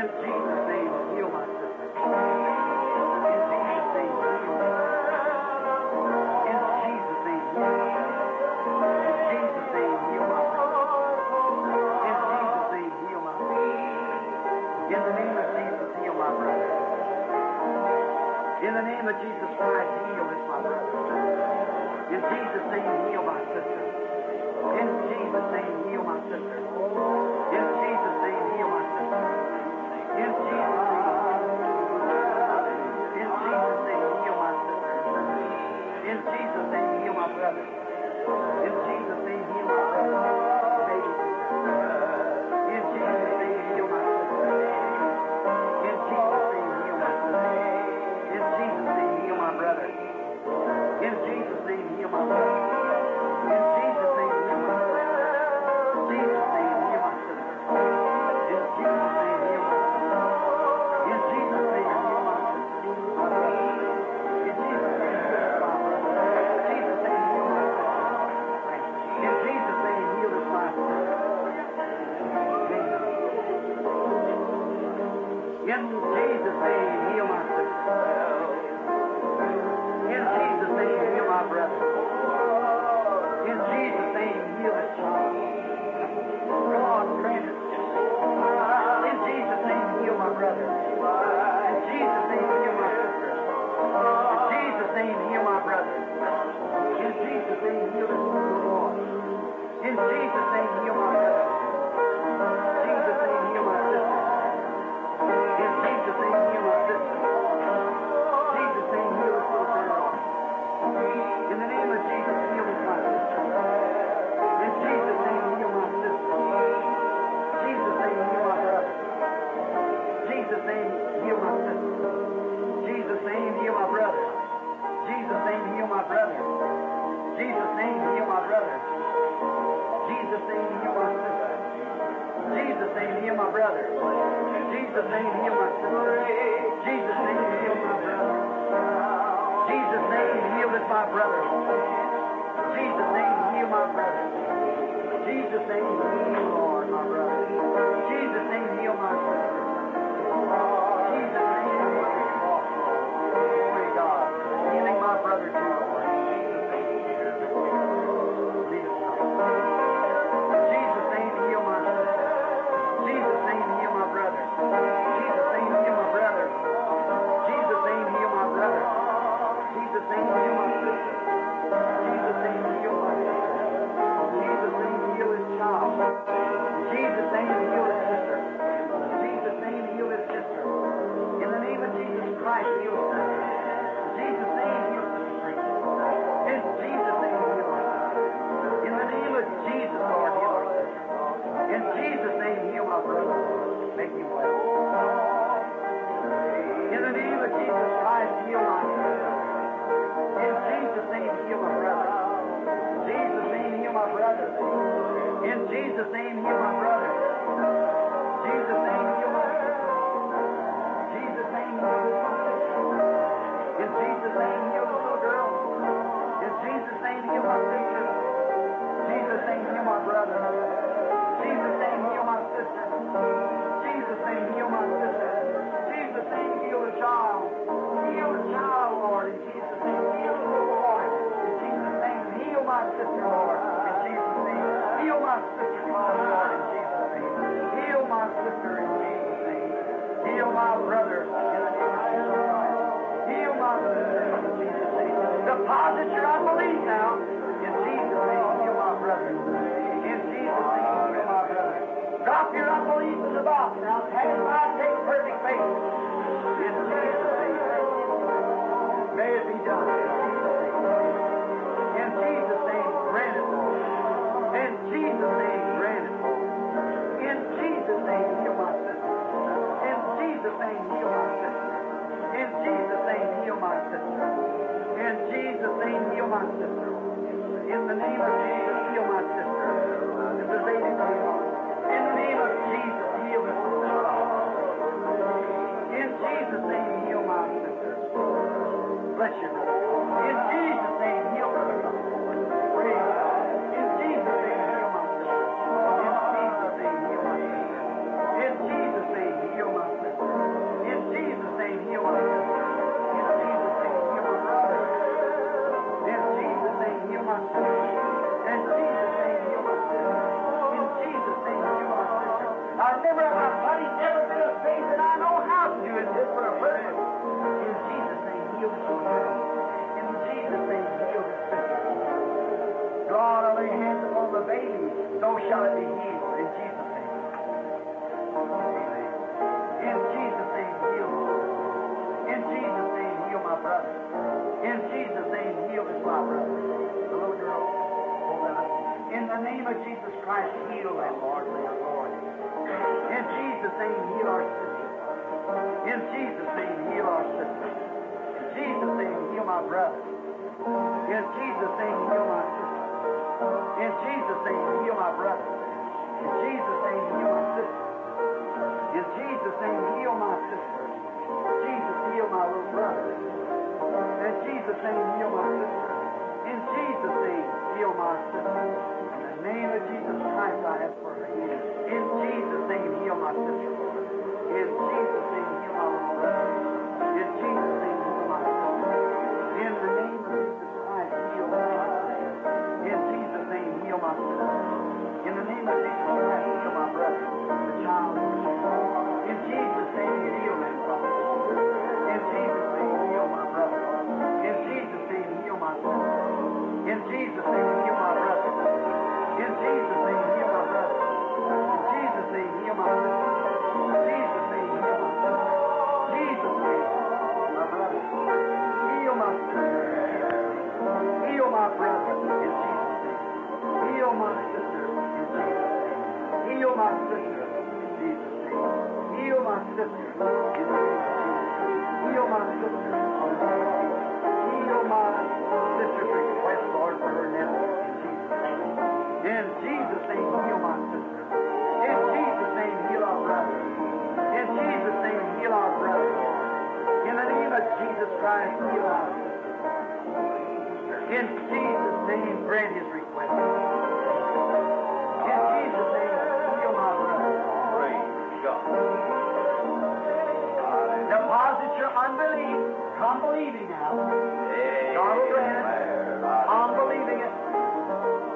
In Jesus' name, heal my sister. In Jesus' name, heal my sister. In Jesus' name, heal my brother. In Jesus' name, heal my brother. In Jesus' name, heal my brother. In the name of Jesus, heal my brother. In the name of Jesus Christ, heal this my brother. In Jesus' name, heal my sister. In Jesus' name, heal my sister. In Jesus' name, heal my sister. In Jesus' name, in Jesus' name, heal my sister. In Jesus' name, heal my brother. In Jesus' name, heal my brother. Baby sister. In Jesus' name, heal my sister. In Jesus' name, heal my sister. In Jesus' name, heal my brother. In Jesus' name, heal my brother. In Jesus' name, heal my sister. Jesus' name, heal my sister. In Jesus' name, heal my sister. In Jesus' name, heal my sister. My brother. In Jesus' name, heal my brother. Jesus' name, heal my sister. In Jesus' name, heal this my sister. In Jesus' name, heal my sister. In Jesus' name, heal my brother. In Jesus' name, heal this child. God grant it. In Jesus' name, heal my brother. In Jesus' name, heal my sister. In Jesus' name, heal my brother. In Jesus' name, heal this little boy. In Jesus' name, heal my brother. Jesus' name, heal my sister. In Jesus' name, heal my sister. Jesus' name, heal this little girl. In the name of Jesus, heal this my sister. In Jesus' name, heal my sister. Jesus' name, heal my brother. Jesus' name, heal my sister. Jesus' name, heal my brother. Jesus' name, heal my brother. Jesus' name, heal my brother. Jesus' name, heal my sister. Jesus' name, heal my brother. Jesus' name, heal my sister. Jesus' name, heal my brother. Jesus' name, heal this my brother. Jesus' name, heal my brother. Jesus' name, heal, Lord, my brother. Jesus' name, heal my sister. Jesus' name, heal this boy. Glory to God. Healing my brother too, Lord. Jesus' name. Lead us now. Jesus' name, heal my sister. Jesus' name, heal my brother. Jesus' name, heal my brother. Jesus' name, heal my brother. Jesus' name, heal my sister. Jesus' name, heal my sister. Jesus' name, heal his child. Jesus' name, heal his sister. Jesus' name, heal his sister. In the name of Jesus Christ, heal his sister. Jesus' name, heal sister Green. In Jesus' name, heal our sister. In the name of Jesus, Lord, heal our sister. In Jesus' name, heal my brother. Make him well. In the name of Jesus Christ, heal my sister. In Jesus' name, heal my brother. Jesus' name, heal my brother. In Jesus' name, heal my brother. Jesus' name, heal my sister. Jesus' name, heal my sister. In Jesus' name, heal the little girl. In Jesus' name, heal my sister. Jesus' name, heal my brother. Jesus' name, heal my sister. Jesus' name, heal my sister. Jesus' name, heal the child. Heal the child, Lord, in Jesus' name. Heal the little boy. In Jesus' name, heal my sister, Lord, in Jesus' name. Heal my sister, Lord, in Jesus' name. Heal my sister in Jesus' name. Heal my brother in the name of Jesus Christ. Heal my sister in Jesus' name. Deposit your unbelief now. In Jesus' name, heal my brother. In Jesus' name, heal my brother. Drop your unbelief in the box now. Pass by, take perfect faith. In Jesus' name. May it be done. In Jesus' name. In Jesus' name, grant it, Lord. In Jesus' name, grant it, Lord. In Jesus' name, heal my sister. In Jesus' name, heal my sister. In Jesus' name, heal my sister. In Jesus' name, heal my sister. In the name of Jesus, heal my sister. This is lady going on. In the name of Jesus, heal this little child. In Jesus' name, heal my sister. Bless you, brother. In Jesus' name, heal brother. Praise God. In Jesus' name, heal my sister. In Jesus' name, heal my sister. In Jesus' name, heal my I never, my body's never been a faith that I know how to do it just for a purpose. In Jesus' name, heal this little girl. In Jesus' name, heal this sister. God, I lay hands upon the baby, so shall it be healed. In Jesus' name. Amen. In Jesus' name, heal. In Jesus' name, heal my brother. In Jesus' name, heal this my brother. The little girl. Hold that up. In the name of Jesus Christ, heal them, Lord, for your glory. In Jesus' name, heal our sister. In Jesus' name, heal our sister. In Jesus' name, heal my brother. In Jesus' name, heal my sister. In Jesus' name, heal my brother. In Jesus' name, heal my sister. In Jesus' name, heal my sister. Jesus, heal my little brother. In Jesus' name, heal my sister. In Jesus' name, heal my sister. In the name of Jesus Christ, I ask for her healing. In Jesus' name, heal my sister, Lord. In Jesus' name, heal my little brother. In Jesus' name, heal my sister. In the name of Jesus Christ, heal my sister. In Jesus' name, heal my sister. In the name of Jesus Christ, heal my brother, the child. In Jesus' name, heal them, Father. In Jesus' name, heal my brother. In Jesus' name, heal my sister. In Jesus' name, heal my brother. In Jesus' name, heal my brother. In Jesus' name, heal my sister. In Jesus' name, heal my sister. Jesus' name, my brother. Heal my sister. Heal my brother in Jesus' name. Heal my sister in Jesus' name. Heal my sister in Jesus' name. Heal my sister in the name of Jesus. Heal my sister in the name of Jesus. Heal my sister's request, Lord, for her nephew in Jesus' name. In Jesus' name, heal my sister. In Jesus' name, heal our brother. In Jesus' name, heal our brother, Lord. In the name of Jesus Christ, heal our sister. In Jesus' name, grant his request. In Jesus' name, heal my brother. Praise God. Deposit your unbelief. Come believing now. God will grant it. I'm believing it.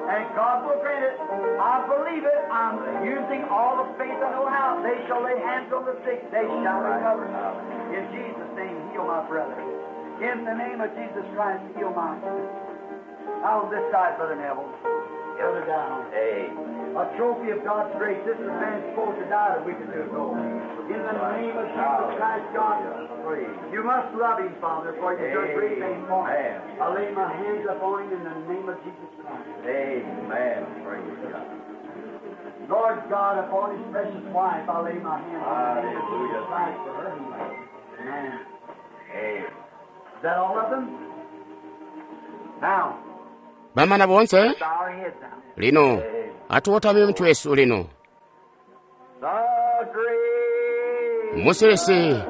And God will grant it. I believe it. I'm using all the faith I know how. They shall lay hands on the sick. They shall recover. In Jesus' name, heal my brother. In the name of Jesus Christ, heal my sister. Out on this side, Brother Neville. Brother down. Amen. A trophy of God's grace. This is man supposed to die a week or two ago. In the name of Jesus Christ, God, Praise. you must love him, Father, for you've done great things for him. Amen. I lay my hands upon him in the name of Jesus Christ. Amen. Praise God. Lord God, upon his precious wife, I lay my hands in the name of Jesus Hallelujah. Christ for her healing. Amen. Amen. Is that all of them? Now, Bamana bonse bow our heads now. lino atuwotame mitwe yesu lino The great musilisi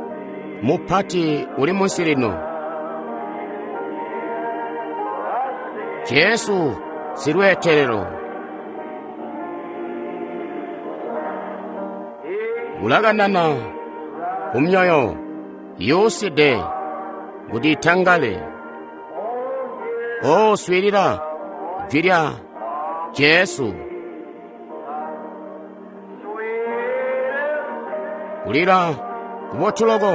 mupati uli munsi lino Jesu silwetelero ulakanana kumyoyo yuside kuti itangale oswilila jwi lya Jesu kulira kubotuloko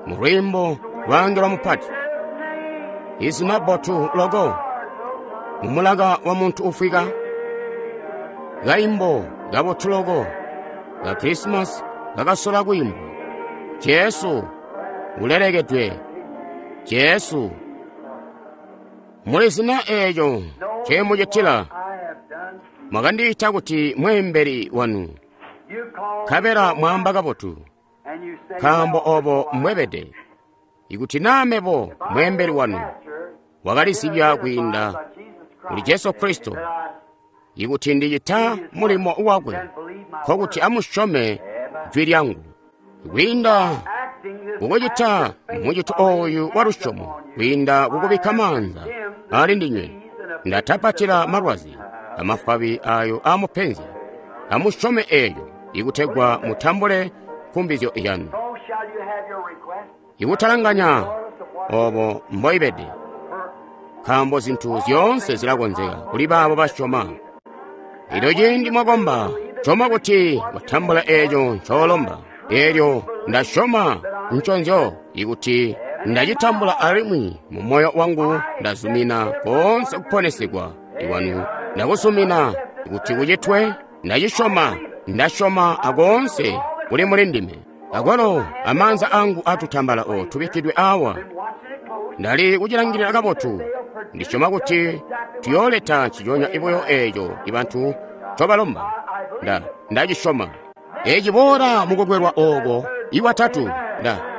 mu lwimbo lwange lwa mupati izina botu loko mumulaka wa munthu ufika kayimbo kabotuloko ka Krismasi kakasola kuyimba Jesu ulelekedwe Jesu muli zina eyo chemuchitila I have done. mwakandiyita kuti mwembeli wanu You call kabela mwamba kabotu and you say, nkaambo obo mwebede ikuti namebo mwembeli wanu wakalizibya kwiinda kuli Jesu Kristo ikuti ndicita mulimo wakwe nkokuti amusyome jwi lyangu kwiinda kukucita mucito oyu wa lusyomo kwiinda kukubikka maanza ali ndinywe ndatapatila malwazi amafwabi ayo amupenzya amusyome eyo ikutegwa mutambule nkumbizyo yanu So shall you have your request. ikutalanganya obo mboibede nkaambo zinthu zyoonse zilakonzeka kuli baabo basyoma. Lino ciindi mwakomba, Syoma kuti watambula eeco ncoolomba. Eelyo ndasyoma nconzyo ikuti ndacitambula alimwi mu moyo wangu ndazumina koonse kuponesegwa ikwanu. Ndakuzumina kuti kucitwe, ndacisyoma, ndasyoma akoonse kuli muli ndime. Akwalo amaanza angu atutambala o tubikkidwe awa. Ndali kucilangilila kabotu. Ndisyoma kuti tuyooleta nciconya buyo eeco ibantu ncobalomba. Ndacisyoma. Eci boola mukukwelwa ooko iwatatu.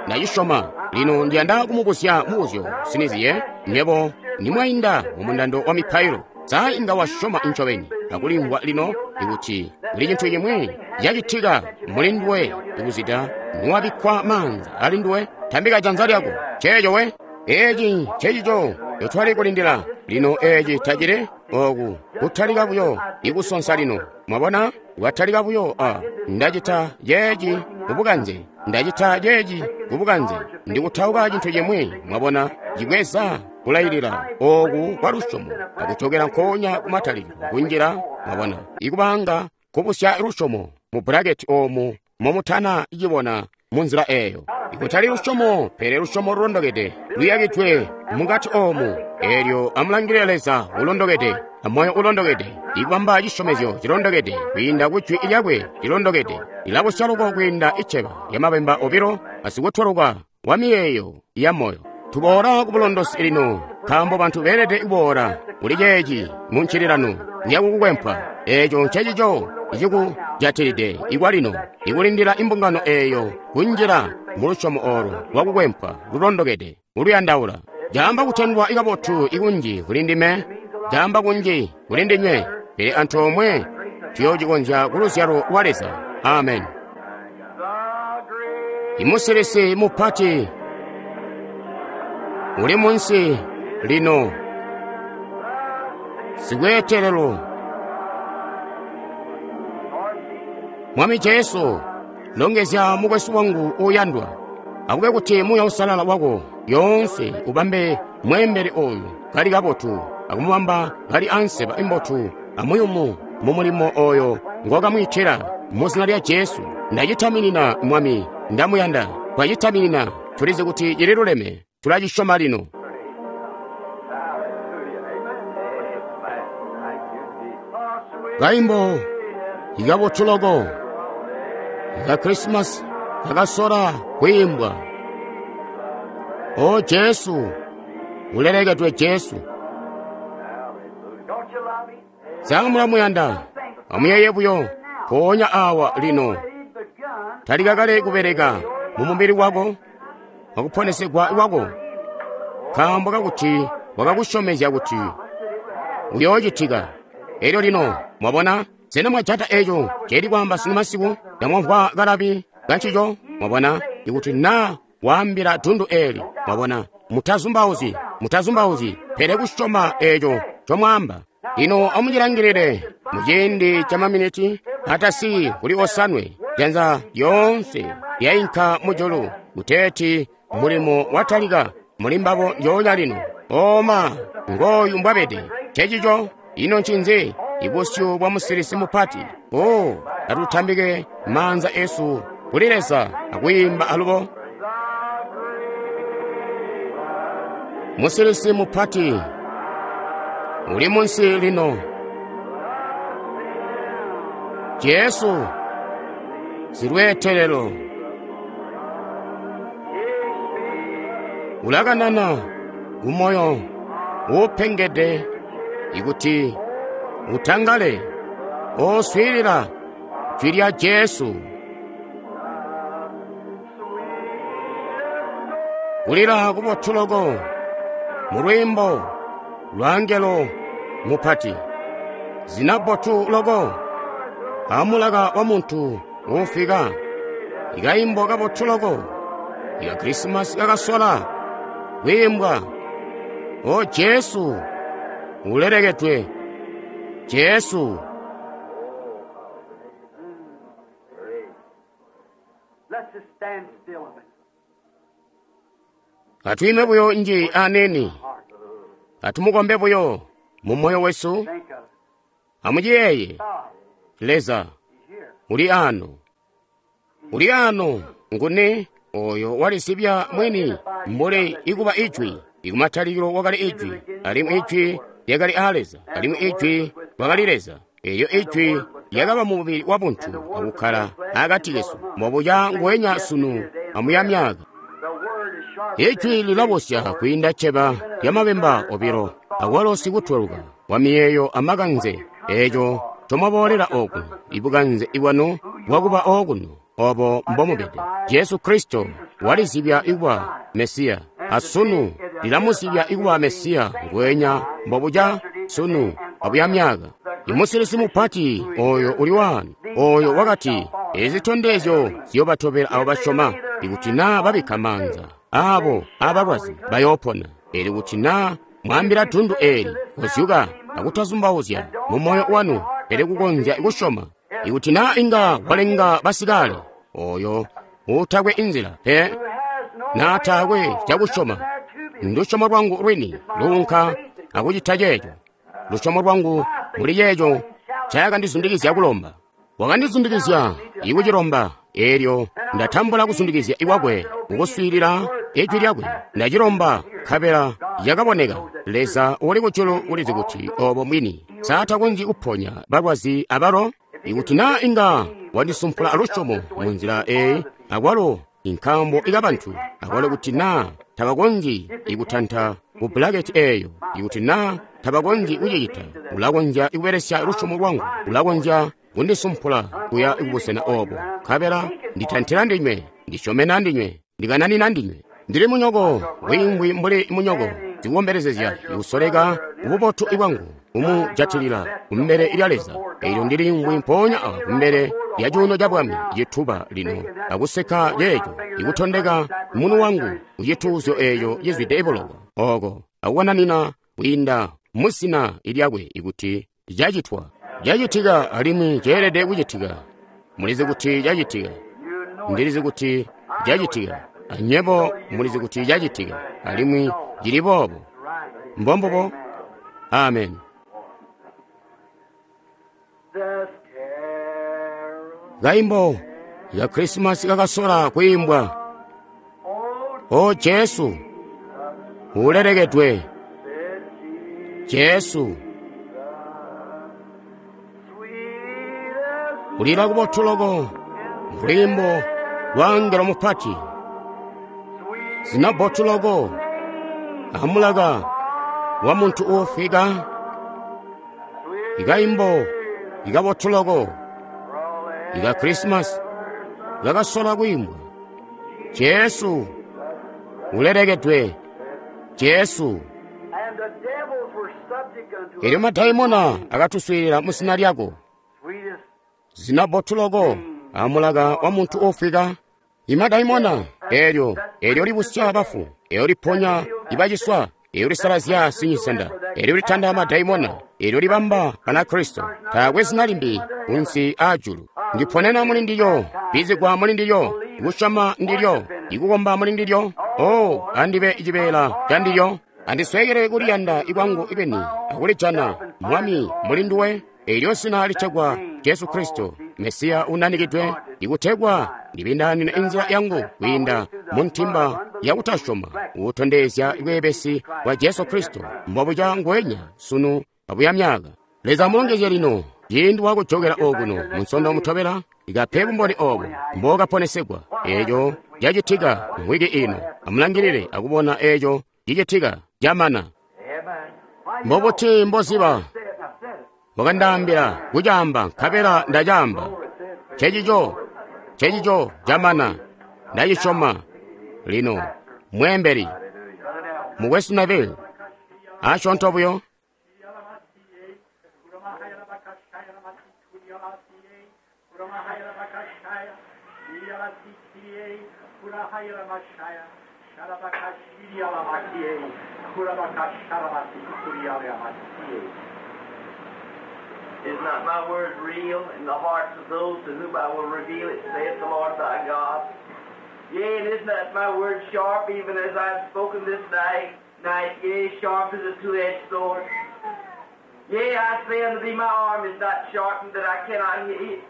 Ndacisyoma. Lino ndiyanda kumubuzya mubuzyo siniziye nywebo nimwainda mumundando wa mipailo. Sa inga wasyoma ncobeni akulimvwa lino ikuti kuli cintu cimwi cacitika muli nduwe ikuzida niwabikkwa maanza ali nduwe, tambika janza lyako. Ceeco we. Eeci ncecico ncotwali kulindila. Lino eeci tacili oku kutalika buyo ikusonsa lino. Mwabona, watalika buyo a ndacita ceeci kubukanze, ndacita ceeci kubukanze, ndikutauka cintu cimwi. Mwabona, cibweza kulailila oku kwa lusyomo akucokera nkoonya kumatalikilo kunjila. Mwabona, ikubanga kubusya lusyomo mu bulaketi oomu momutana cibona munzila eeyo. Ikutali lusyomo, pele lusyomo lulondokede luyakidwe mukati oomu. Eelyo amulangilile Leza ulondokede amoyo ulondokede, ikubamba cisyomezyo cilondokede kwiinda ku jwi lyakwe lilondokede. Lilabusya loko kwiinda iceba lyamabemba obilo asikutweluka wa miyeeyo ya moyo. Tuboola ku bulondosi lino, nkaambo bantu beelede kuboola kuli ceeci mu ncililano kuya kukukwempwa. Eeco ncecico icikujatilide ikwalino, ikulindila imbungano eeyo kunjila mu lusyomo oolo lwakukwempwa lulondokede uluyandaula. Caamba kutendwa kabotu ikunji kuli ndime, caamba kunji kuli ndinywe, pele antoomwe tuyoocikonzya ku luzyalo lwa Leza. Amen. Imusilisi mupati uli munsi lino, sikweetelelo. Mwami Jesu, longezya mukwesu wangu uuyandwa. Akube kuti Muuya Uusalala wako yoonse ubambe mweembeli oyu kali kabotu, akumubamba kali anseba imbotu amuyumu mu mulimo oyo ngwakamwiitila. Mu zina lya Jesu ndacitaminina, Mwami, ndamuyanda. Twacitaminina, tulizi kuti cililuleme, tulacisyoma lino. Kaimbo ikabotu loko ika Krisimasi kakasola kwiimbwa. O Jesu, ulelekedwe Jesu. Sa mulamuyanda? Amuyeeye buyo mpoonya awa lino. Talika kale kubeleka mu mubili wako, wakuponesegwa kwako, nkaambo kakuti wakakusyomezya kuti uyoocitika. Elyo lino mwabona, sena mwajata eco celi kwaamba sunu masiku? Ndamwamvwa kalabi kancico. Mwabona, ikuti na waambila dundu eli, mwabona, mutazumbauzi, mutazumbauzi, pele kusyoma eco comwaamba. Lino amucilangilile muciindi ca maminiti atasi kuli osanwe, janza lyoonse lyainka mujulu kuteeti mulimo watalika muli mbabo njoonya lino. Oma ngooyu mbwabede. Cecico ino ncinzi? Ibusyu bwa musilisi mupati. O, atutambike maanza esu kuli Leza akwiimba alubo. Musilisi mupati uli munsi lino. Jesu silweetelelo ulakanana kumoyo uupengede ikuti utangale. Oswiilila jwi lya Jesu. Kulila kubotu loko mu lwiimbo lwa angelo mupati, zina bbotu loko amulaka wa muntu uufika, ikaimbo kabotu loko ika Krisimasi kakasola kwiimbwa. O Jesu ulelekedwe Jesu. Let's just stand still a minute. Atwiime buyo nji aneni, atumukombe buyo mu moyo wesu. Think of it. Amuciyeeye God Leza is here. Uli ano. Uli ano. Nguni oyo walisibya mwini mbuli ikuba Ijwi. Ikumatalikilo wakali Ijwi, alimwi Ijwi lyakali aa Leza, alimwi Ijwi wakali Leza. Elyo Ijwi lyakaba mu mubili wa buntu akukkala akati kesu, mbobuca nguwenya sunu amuya myaka. Ijwi lilabosya kwiinda cceba lyamabemba obilo, akwalo sikutweluka wa miyeeyo amakanze. Eeco ncomwaboolela okuno, ibukanze bwanu bwakuba okuno, obo mbomubede. Jesu Kristo walizibya ikuba Mesiya, asunu lilamuzibya ikuba Mesiya nguwenya mbobuca sunu abuya myaka. Imusilisi mupati oyo uli wanu, oyo wakati, ezi zitondezyo ziyobatobela abo basyoma, ikuti naa babikka maanza abo abalwazi bayoopona. Elyo kuti naa mwaambila dundu eli kozyuka akutazumbauzya mu moyo wanu, pele kukonzya kusyoma, ikuti naa inga walenga basikale, oyo utakwe inzila pe naa taakwe cakusyoma, ndusyomo lwangu lwini luunka akucita ceeco. Lusyomo lwangu muli ceeco ncaakandizundikizya kulomba. Wakandizundikizya ikucilomba, eelyo ndatambula kuzundikizya ikwakwe kukuswiilila ijwi lyakwe. Ndacilomba, nkabela yakaboneka. Leza uli kujulu ulizi kuti obo mwini saatakonzyi kuponya balwazi abalo. Ikuti naa inga wandisumpula lusyomo munzila eyi, akwalo inkambo ikabantu, akwalo kuti naa tabakonzyi ikutanta ku bulaketi eyo, ikuti naa tabakonzyi kucicita, ulakonzya kubelesya lusyomo lwangu, ulakonzya kundisumpula kuya kubusena obo, nkabela nditantila ndinywe, ndisyomena ndinywe, ndikananina ndinywe. Ndili munyoko, wiingwi mbuli munyoko, ndikukombelezezya ikusoleka kububotu bwangu kumujatilila kumbele lya Leza. Elyo ndili mpoonya awa kumbele lya cuuno ca bwami cituba lino, akuseka ceeco, ikutondeka munu wangu kucituuzyo eeco cizwide bulowa oko, akukananina kwiinda muzina lyakwe ikuti cacitwa. Cacitika alimwi ceelede kucitika. Mulizi kuti cacitika. Ndilizi kuti cacitika. Anyebo mulizi kuti cacitika, alimwi cili boobo. Mbombubo. Amen. Kaimbo ya Krismasi kakasola kuimbwa. O Jesu, ulelekedwe. Jesu, kulila kubotu loko, lwiimbo lwa angelo mupati, zina bbotu loko, amulaka wa muntu uufwika, ikaimbo ikabotu loko, ika Krismasi kakasola kuimbwa. Jesu, ulelekedwe. Jesu. Elyo madaimona akatuswiilila mu zina lyako, zina bbotu loko, amulaka wa muntu uufwika. Imadaimona elyo elyo libusya bafu, elyo liponya ibaciswa, elyo lisalazya sinyisenda, elyo litanda madaimona, elyo libamba Banakristo. Taakwe zina limbi kunsi aajulu. Ndiponena muli ndilyo, bizigwa muli ndilyo, ikusyoma ndilyo, ikukomba muli ndilyo. O, andibe cibeela ca ndilyo, andiswekele kuliyanda ikwangu ibeni akulijana Mwami muli nduwe. Elyo zina litegwa Jesu Kristo, Mesiya unanikidwe, ikutegwa ndibindaanine inzila yangu kwiinda mu ntimba yakutasyoma, uutondezya bweebesi bwa Jesu Kristo mbobuca nguwenya sunu abuya myaka. Leza amulongezye lino ciindi wakujokela okuno munsondo mutobela, ikape bumboni obo mbokaponesegwa. Eeco cacitika mwiki ino. Amulangilile akubona eeco cicitika camana. Mbobuti mboziba? Wakandaambila kucaamba, nkabela ndacaamba. Cecico, cecico camana. Ndacisyoma. Lino mweembeli mukwesu Neville, asyoonto buyo. Is not my word real in the hearts of those to whom I will reveal it, saith the Lord thy God? Yea, and is not my word sharp, even as I have spoken this night, yea, sharp as a two-edged sword? Yea, I say unto thee, my arm is not sharpened that I cannot hit,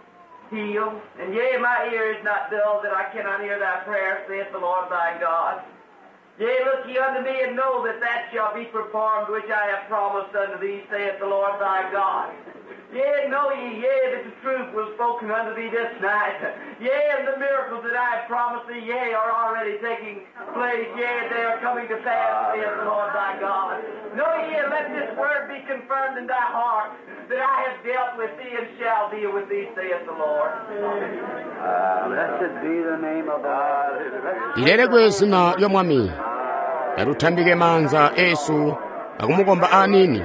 healed. And yea, my ear is not dull that I cannot hear thy prayer, saith the Lord thy God. Yea, look ye unto me and know that that shall be performed which I have promised unto thee, saith the Lord thy God. Yea, know ye, yea, that the truth was spoken unto thee this night. Yea, and the miracles that I have promised thee, yea, are already taking place. Yea, they are coming to pass, saith the Lord thy God. Know ye, and let this word be confirmed in thy heart, that I have dealt with thee and shall deal with thee, saith the Lord. Blessed be the name of the Lord. Lilelekwe zina lya Mwami. Atutambike manza esu akumukomba anini.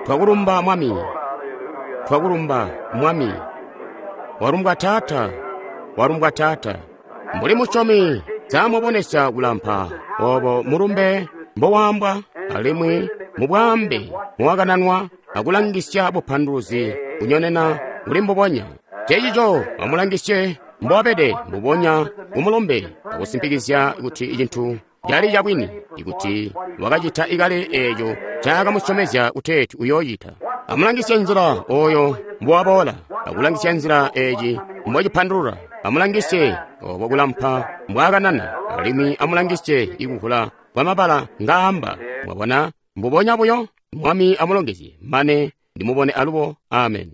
Twakulumba Mwami. Twakulumba Mwami. Walumbwa Taata. Walumbwa Taata. Mbuli musyomi zamubonesa kulampa obo mulumbe mbowambwa alimwi mubwambe muwakananwa akulangisya bupanduluzi kunyonena kuli mbubonya. Cecico amulangisye mbowabede mbubonya kumulumbe akusimpikizya kuti icintu cali cabwini ikuti wakacita ikale eeco caakamusyomezya kuteeti uyooyita. Amulangisye nzila oyo mbowaboola, akulangisya nzila eeci mbocipandulula. Amulangisye obo kulampa mbwaakanana, alimwi amulangisye ikukula kwamabala ngaamba. Mwabona mbubonya buyo. Mwami amulongezye mane ndimubone alubo. Amen.